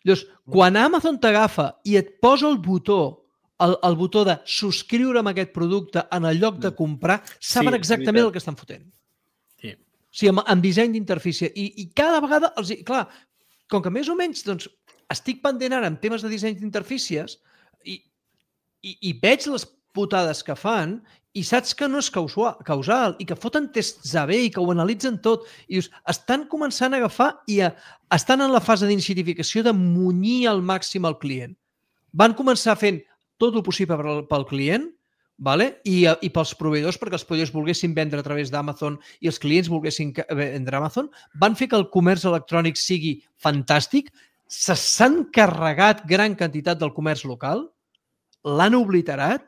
Llavors, quan Amazon t'agafa i et posa el botó, el, el botó de subscriure amb aquest producte en el lloc de comprar, saben Sí, exactament veritat. el que estan fotent. Sí. O sigui, amb, amb disseny d'interfície. I, I cada vegada, els, clar, com que més o menys doncs, estic pendent ara en temes de disseny d'interfícies i, i, i veig les putades que fan i saps que no és causal i que foten tests A B i que ho analitzen tot. I dius, estan començant a agafar i a, estan en la fase d'iniciatificació de munyir al màxim el client. Van començar fent tot el possible pel, pel client, vale? I, i pels proveïdors, perquè els proveïdors volguessin vendre a través d'Amazon i els clients volguessin vendre a Amazon, van fer que el comerç electrònic sigui fantàstic, s'han carregat gran quantitat del comerç local, l'han obliterat,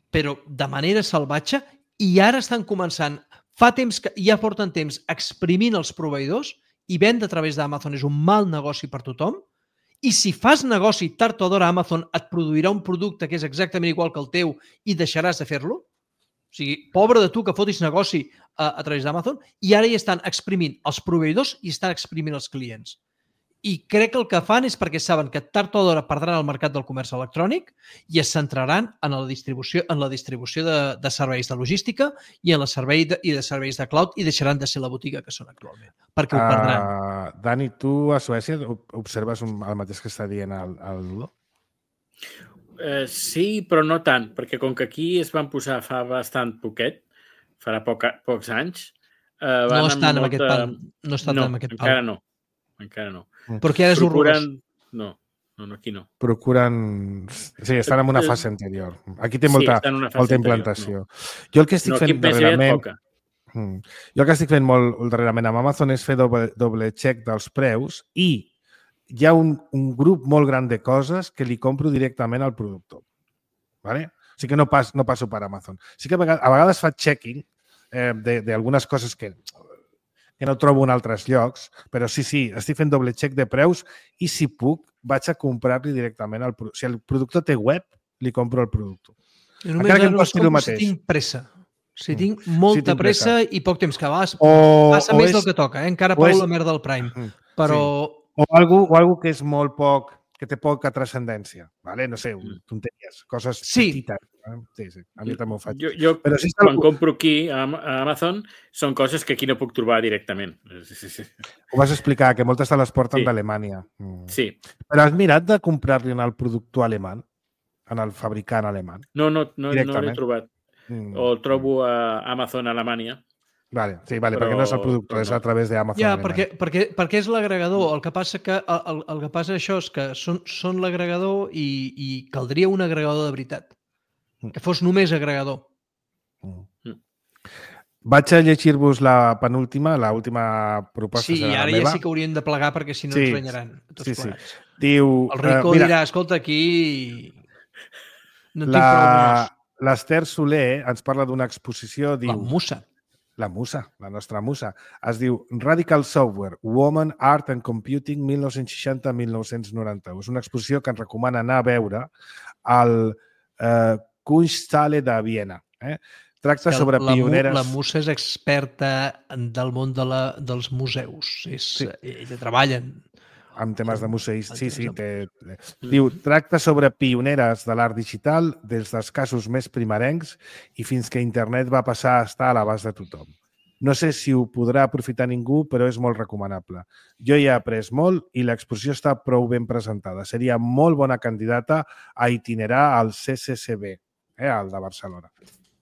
però de manera salvatge, i ara estan començant, fa temps que ja porten temps exprimint els proveïdors i vendre a través d'Amazon és un mal negoci per tothom, i si fas negoci tard o d'hora Amazon et produirà un producte que és exactament igual que el teu i deixaràs de fer-lo. O sigui, pobre de tu que fotis negoci a, a través d'Amazon, i ara ja estan exprimint els proveïdors i estan exprimint els clients. I crec que el que fan és perquè saben que tard o d'hora perdran el mercat del comerç electrònic i es centraran en la distribució, en la distribució de, de serveis de logística i en la servei de, i de serveis de cloud, i deixaran de ser la botiga que són actualment, perquè ho perdran. Uh, Dani, tu a Suècia observes un, el mateix que està dient el, el Ludo? Eh, sí, però no tant, perquè com que aquí es van posar fa bastant poquet, farà poc, pocs anys... Eh, van no estan amb molta... aquest pal. No estan no, amb aquest pal. encara no. Encara no. Perquè ara és horrorós. No, no, no, aquí no. Procuren... Sí, estan en una fase anterior. Aquí té molta, sí, molta anterior, no. implantació. Jo el que estic no, fent darrerament... Hmm. Jo el que estic fent molt darrerament amb Amazon és fer doble, doble check dels preus i hi ha un, un grup molt gran de coses que li compro directament al productor. ¿Vale? O sigui que no, pas, no passo per Amazon. Sí que a vegades, a vegades fa checking eh, d'algunes coses que... que no trobo en altres llocs, però sí, sí, estic fent doble check de preus i si puc vaig a comprar-li directament al productor. Si el productor té web, li compro el productor. Jo només Encara que em no costi el compro mateix. si tinc pressa. Si tinc molta si tinc pressa, pressa i poc temps que vas, o, passa o més és, del que toca, eh? Encara pago és, la merda del Prime. Però... Sí. O algú, o algú que és molt poc, que té poca transcendència. ¿Vale? No sé, tonteries, coses sí. petites. Sí, sí, a mi també ho faig. Jo, jo però si quan algú... compro aquí a Amazon són coses que aquí no puc trobar directament. Sí, sí, sí. Ho vas explicar, que moltes te les porten sí. d'Alemanya. Sí. Però has mirat de comprar-li en el productor alemany? En el fabricant alemany? No, no, no, no l'he trobat. Mm. O el trobo a Amazon Alemanya. Vale, sí, vale, però, perquè no és el productor, no. És a través d'Amazon. Ja, perquè, perquè, perquè és l'agregador. El que passa que el, el que passa això és que són, són l'agregador i, i caldria un agregador de veritat. Que fos només agregador. Mm. Vaig a llegir-vos la penúltima, la última proposta. Sí, i ara ja sí que hauríem de plegar perquè si no sí, ens renyaran. Tots sí, sí. plegats. Diu, el Rico uh, mira, dirà, escolta, aquí no tinc la... prou diners. L'Esther Soler ens parla d'una exposició, diu... La musa. La musa, la nostra musa. Es diu Radical Software, Woman, Art and Computing, mil nou-cents seixanta a mil nou-cents noranta-u. És una exposició que ens recomana anar a veure al eh, Kunsthalle de Viena. Eh? Tracta sobre la, pioneres... La musa és experta del món de la, dels museus. És, sí. Ella treballa en... amb temes de museis. Sí, sí. Té... Diu, tracta sobre pioneres de l'art digital des dels casos més primerencs i fins que internet va passar a estar a l'abast de tothom. No sé si ho podrà aprofitar ningú, però és molt recomanable. Jo hi he après molt i l'exposició està prou ben presentada. Seria molt bona candidata a itinerar al C C C B, eh, al de Barcelona,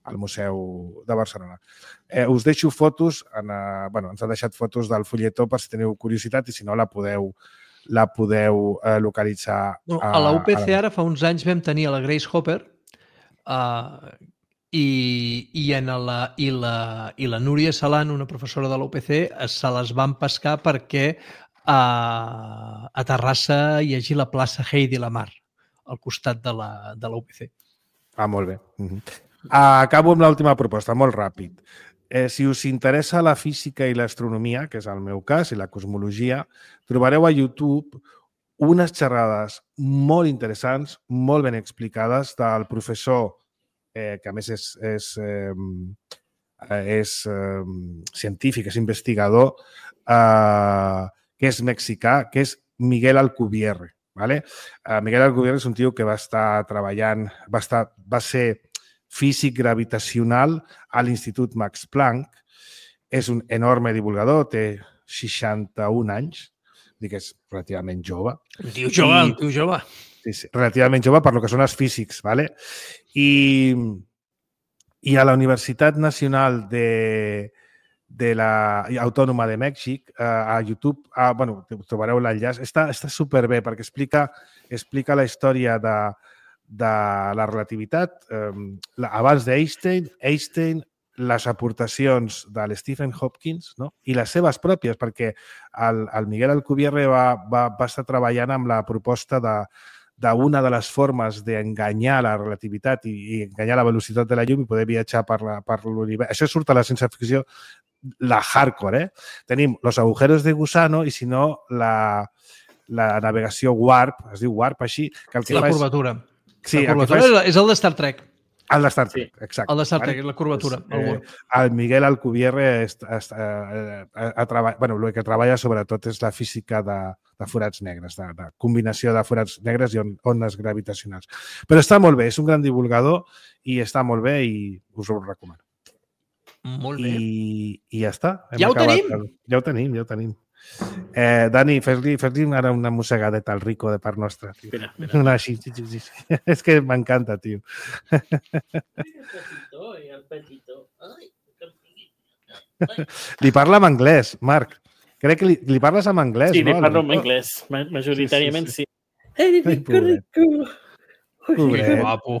al Museu de Barcelona. Eh, us deixo fotos, en, eh, bueno, ens ha deixat fotos del fulletó per si teniu curiositat i si no la podeu, la podeu eh, localitzar. No, a la U P C a la... ara fa uns anys vam tenir a la Grace Hopper uh, i, i, en la, i, la, i la Núria Salan, una professora de la U P C, se les van pescar perquè uh, a Terrassa hi hagi la plaça Heidi Lamar al costat de la, de la U P C. Ah, molt bé. Uh-huh. Acabo amb l'última proposta, molt ràpid. Eh, si us interessa la física i l'astronomia, que és el meu cas, i la cosmologia, trobareu a YouTube unes xerrades molt interessants, molt ben explicades, del professor, eh, que a més és, és, eh, és eh, científic, és investigador, eh, que és mexicà, que és Miguel Alcubierre. ¿Vale? Uh, Miguel Alcubierre és un tio que va estar treballant, va, estar, va ser físic gravitacional a l'Institut Max Planck, és un enorme divulgador, té seixanta-un anys, dic que és relativament jove. Un tio jove, I, un tio jove. Sí, sí, relativament jove per lo que són els físics, ¿vale? I, i a la Universitat Nacional de... de la Autònoma de Mèxic, eh, a YouTube, ah, bueno, trobareu l'enllaç. Està, està superbé perquè explica, explica la història de, de la relativitat. Eh, la, abans d'Einstein, Einstein, les aportacions de l'Stephen Hopkins, no? I les seves pròpies, perquè el, el Miguel Alcubierre va, va, va estar treballant amb la proposta de d'una de les formes d'enganyar la relativitat i, i enganyar la velocitat de la llum i poder viatjar per, la, per l'univers. Això surt a la ciència-ficció, la hardcore, eh? Tenim los agujeros de gusano i, si no, la, la navegació warp, es diu warp així, que el que la fa curvatura. És... Sí, la curvatura és... és el de Star Trek. El de Star Trek, sí. Exacte. El de Star Trek, vale? La curvatura. Pues, eh, el Miguel Alcubierre es, es, eh, a treball... bueno, el que treballa sobretot és la física de, de forats negres, de, de combinació de forats negres i on, ones gravitacionals. Però està molt bé, és un gran divulgador i està molt bé i us ho recomano. Molt bé. I, i ja està. Hem ja ho acabat. tenim? Ja ho tenim, ja ho tenim. Eh, Dani, fes-li fes ara una mossegadeta al Rico de part nostra. Tio. Mira, mira. Una així, sí, sí, sí. És que m'encanta, tio. El petitó, i el petitó. Ai, que... Li parla en anglès, Marc. Crec que li, li parles en anglès, sí, no? Sí, li parlo en anglès. Majoritàriament sí. sí, sí. sí. Ai, Ai, que rico. Pobret. Que guapo.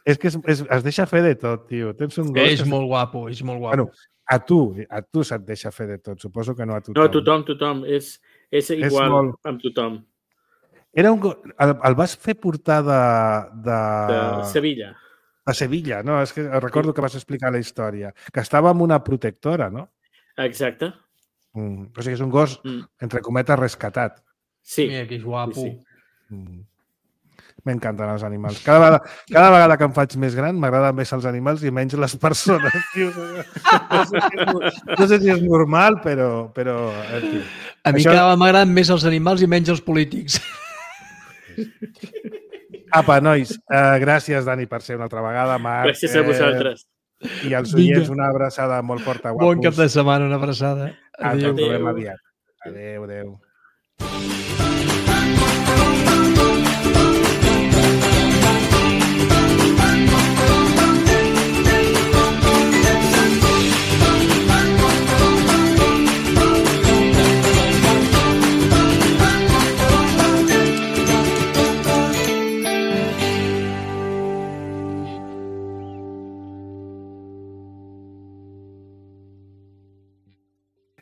És que es, es, es deixa fer de tot, tio. Tens un gos... És que... molt guapo, és molt guapo. Bueno, a tu, a tu se't deixa fer de tot. Suposo que no a tothom. No, a tothom, tothom. És, és igual és molt... amb tothom. Era un gos... El, el vas fer portar de... De, de Sevilla. A Sevilla, no? És que recordo que vas explicar la història. Que estava amb una protectora, no? Exacte. Mm. O sigui, és un gos, mm. entre cometes, rescatat. Sí. Mira, que és guapo. Sí, sí. Mm. M'encanten els animals. Cada vegada, cada vegada que em faig més gran m'agraden més els animals i menys les persones. Tio. No, sé si és, no sé si és normal, però... però tio. A mi Això... cada vegada m'agraden més els animals i menys els polítics. Apa, nois, uh, gràcies, Dani, per ser una altra vegada. Marc, gràcies a vosaltres. Eh, I als oients, una abraçada molt forta. Guapos. Bon cap de setmana, una abraçada. Adéu. Adéu. Adéu. Adéu. Adéu.